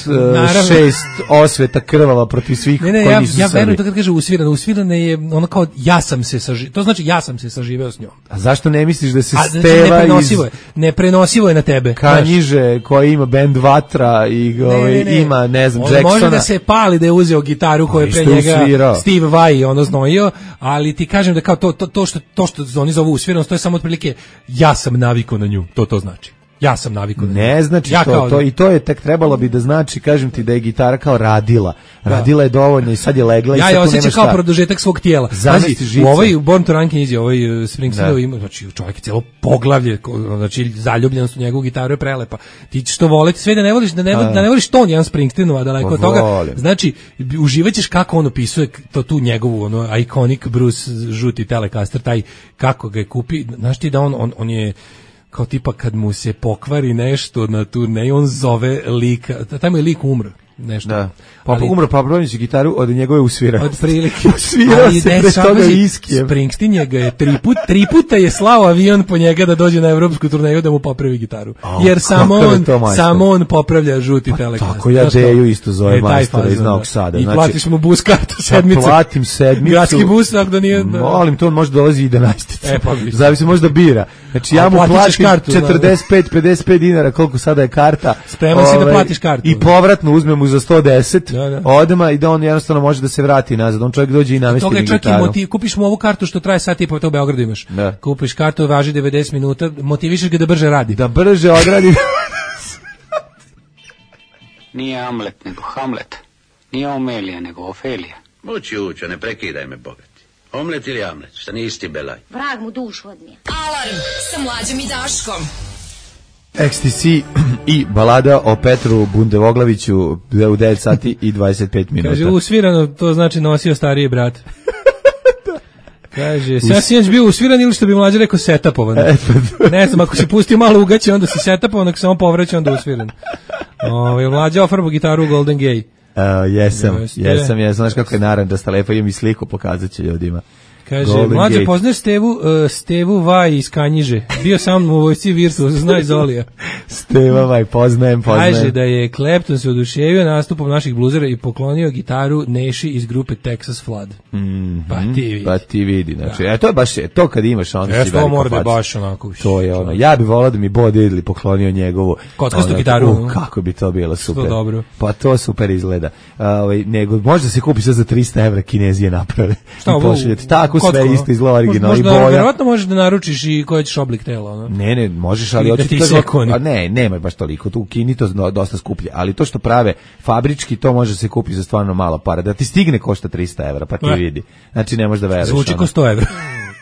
šest osveta krvava protiv svih ne, ne, koji ja, nisu ja Srbi. verujem to kad kaže usvirano, usvirano je ono kao ja sam se saživeo. To znači ja sam se saživeo s njom. A zašto ne misliš da se a, Steva neprenosivo iz... je, neprenosivo je na tebe. Kanjiže koji ima bend Vatra i ne, ovaj, ne, ne. ima, ne znam, on Jacksona. Može da se pali da je uzeo gitaru koju je pre njega usvirao. Steve Vai ono znojio, ali ti kažem da kao to, to, to, što, to što oni zovu usviranost, to je samo otprilike ja sam navikao na nju, to to znači. Ja sam navikao na nju. Ne znači ja to, kao, to, i to je tek trebalo bi da znači, kažem ti da je gitara kao radila. Radila je dovoljno i sad je legla ja i sad je tu osjeća nema kao šta. produžetak svog tijela. Znači, u ovoj Born to Run knjizi, ovaj Springsteenov ima, znači čovjek je cijelo poglavlje, znači zaljubljenost u njegovu gitaru je prelepa. Ti ćeš to voliti, sve da ne voliš, da ne, da ne voliš ton Jan Springsteenova, daleko od toga. Znači, uživaćeš kako on opisuje to tu njegovu, ono, iconic Bruce žuti Telecaster, taj, kako ga je kupi, znaš ti da on, on, on je kao tipa kad mu se pokvari nešto na turneji, on zove lika, tamo je lik umro. Nešto. Da. Pa ali, umro pa brojnicu gitaru od njegove usvirao. Od prilike. Usvirao se pre toga iskijem. Springsteen je ga je tri, put, tri puta je slao avion po njega da dođe na evropsku turneju da mu popravi gitaru. Oh, jer samo on, samo on popravlja žuti pa, Telecaster. Tako ja Deju isto zove e, majstora iz Novog Sada. I znači, platiš mu bus kartu sedmicu. Pa platim sedmicu. Gradski bus, tako da nije... Da... Molim, to on može dolazi i jedanaesticu. E, pa zavisi možda bira. Znači ja mu platim kartu, četrdeset pet pedeset pet dinara koliko sada je karta. Spreman si da platiš kartu. I povratno uzmem mu za sto deset. Da, da. Odma i da on jednostavno može da se vrati nazad. On čovjek dođe i namesti mi gitaru. Toga motiv, kupiš mu ovu kartu što traje sat i po, to u Beogradu imaš. Da. Kupiš kartu, važi devedeset minuta, motivišeš ga da brže radi. Da brže odradi. Nije Amlet, nego Hamlet. Nije Omelija, nego Ofelija. Mući učo, ne prekidaj me, bogati. Omlet ili Amlet, šta nisi belaj. Vrag mu dušu odnije. Alarm sa Mlađom i Daškom. X T C i balada o Petru Bundevoglaviću u devet sati i dvadeset pet minuta. Kaže, usvirano, to znači nosio stariji brat. Kaže, ja si jeć bio usviran ili što bi Mlađa rekao setapovan. Ne znam, ako se pusti malo ugaće, onda si setapovan, ako se on povraća, onda usviran. Ove, Mlađa ofarbo gitaru Golden Gay. Uh, jesam, jesam, jesam. Znaš kako je narandasta lepa, imam i sliku, pokazat će ljudima. Kaže, Mlađe, poznaš Stevu, uh, Stevu Vaj iz Kanjiže. Bio sam u vojsci Virtu, znaj Zolija. Steva Vaj, poznajem, poznajem. Kaže da je Clapton se oduševio nastupom naših bluzera i poklonio gitaru Neši iz grupe Texas Flood. Mm -hmm. Pa ti vidi. Pa ti vidi, znači, e, to je baš, to kad imaš, onda e, si veliko mora da fac. baš onako. To je ono, ja bih volao da mi Bo Diddley poklonio njegovu kockastu gitaru. Uh, kako bi to bilo super. To dobro. Pa to super izgleda. Uh, ovaj, nego, možda se kupi sve za trista evra, Kinezije naprave. Šta, i pošaljete. Tako kocko, sve isto izgleda original i boja. boja. Verovatno možeš da naručiš i koji ćeš oblik tela. Ono. Ne, ne, možeš, ali da ti sekoni. Ne, nema baš toliko. Tu u Kini to dosta skuplje, ali to što prave fabrički, to može se kupiti za stvarno malo para. Da ti stigne košta trista evra, pa ti ne. Vidi. Znači ne možeš da veruješ. Zvuči ko sto evra.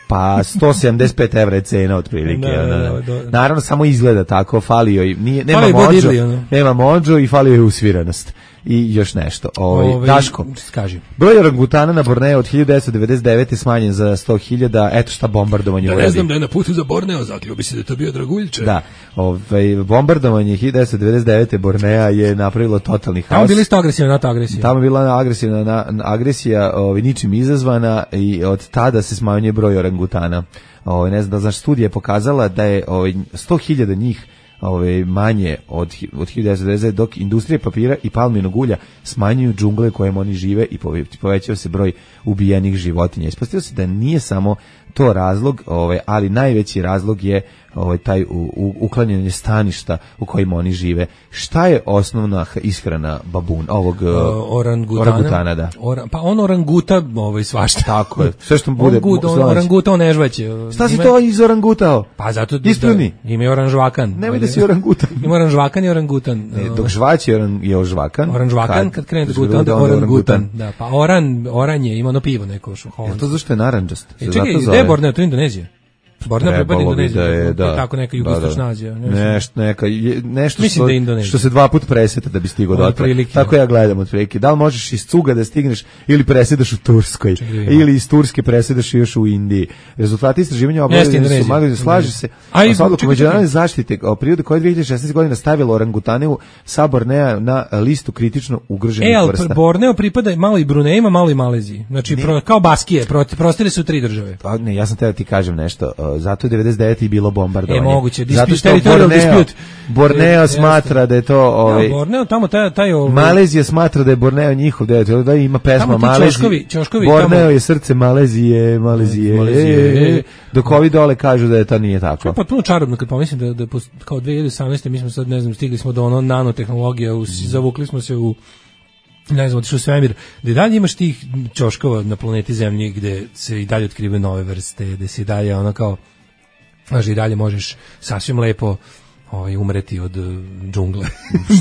Pa sto sedamdeset pet evra je cena otprilike. Da, da, da, da. Naravno samo izgleda tako, falio i nije, nema mođo, nema mođo i falio je usviranost. I još nešto. Ovaj Ove, Daško. Kaži. Broj orangutana na Borneo od hiljadu devetsto devedeset devete smanjen za sto hiljada. Eto šta bombardovanje da, uradi. Ne znam da je na putu za Borneo, zaključio bi se da je to bio Draguljče. Da. Ovaj bombardovanje hiljadu devetsto devedeset devete Bornea je napravilo totalni haos. Tamo bili sto agresivna NATO agresija. Tamo je bila agresivna na, agresija, ovaj ničim izazvana i od tada se smanjuje broj orangutana. Ovaj ne znam da znaš, studija je pokazala da je ovaj sto hiljada njih ove manje od od hiljadu devetsto devedeset dok industrija papira i palminog ulja smanjuju džungle u kojima oni žive i povećava se broj ubijenih životinja. Ispostavilo se da nije samo to razlog, ovaj ali najveći razlog je ovaj taj u, u, uklanjanje staništa u kojima oni žive. Šta je osnovna ishrana babun ovog uh, orangutana? orangutana da. Oran, pa on oranguta ovaj svašta. Tako je. Sve što bude on on, oranguta on nežvaće. Šta si to iz orangutao? Pa zato Ispravni. Da, ime oranžvakan. Nemoj da si orangutan. Ima oranžvakan i orangutan. Ne, dok žvać je, oran, je ožvakan. Oranžvakan, kad, kad krene da guta, onda orangutan. Da, pa oran, oranje, ima ono pivo neko. Je to zašto je naranđast? E, čekaj, gde je Borneo, to je Indonezija? Borneo pripada Indoneziji, da je, da. tako neka jugoistočna Azija. Nešto, neka, nešto Mislim što, da što se dva put preseta da bi stigo do otra. Prilike. Tako ja gledam otprilike. Da li možeš iz Cuga da stigneš ili presedaš u Turskoj, Čekaj, ili iz Turske presedaš još u Indiji. Rezultati istraživanja obavljeni su magazin, slaže se. A sa odlukom međunarodne zaštite o prirode koja je dve hiljade šesnaeste. godine stavila orangutane sa Bornea na listu kritično ugroženih e, vrsta. E, Borneo pripada malo i Bruneima, malo i Maleziji. Znači, pro, kao Baskije, prostire su tri države. Pa, ne, ja sam te da ti kažem nešto. Zato je devedeset devete i bilo bombardovanje. E, moguće. Zato što Borneo, Borneo smatra da je to... Ovaj, ja, Borneo, tamo taj... taj ovaj, Malezija smatra da je Borneo njihov, da, da ima pesma Malezije. Borneo tamo, je srce Malezije, Malezije. Malezije. E, dok ovi dole kažu da je to nije tako. To je potpuno čarobno kad pomislim da, da kao dve hiljade osamnaeste. mi smo sad, ne znam, stigli smo do ono nanotehnologija, u, zavukli smo se u ne znam, otišao u svemir, gde dalje imaš tih ćoškova na planeti Zemlji gde se i dalje otkrivaju nove vrste, gde se i dalje ono kao znaš, i dalje možeš sasvim lepo ovaj, umreti od uh, džungle,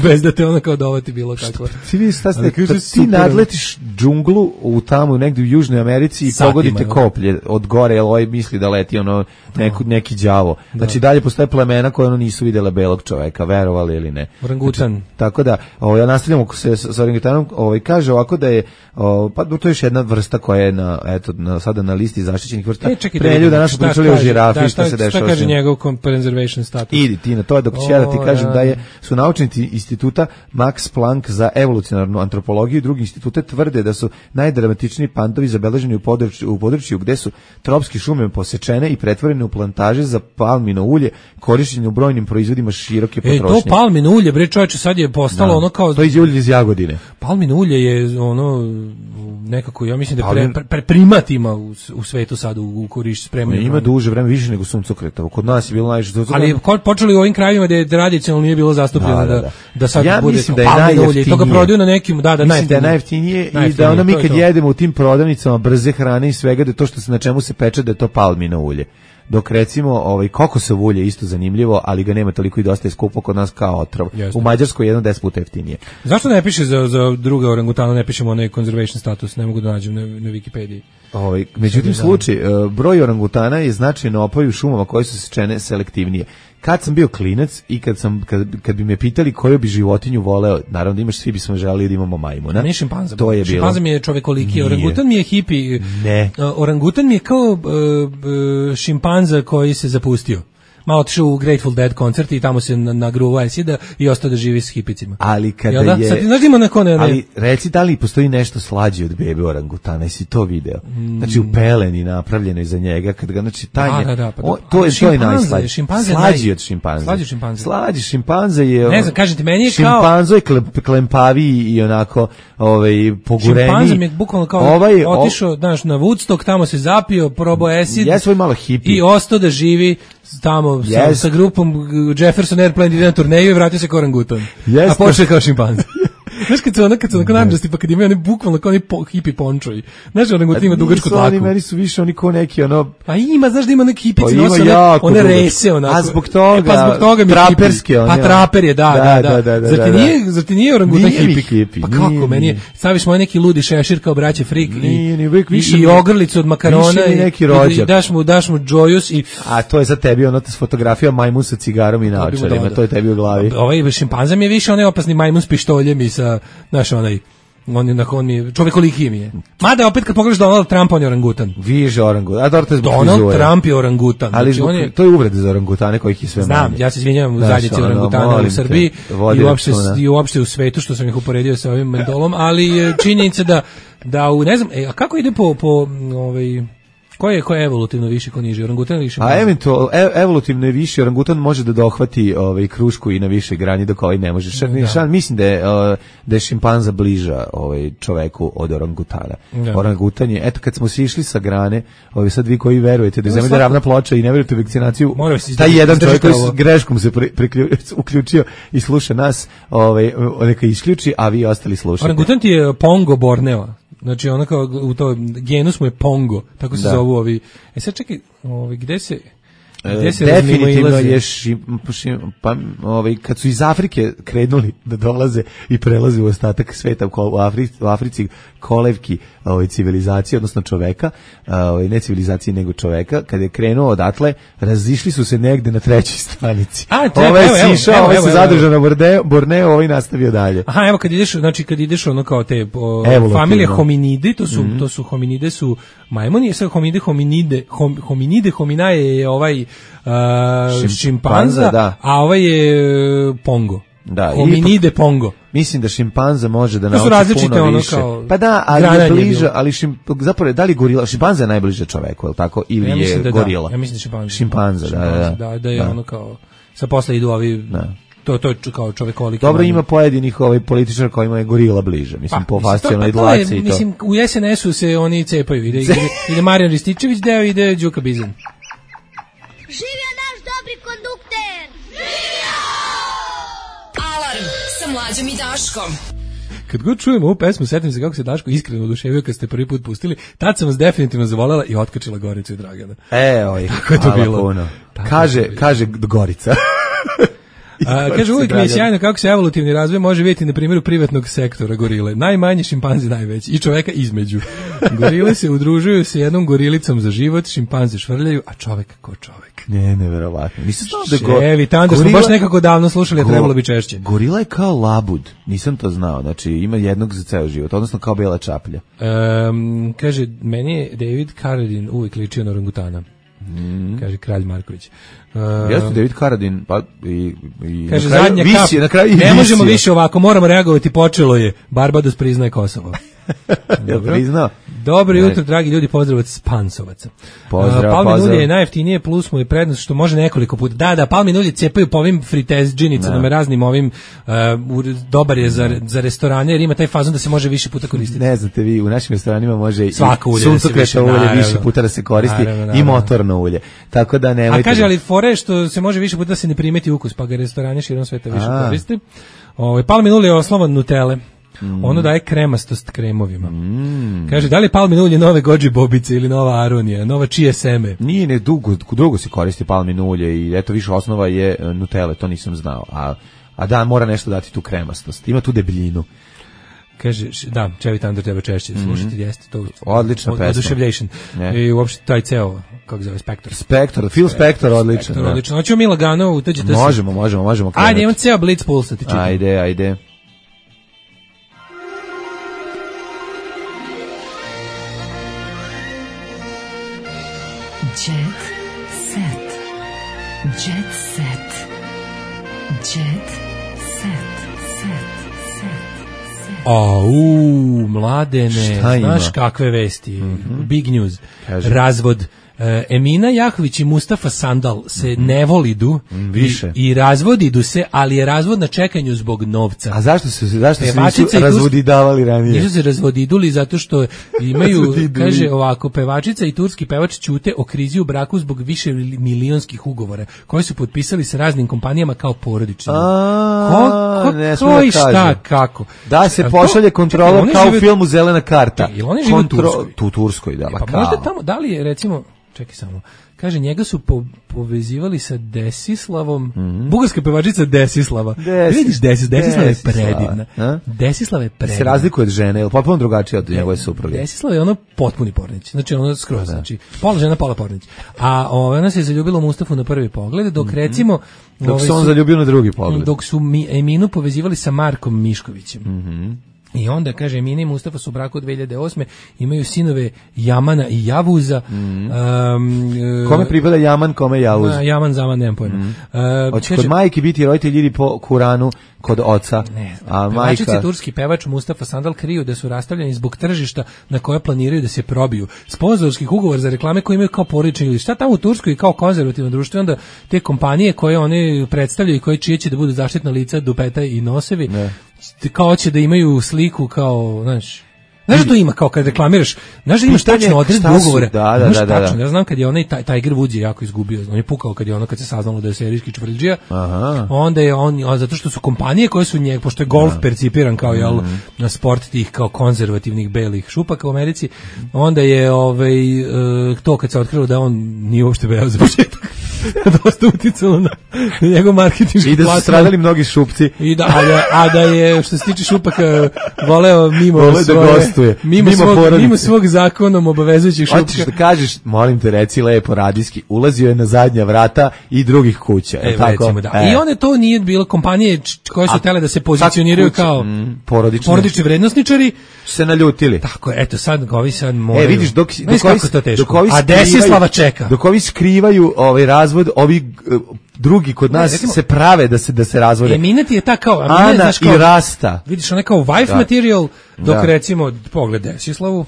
bez da te ono kao dovati bilo kako. Ti vidiš, šta ste, kad ti nadletiš džunglu u tamo negdje u Južnoj Americi i satima, pogodite koplje od gore, jer ovaj misli da leti ono neku, neki đavo. Znači da. Dalje postoje plemena koje ono nisu vidjela belog čoveka, verovali ili ne. Orangutan. Znači, tako da, ovaj, ja nastavljamo se s, s orangutanom, ovaj, kaže ovako da je, ovaj, pa to je još jedna vrsta koja je na, eto, na, sada na listi zaštićenih vrsta. E, čekaj, Pre ljuda naša pričali o žirafi, da, šta, šta se dešava. Šta kaže njegov conservation status? Idi ti na to, dok ću ja da ti kažem da je, su naučnici instituta Max Planck za evolucionarnu antropologiju i drugi institute tvrde da su najdramatičniji pandovi zabeleženi u području, u području gde su tropske šume posečene i pretvorene u plantaže za palmino ulje, korišćenje u brojnim proizvodima široke potrošnje. E, to palmino ulje, bre čoveče, sad je postalo da. ono kao... To je ulje iz Jagodine. Palmino ulje je ono nekako, ja mislim da pre, pre, pre primat ima u, u svetu sad u, u korišćenju spremanju. Ima duže vreme, više nego suncokreta. Kod nas je bilo najviše. Ali počeli u ovim krajevima da je tradicionalno nije bilo zastupljeno da, da, da. da sad ja bude da palmino ulje. To ga prodaju na nekim, da, da, mislim da je najjeftinije i da ono mi kad jedemo u tim prodavnicama brze hrane i svega, da to što se na čemu se peče da je to palmino ulje. Dok recimo ovaj kokosovo ulje isto zanimljivo, ali ga nema toliko i dosta je skupo kod nas kao otrov. Jeste. U Mađarskoj je jedno deset puta jeftinije. Zašto ne piše za za druge orangutana, ne pišemo onaj conservation status, ne mogu da nađem na, na Wikipediji. Ovaj međutim slučaj broj orangutana je značajno opao u šumama koje su sečene selektivnije. Kad sam bio klinac i kad sam kad, kad bi me pitali koju bi životinju voleo, naravno da imaš, svi bismo želeli da imamo majmuna. Ne šimpanza. To je bilo. Šimpanza mi je čovekoliki, orangutan mi je hipi. Ne. Orangutan mi je kao uh, uh, šimpanza koji se zapustio. Malo otišao u Grateful Dead koncert i tamo se nagruvao Sida i ostao da živi s hipicima. Ali kada da? je... Sad, znaš ima neko ne, ne... Ali reci da li postoji nešto slađe od bebe orangutana, jesi to video? Mm. Znači u peleni napravljenoj za njega, kad ga, znači taj da, da, da, pa, o, to je, to je najslađe. Šimpanze slađi naj... od šimpanze. Slađi šimpanze. Slađi šimpanze je... Ne znam, kažete, meni je kao... Šimpanzo je klempaviji i onako ovaj, pogureni. Šimpanze mi je bukvalno kao ovaj, otišao, znaš, na Woodstock, tamo se zapio, probao acid. Ja svoj malo hipi. I ostao da živi tamo yes. sa, sa grupom Jefferson Airplane ide na turneju i vratio se kao orangutan. Yes. A počeo kao šimpanze. Znaš kad su ono, kad su onako naranđasti, pa kad imaju oni bukvalno kao oni po, hipi pončoji. Znaš, orangutan ima dugačku dlaku. Oni meni su više oni kao neki ono... Pa ima, znaš da ima neki hipici, pa nose one, one rese onako. A zbog toga, e, pa zbog toga mi traperske hipi. Pa traper je, da, da, da. da, da, da zar, ti nije, zar ti nije orangutan nije hipi? hipi? Pa kako, nije, meni je, staviš moj neki ludi šešir kao braće frik nije, i, nije, više i ogrlicu od makarona i, neki rođak. i daš mu, daš mu džojus i... A to je za tebi ono s fotografija majmun sa cigarom i naočarima, to je tebi u glavi. Ovaj šimpanza mi je više onaj opasni majmun s pištoljem i sa, znaš, onaj on je on mi čovekoliki mi je. Mada opet kad pogledaš Donald Trump on je orangutan. Viže orangutan. A dobro zbog Donald frizure. Trump je orangutan. Ali znači, on je to je uvreda za orangutane kojih je sve manje. Znam, ja se izvinjavam u zajednici orangutana u Srbiji i uopšte i uopšte u svetu što sam ih uporedio sa ovim mendolom, ali činjenica da da u ne znam, e, a kako ide po po ovaj Ko je, ko je evolutivno više, ko niže? Orangutan ili šimpanza? A eventualno, ev, evolutivno je više, orangutan može da dohvati ovaj, krušku i na više grani, dok ovaj ne može. Šan, da. šan, mislim da je, uh, da je šimpanza bliža ovaj, čoveku od orangutana. Da. Orangutan je, eto kad smo si išli sa grane, ovaj, sad vi koji verujete da je zemlja ravna ploča i ne verujete u vakcinaciju, taj jedan čovjek koji s greškom se pri, pri, uključio i sluša nas, ovaj, neka isključi, a vi ostali slušate. Orangutan ti je Pongo Borneo. Znači ona kao u to genus mu je Pongo, tako se da. zovu ovi. E sad čekaj, ovi gde se definitivno je šim, šim, pa, ovaj, kad su iz Afrike krenuli da dolaze i prelaze u ostatak sveta u Africi, u Africi kolevki ovaj, civilizacije, odnosno čoveka, ovaj, ne civilizacije nego čoveka, kad je krenuo odatle, razišli su se negde na trećoj stranici. Ovaj je sišao, ovaj se zadržao na Borneo, Borneo, ovaj nastavio dalje. Aha, evo kad ideš, znači kad ideš ono kao te o, familije hominidi, to su, mm-hmm. to su hominide su majmuni, sad hominide, hominide, hom, hominide, hominaje je ovaj uh, šimpanza, da. A ovaj je pongo. Da, hominide ipak, pongo. Mislim da šimpanza može da nauči puno ono više. Kao pa da, ali je bliže, ali šim, zapravo da li gorila, šimpanza je najbliže čoveku, je li tako? Ili ja je da gorila? Da, ja mislim da šimpanza. Šimpanza, šimpanza da, da, da, da je da. Ono kao sa posle idu ovi da. To to je kao čovekoliki. Dobro, ima pojedinih ovaj političara kojima je gorila bliže, mislim pa, po fascijalnoj dlaci i to. Mislim u es en esu se oni cepaju, ide ide, ide Marijan Rističević deo, ide Đuka Bizan. Živio naš dobri kondukter. Alarm sa Mlađom i Daškom. Kad god čujem ovu pesmu, setim se kako se Daško iskreno oduševio kad ste prvi put pustili, tad sam vas definitivno zavolela i otkačila Goricu i Dragana. E, oj, tako je to bilo. Kaže, kaže Gorica. A, kaže, uvijek mi je sjajno kako se evolutivni razvoj može vidjeti na primjeru privatnog sektora gorile. Najmanji šimpanzi najveći i čoveka između. Gorile se udružuju sa jednom gorilicom za život, šimpanze švrljaju, a čovek ko čovek. Ne, neverovatno. Nisam znao da go... Ševi, tamo smo baš nekako davno slušali, a trebalo bi češće. Gorila je kao labud, nisam to znao, znači ima jednog za ceo život, odnosno kao bela čaplja. Um, kaže, meni je David Carradine uvijek ličio na orangutana. Mm. Kaže Kralj Marković. Uh, Jeste David Carradine, pa i, i kaže, na kraju, zadnja visije, kap, na kraju ne možemo više ovako, moramo reagovati, počelo je. Barbados priznaje Kosovo. Dobro. Priznao? Dobro jutro, dragi ljudi, pozdrav od Spansovaca. Pozdrav, uh, palmin pozdrav. ulje je najjeftinije, plus mu je prednost što može nekoliko puta. Da, da, palmin ulje cepaju po ovim fritezđinicama, raznim ovim, uh, dobar je za, za restorane, jer ima taj fazon da se može više puta koristiti. Ne znate vi, u našim restoranima može i suncokreta ulje više, više puta da se koristi, naravno, naravno. I motorno ulje. Tako da nemojte... A kaže, ali fore što se može više puta da se ne primeti ukus, pa ga restorane širom sveta više A. koriste. Ovaj palmin ulje je oslovan Nutelle. Mm. Ono daje kremastost kremovima. Mm. Kaže, da li je palmin ulje nove Goji bobice ili nova aronija, nova čije seme? Nije, ne, dugo, dugo se koristi palmin ulje i eto više osnova je Nutelle, to nisam znao. A, a da, mora nešto dati tu kremastost. Ima tu debljinu. Kaže, da, Chevy Thunder treba češće slušati, mm. jeste to. Odlična pesma. Oduševljation. I uopšte taj ceo, kako zove, Spector. Spector, Phil Spector, odličan. Spector, odličan. Hoćemo mi lagano, utađete se. Možemo, možemo, možemo. Krenuti. Ajde, imam ceo Blitz Pulse, ti čitam. Ajde, ajde. Jet set. Jet set. Jet set. Au, Mladene, znaš kakve vesti, mm-hmm. Big news, Kažem. Razvod. E, Emina Jahović i Mustafa Sandal se mm-hmm. ne volidu mm, više. I, i razvodidu se, ali je razvod na čekanju zbog novca. A zašto se zašto se nisu razvodidavali ranije? Nisu se razvodiduli zato što imaju, kaže ovako, pevačica i turski pevač ćute o krizi u braku zbog više milionskih ugovora koji su potpisali sa raznim kompanijama kao porodični. A, ko, ne ko i šta, kako? Da se pošalje kontrola kao u filmu Zelena karta. Jel oni žive u Turskoj? Tu Turskoj, da. Pa možda tamo, da li je recimo, čekaj samo, kaže, njega su po, povezivali sa Desislavom, mm-hmm. bugarska pevačica Desislava. Desis, vidiš Desis, Desislava je predivna. A? Desislava je predivna. Se razlikuje od žene, je li potpuno drugačija od njegove supruge? Desislava je ono potpuni pornić, znači ono skroz, da. Znači pola žena, pola pornić. A ova, ona se zaljubila u Mustafu na prvi pogled, dok mm-hmm. recimo... Dok se on zaljubio na drugi pogled. Dok su mi, Eminu povezivali sa Markom Miškovićem. Mhm. I onda, kaže, Emina i Mustafa su u braku od dve hiljade osme, imaju sinove Jamana i Javuza. Mm. Um, kome pripada Jaman, kome Javuz? Jaman, Zaman, nemam pojma. Mm. Uh, Hoće kod majke biti roditelji ili po Kuranu kod oca? Ne, a pevačici majka... turski pevač Mustafa Sandal kriju da su rastavljeni zbog tržišta na koje planiraju da se probiju. Sponzorskih ugovor za reklame koje imaju kao porodični ili šta tamo u Turskoj kao konzervativno društvo, onda te kompanije koje one predstavljaju i koje čije će da budu zaštitna lica, dupeta i nosevi, ne. Kao će da imaju sliku kao, znaš, znaš što ima kao kad reklamiraš, znaš da imaš tačno odredbe ugovora, da, da, da, da, tačno, ja znam kad je onaj Tiger Woods je jako izgubio, on je pukao kad je ono, kad se saznalo da je serijski čvrđija, onda je on, zato što su kompanije koje su njeg, pošto je golf Aha. percipiran kao, jel, na sport tih kao konzervativnih belih šupaka u Americi, onda je ovaj, to kad se otkrilo da on nije uopšte beo za početak. dosta uticalo na njegov marketinški I da su plasman. stradali mnogi šupci. I da, a, da, a da je, što se tiče šupaka, voleo mimo Vole svoje, da gostuje. mimo, Mimo svog, porodice. mimo svog zakonom obavezujućih šupka. Hoćeš da kažeš, molim te, reci lepo radijski, ulazio je na zadnja vrata i drugih kuća. E, tako? recimo, da. E. I one to nije bilo kompanije č- koje su A, tele da se pozicioniraju kuće, kao mm, porodične. porodični vrednosničari. Se naljutili. Tako je, eto sad ovi sad moraju. E, vidiš, dok, Znaš dok ovi, kako je to teško. dok ovi A Desislava čeka. Dok ovi skrivaju ovaj razvod, ovi uh, drugi kod nas Ne, recimo- se prave da se da se razvode. Eminent je ta kao, a Ana ne, znaš kao, i Rasta. vidiš ona kao wife Da. material, dok Da. recimo, pogled Desislavu,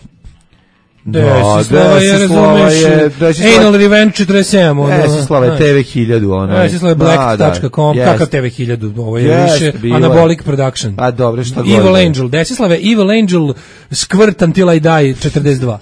Da, Desislava je, Desislava razumeš, je- Desislava- Anal Revenge četrdeset sedam, ono, Desislava je znaš. T V hiljadu, ono. Desislava je black tačka com, jest. kakav T V hiljadu, ovo je Jest, više bilo je. Anabolic Production. A dobro, šta god. Evil da je. Angel, Desislava je Evil Angel Squirt Until I Die četrdeset dva.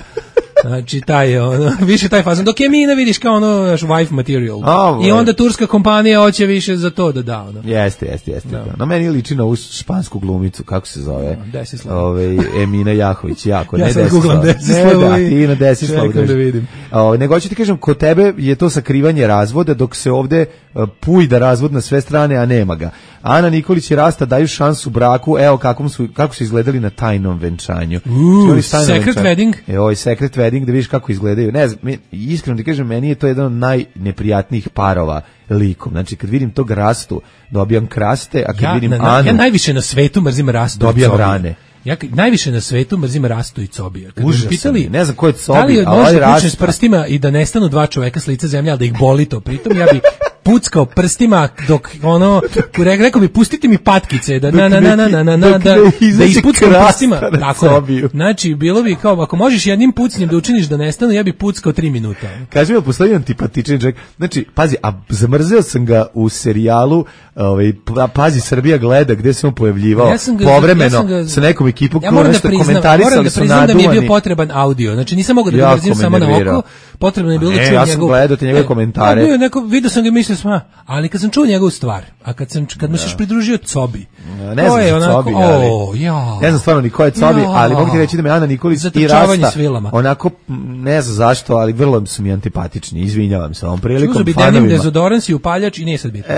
Znači, taj je, ono, više taj fazon. Dok je Mina, vidiš, kao ono, naš wife material. A, I onda turska kompanija hoće više za to da da, ono. Jeste, jeste, jeste. Da. No, meni liči na ovu špansku glumicu, kako se zove? Desislava. Ove, Emina Jahović, jako. Ja ne sad Desislava. googlam Desislavu Ne, da, i ti na Desislavu. čekam da drži. vidim. Ove, nego hoću ti kažem, kod tebe je to sakrivanje razvoda, dok se ovde uh, pujda razvod na sve strane, a nema ga. Ana Nikolić i Rasta daju šansu braku, evo kakvom su, kako su izgledali na tajnom venčanju. Uuu, Su oni s tajnom secret venčanju? wedding? E, ovaj secret wedding, da vidiš kako izgledaju. Ne znam, mi- iskreno ti kažem, meni je to jedan od najneprijatnijih parova likom. Znači, kad vidim tog Rastu, dobijam kraste, a kad Ja, vidim na, na, Anu, ja najviše na svetu mrzim Rastu i dobijam Cobija. rane. Ja k- najviše na svetu mrzim Rastu i Cobija. Kad Užasan me pitali, je. Ne znam ko je Cobi, da li a može ovaj da pučne s Rasta. prstima i da nestanu dva čoveka s lica zemlje, ali da ih boli to. Pritom ja bi puckao prstima dok ono, re- rekao bi pustite mi patkice, da na na na na na na na Dok da, ne da izađe ispuckam krasta prstima. na Tako je. Cobiju. Znači, bilo bi kao, ako možeš jednim pucnjem da učiniš da nestanu, ja bi puckao tri minuta. Kaži mi, postoji antipatični čovjek. Znači, pazi, a zamrzeo sam ga u serijalu, ovaj, pa- pazi, Srbija gleda, gde se on pojavljivao, Ja sam ga- povremeno, ja sam ga- sa nekom ekipom, Ja koja moram da nešto priznam, komentarisali moram da su priznam da mi je bio naduvani. potreban audio. Znači nisam mogao da ga Jako mrzim me samo na nervirao. oko. Potrebno je bilo Ne, da čujem ja sam njegov. gledao te njegove E, komentare. ja bio je neko, video sam ga i mislio sam, a, ali kad sam čuo njegovu stvar, a kad sam kad mu se još pridružio Cobi. Ne to znam je za onako, Cobi, ali, o, ja. ne znam stvarno ni ko je Cobi, Ja. ali mogu ti reći da me Ana Nikolić i Zatrčavanje Rasta, s vilama. onako, m, ne znam zašto, ali vrlo su mi antipatični, izvinjavam se ovom prilikom Uzo bi denim fanovima. dezodorans i upaljač i nije sad bitno.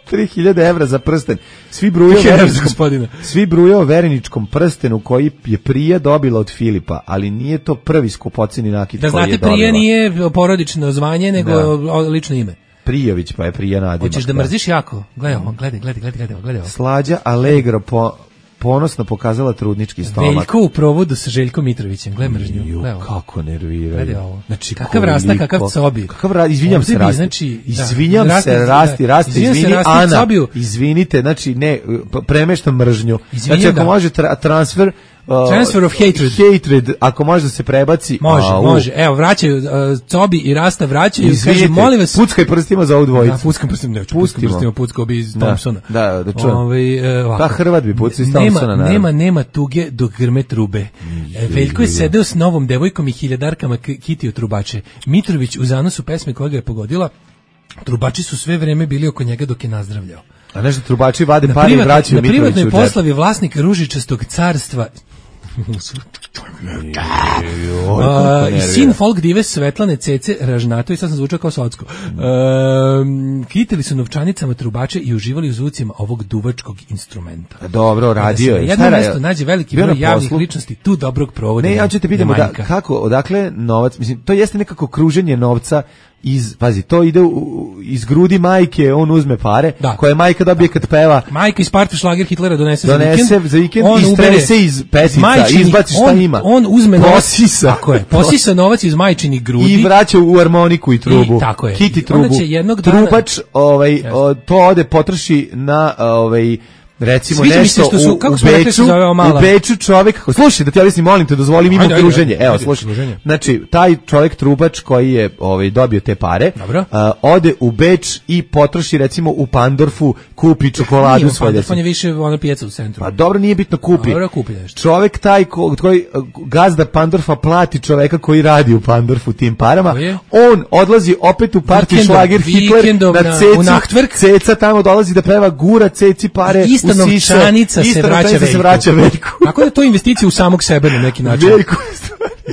tri hiljade evra za prsten. Svi brujao tri hiljade evra za vereničkom- gospodina. Svi brujao vereničkom prstenu koji je prije dobila od Filipa, ali nije to prvi skupoceni nakit Da koji je znate, dobila. prije nije porodično zvanje, nego Da. o, lično ime. Prijović, pa je prije nadimak. Hoćeš da mrziš jako? Gledaj ovo, gledaj, gledaj, gledaj, gledaj, gledaj ovo. Slađa Allegro po, ponosno pokazala trudnički stomak. Veljko u provodu sa Željkom Mitrovićem, gledaj mržnju. Ju, Gledaj ovo. kako nerviraju. Gledaj ovo. Znači, Kakav Rasta, koliko- kakav Cobi. Kakav ra, izvinjam se, Ovdje bi, Rasti. znači, da, izvinjam Rasti, se, da, Rasti, Rasti, izvinjam se izvini, Rasti i Ana, Cobiju. izvinite, znači, ne, p- premeštam mržnju. Izvinjam Znači, ako ga. može tra, transfer, uh, Transfer of hatred. hatred, ako može da se prebaci, Može, au, može. Evo, vraćaju, uh, Cobi i Rasta vraćaju i Izvinite, kaže, molim vas, puckaj prstima za ovu dvojicu. Da, puckam prstima, ne, puckam Pustimo. prstima, puckao bi iz Da, Thompsona. da, da čujem. Ovaj, e, ovako. Pa Hrvat bi pucao iz Nema- Thompsona, naravno. Nema, nema tuge dok grme trube. E, Veljko je sedeo s novom devojkom i hiljadarkama k- kitio trubače. Mitrović u zanosu pesme koja ga je pogodila, trubači su sve vreme bili oko njega dok je nazdravljao. A nešto trubači vade Na, pare i privatnoj- vraćaju na Mitroviću privatnoj u džep. poslavi vlasnik ružičastog carstva Joj, kako A, i nervira. sin folk dive Svetlane Cece Ražnato, i sad sam zvučao kao Socko. Um, kitili su novčanicama trubače i uživali u zvucima ovog duvačkog instrumenta. Dobro, radio Kada se je. na jednom Šta je- mestu nađe veliki bio broj na javnih poslu? ličnosti, tu dobrog provoda Ne, ja ću te pitamo da, manjka. kako, odakle novac, mislim, to jeste nekako kruženje novca iz, pazi, to ide u, u- iz grudi majke, on uzme pare, Da. koje majka dobije kad peva, Majka iz party šlager Hitlera donese, donese za vikend, za vikend, on istrese ubere iz pesica, majčinih- izbaci šta on, ima. On uzme novac, Posisa. tako je, posisa novac iz majčinih grudi. I vraća u harmoniku i trubu. I tako je. Kiti I onda trubu. će jednog dana- Trubač, ovaj, o, to ode potroši na, ovaj, recimo Sviđa mi se nešto što su- u, kako u smo rekli Beču, se zove ova mala? u Beču čovjek, slušaj, da ti objasnim, molim te, dozvoli mi Ajde, ajde, okruženje. ajde, Evo, ajde, slušaj. okruženje. Znači, taj čovjek trubač koji je ovaj dobio te pare, Dobro. a, ode u Beč i potroši recimo u Pandorfu, kupi Nije čokoladu on svoje. Pandorf, on je više ono pijaca u centru. Pa dobro, nije bitno, kupi. Dobro, kupi nešto. Čovek taj ko, koji gazda Pandorfa plati čoveka koji radi u Pandorfu tim parama. Ko je? On odlazi opet u party Vikendom, šlager Hitler vikendom na na- u cecu. Nachtwerk. Ceca tamo dolazi da peva, gura ceci pare. Ista usise, novčanica se ista vraća novčanica Veljku. se vraća Veljku. Tako da je to investicija u samog sebe na neki način. Veljku.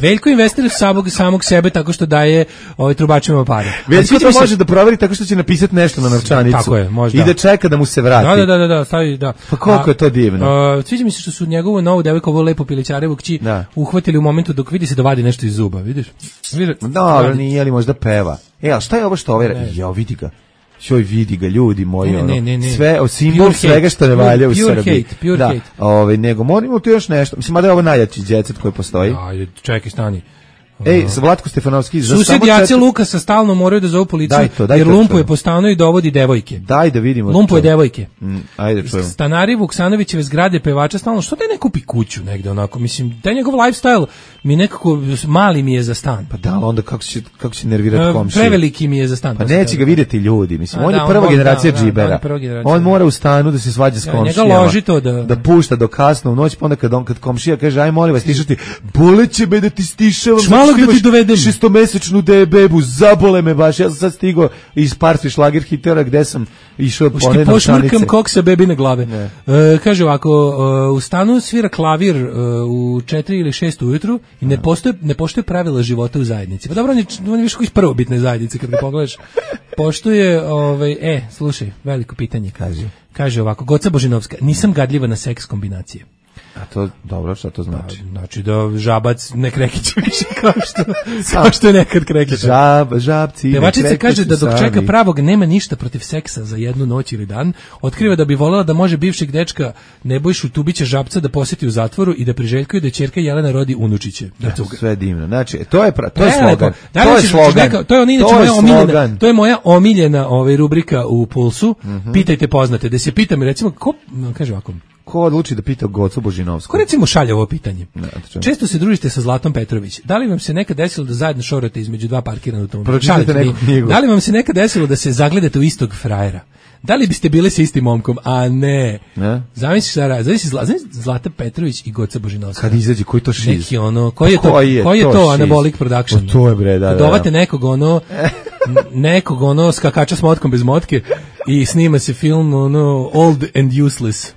Veljko investira samog, samog sebe tako što daje ovaj trubačima pare. Veljko to može da proveri tako što će napisati nešto na novčanicu. Tako je, možda. I da čeka da mu se vrati. Da, da, da, da, stavi, da. Pa koliko je to divno. Uh, sviđa mi se što su njegovu novu devojku, ovo lepo pilićarevu kći, da. uhvatili u momentu dok vidi se da vadi nešto iz zuba, vidiš? Vidi, dobro, nije li možda peva. E, ali šta je ovo što ovaj... Jo, vidi ga. Šoj, vidi ga, ljudi moji, ne, ono, ne, ne, ne. sve, o simbol svega što ne valja u Srbiji. Hate, pure da, hate. Ovaj, nego, moramo tu još nešto. Mislim, mada je ovo najjači djecet koji postoji. Ajde, čekaj, stani. Ej, sa Vlatko Stefanovski. Sused Jace četiri... Lukasa stalno moraju da zovu policiju, daj to, daj jer lumpuje po stanu i dovodi devojke. Daj da vidimo. Lumpuje devojke. Mm, ajde čujemo. Stanari Vuksanovićeve zgrade pevača stalno, što da ne kupi kuću negde onako, mislim, taj njegov lifestyle mi nekako, mali mi je za stan. Pa da, onda kako će, kako će nervirati komšije? Preveliki mi je za stan. Pa neće ga vidjeti ljudi, mislim, A, on da, je prva on, generacija da, džibera. Da, da, generacija. On mora u stanu da se svađa s ja, komšijama. Njega loži to da... Da pušta do kasno u noć, pa onda kad, on, kad komšija kaže, aj molim vas, stišati, boleće me da ti stišavam. Šmalog da ti dovedem. Šestomesečnu de bebu, zabole me baš, ja sam sad stigao iz Parti šlager hitera gde sam išao po one novčanice. Pošmrkam koksa bebine glave. E, kaže ovako, uh, u stanu svira klavir uh, u četiri ili šest ujutru i ne postoje, ne poštuje pravila života u zajednici. Pa dobro, on je, on je više koji iz prvobitne zajednice, kad ga pogledaš. Poštuje, ovaj, e, slušaj, veliko pitanje. Kaže, kaže ovako, Goca Božinovska, nisam gadljiva na seks kombinacije. A to, dobro, šta to znači? Da, znači da žabac ne krekiće više kao što, kao što je nekad krekiće. Žab, žabci Pevačica kaže da dok čeka pravog nema ništa protiv seksa za jednu noć ili dan, otkriva da bi voljela da može bivšeg dečka Nebojšu Tubića Žabca da posjeti u zatvoru i da priželjkuje da ćerka Jelena rodi unučiće. Da, sve divno. Znači, to je, pra, to je slogan. Da, to, je slogan. Neka, to je on inače moja omiljena, to je moja omiljena ovaj, rubrika u Pulsu. Mm-hmm. Pitajte poznate. Da se pitam, recimo, ko, kaže ovako, ko odluči da pita Gocu Božinovsku? Ko recimo šalje ovo pitanje? Ne, često se družite sa Zlatom Petrović. Da li vam se nekad desilo da zajedno šorate između dva parkirana automobila? Pročitajte neku knjigu. Da li vam se nekad desilo da se zagledate u istog frajera? Da li biste bili sa istim momkom? A ne. Ne? Zamisli šta, zamisli Zla, Zlata Petrović i Goca Božinovska. Kad izađe, koji to šiz? Neki ono, koji je to, koji je, koji je to, to Anabolic Production? O, to je bre, da, da. Dovate nekog ono, nekog ono skakača s motkom bez motke i snima se film ono Old and Useless.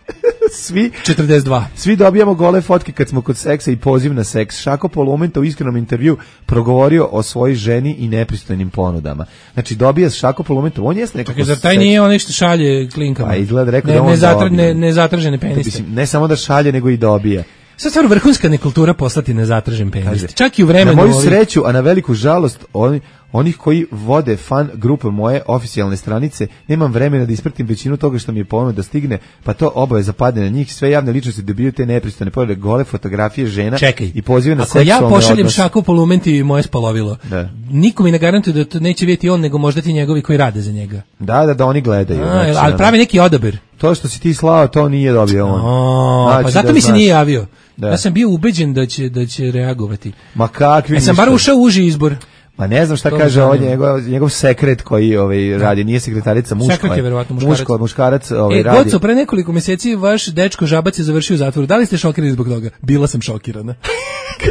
Svi četrdeset dva. Svi dobijamo gole fotke kad smo kod seksa i poziv na seks. Šako Polumenta u iskrenom intervju progovorio o svojoj ženi i nepristojnim ponudama. Znači dobija Šako Polumenta, on jeste nekako. Zar taj nije on što šalje klinkama? Pa izgleda rekao ne, da on nezatra, ne, nezatražene peniste. Mislim, ne samo da šalje, nego i dobija. Sad stvar vrhunska nekultura poslati nezatražen penis. Čak i u vremenu... Na moju sreću, a na veliku žalost, oni, onih koji vode fan grupe moje oficijalne stranice, nemam vremena da ispratim većinu toga što mi je ponuda da stigne, pa to obaveza padne na njih. Sve javne ličnosti dobiju te nepristojne poglede, gole fotografije žena. Čekaj, i pozive na ako seksualne ja pošaljem odnose. Šaku Polumenti i moje spalovilo, da. Niko mi ne garantuje da to neće vidjeti on, nego možda ti njegovi koji rade za njega. Da, da, da oni gledaju. A, znači, ali pravi neki odabir. To što si ti slao, to nije dobio on. O, znači, pa zato da mi se znaš. nije javio. Da. Ja sam bio ubeđen da će, da će reagovati. Ma kakvi ja sam bar ušao u uži izbor. Ma ne znam šta to kaže ovaj njegov, njegov sekret koji ovaj radi, nije sekretarica, muško. Sekret je verovatno muškarac. Muško, muškarac ovaj e, radi. Goco, pre nekoliko mjeseci vaš dečko Žabac je završio u zatvoru. Da li ste šokirani zbog toga? Bila sam šokirana.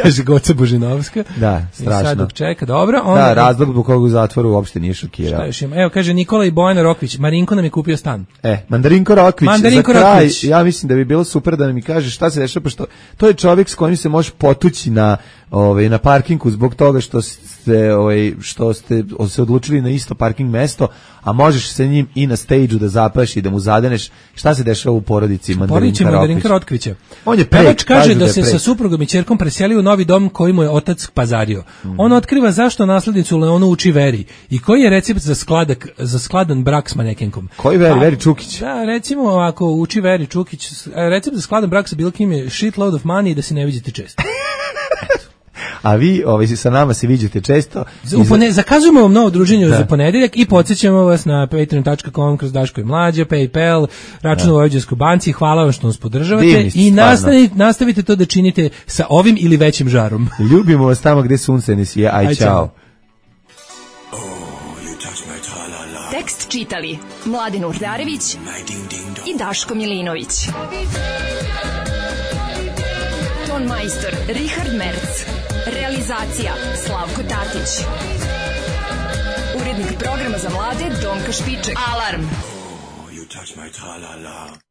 Kaže Goca Božinovska. Da, strašno. I sad dok čeka, dobro. Onda... Da, razlog zbog kog u zatvoru uopšte nije šokirao. Šta još ima? Evo, kaže Nikola i Bojana Rokvić, Marinko nam je kupio stan. E, Mandarinko Rokvić, Mandarinko za kraj, Rokvić. ja mislim da bi bilo super da mi kaže šta se dešava, pošto to je čovjek s kojim se može potući na, ovaj, na parkingu zbog toga što ste, ovaj, što ste se odlučili na isto parking mesto, a možeš sa njim i na stage-u da zapraš i da mu zadeneš. Šta se dešava u porodici Mandarinka, Mandarinka Rokvića? On je prek, Pevač kaže da, da se prek. sa suprugom i ćerkom preselio u novi dom koji mu je otac pazario. Mm. On otkriva zašto naslednicu Leonu uči veri i koji je recept za skladak za skladan brak s manekenkom. Koji veri? Veri Čukić. Da, recimo ovako uči Veri Čukić. Recept za skladan brak sa bilo kim je shitload of money i da se ne vidite često. A vi ovaj, sa nama se viđate često. U pone, zakazujemo vam novo druženje da. za ponedeljak i podsjećamo vas na patreon dot com kroz Daško i Mlađa, PayPal, račun u Vojvođanskoj banci. Hvala vam što nas podržavate. Divni, i nastavite, nastavite to da činite sa ovim ili većim žarom. Ljubimo vas tamo gde sunce ne sije. Aj, Aj čao. Tekst čitali Mladen Urdarević i Daško Milinović. Ton majstor Richard Merc. Realizacija Slavko Tatić. Urednik programa za mlade Donka Špiček. Alarm! Oh, you touch my tra-la-la.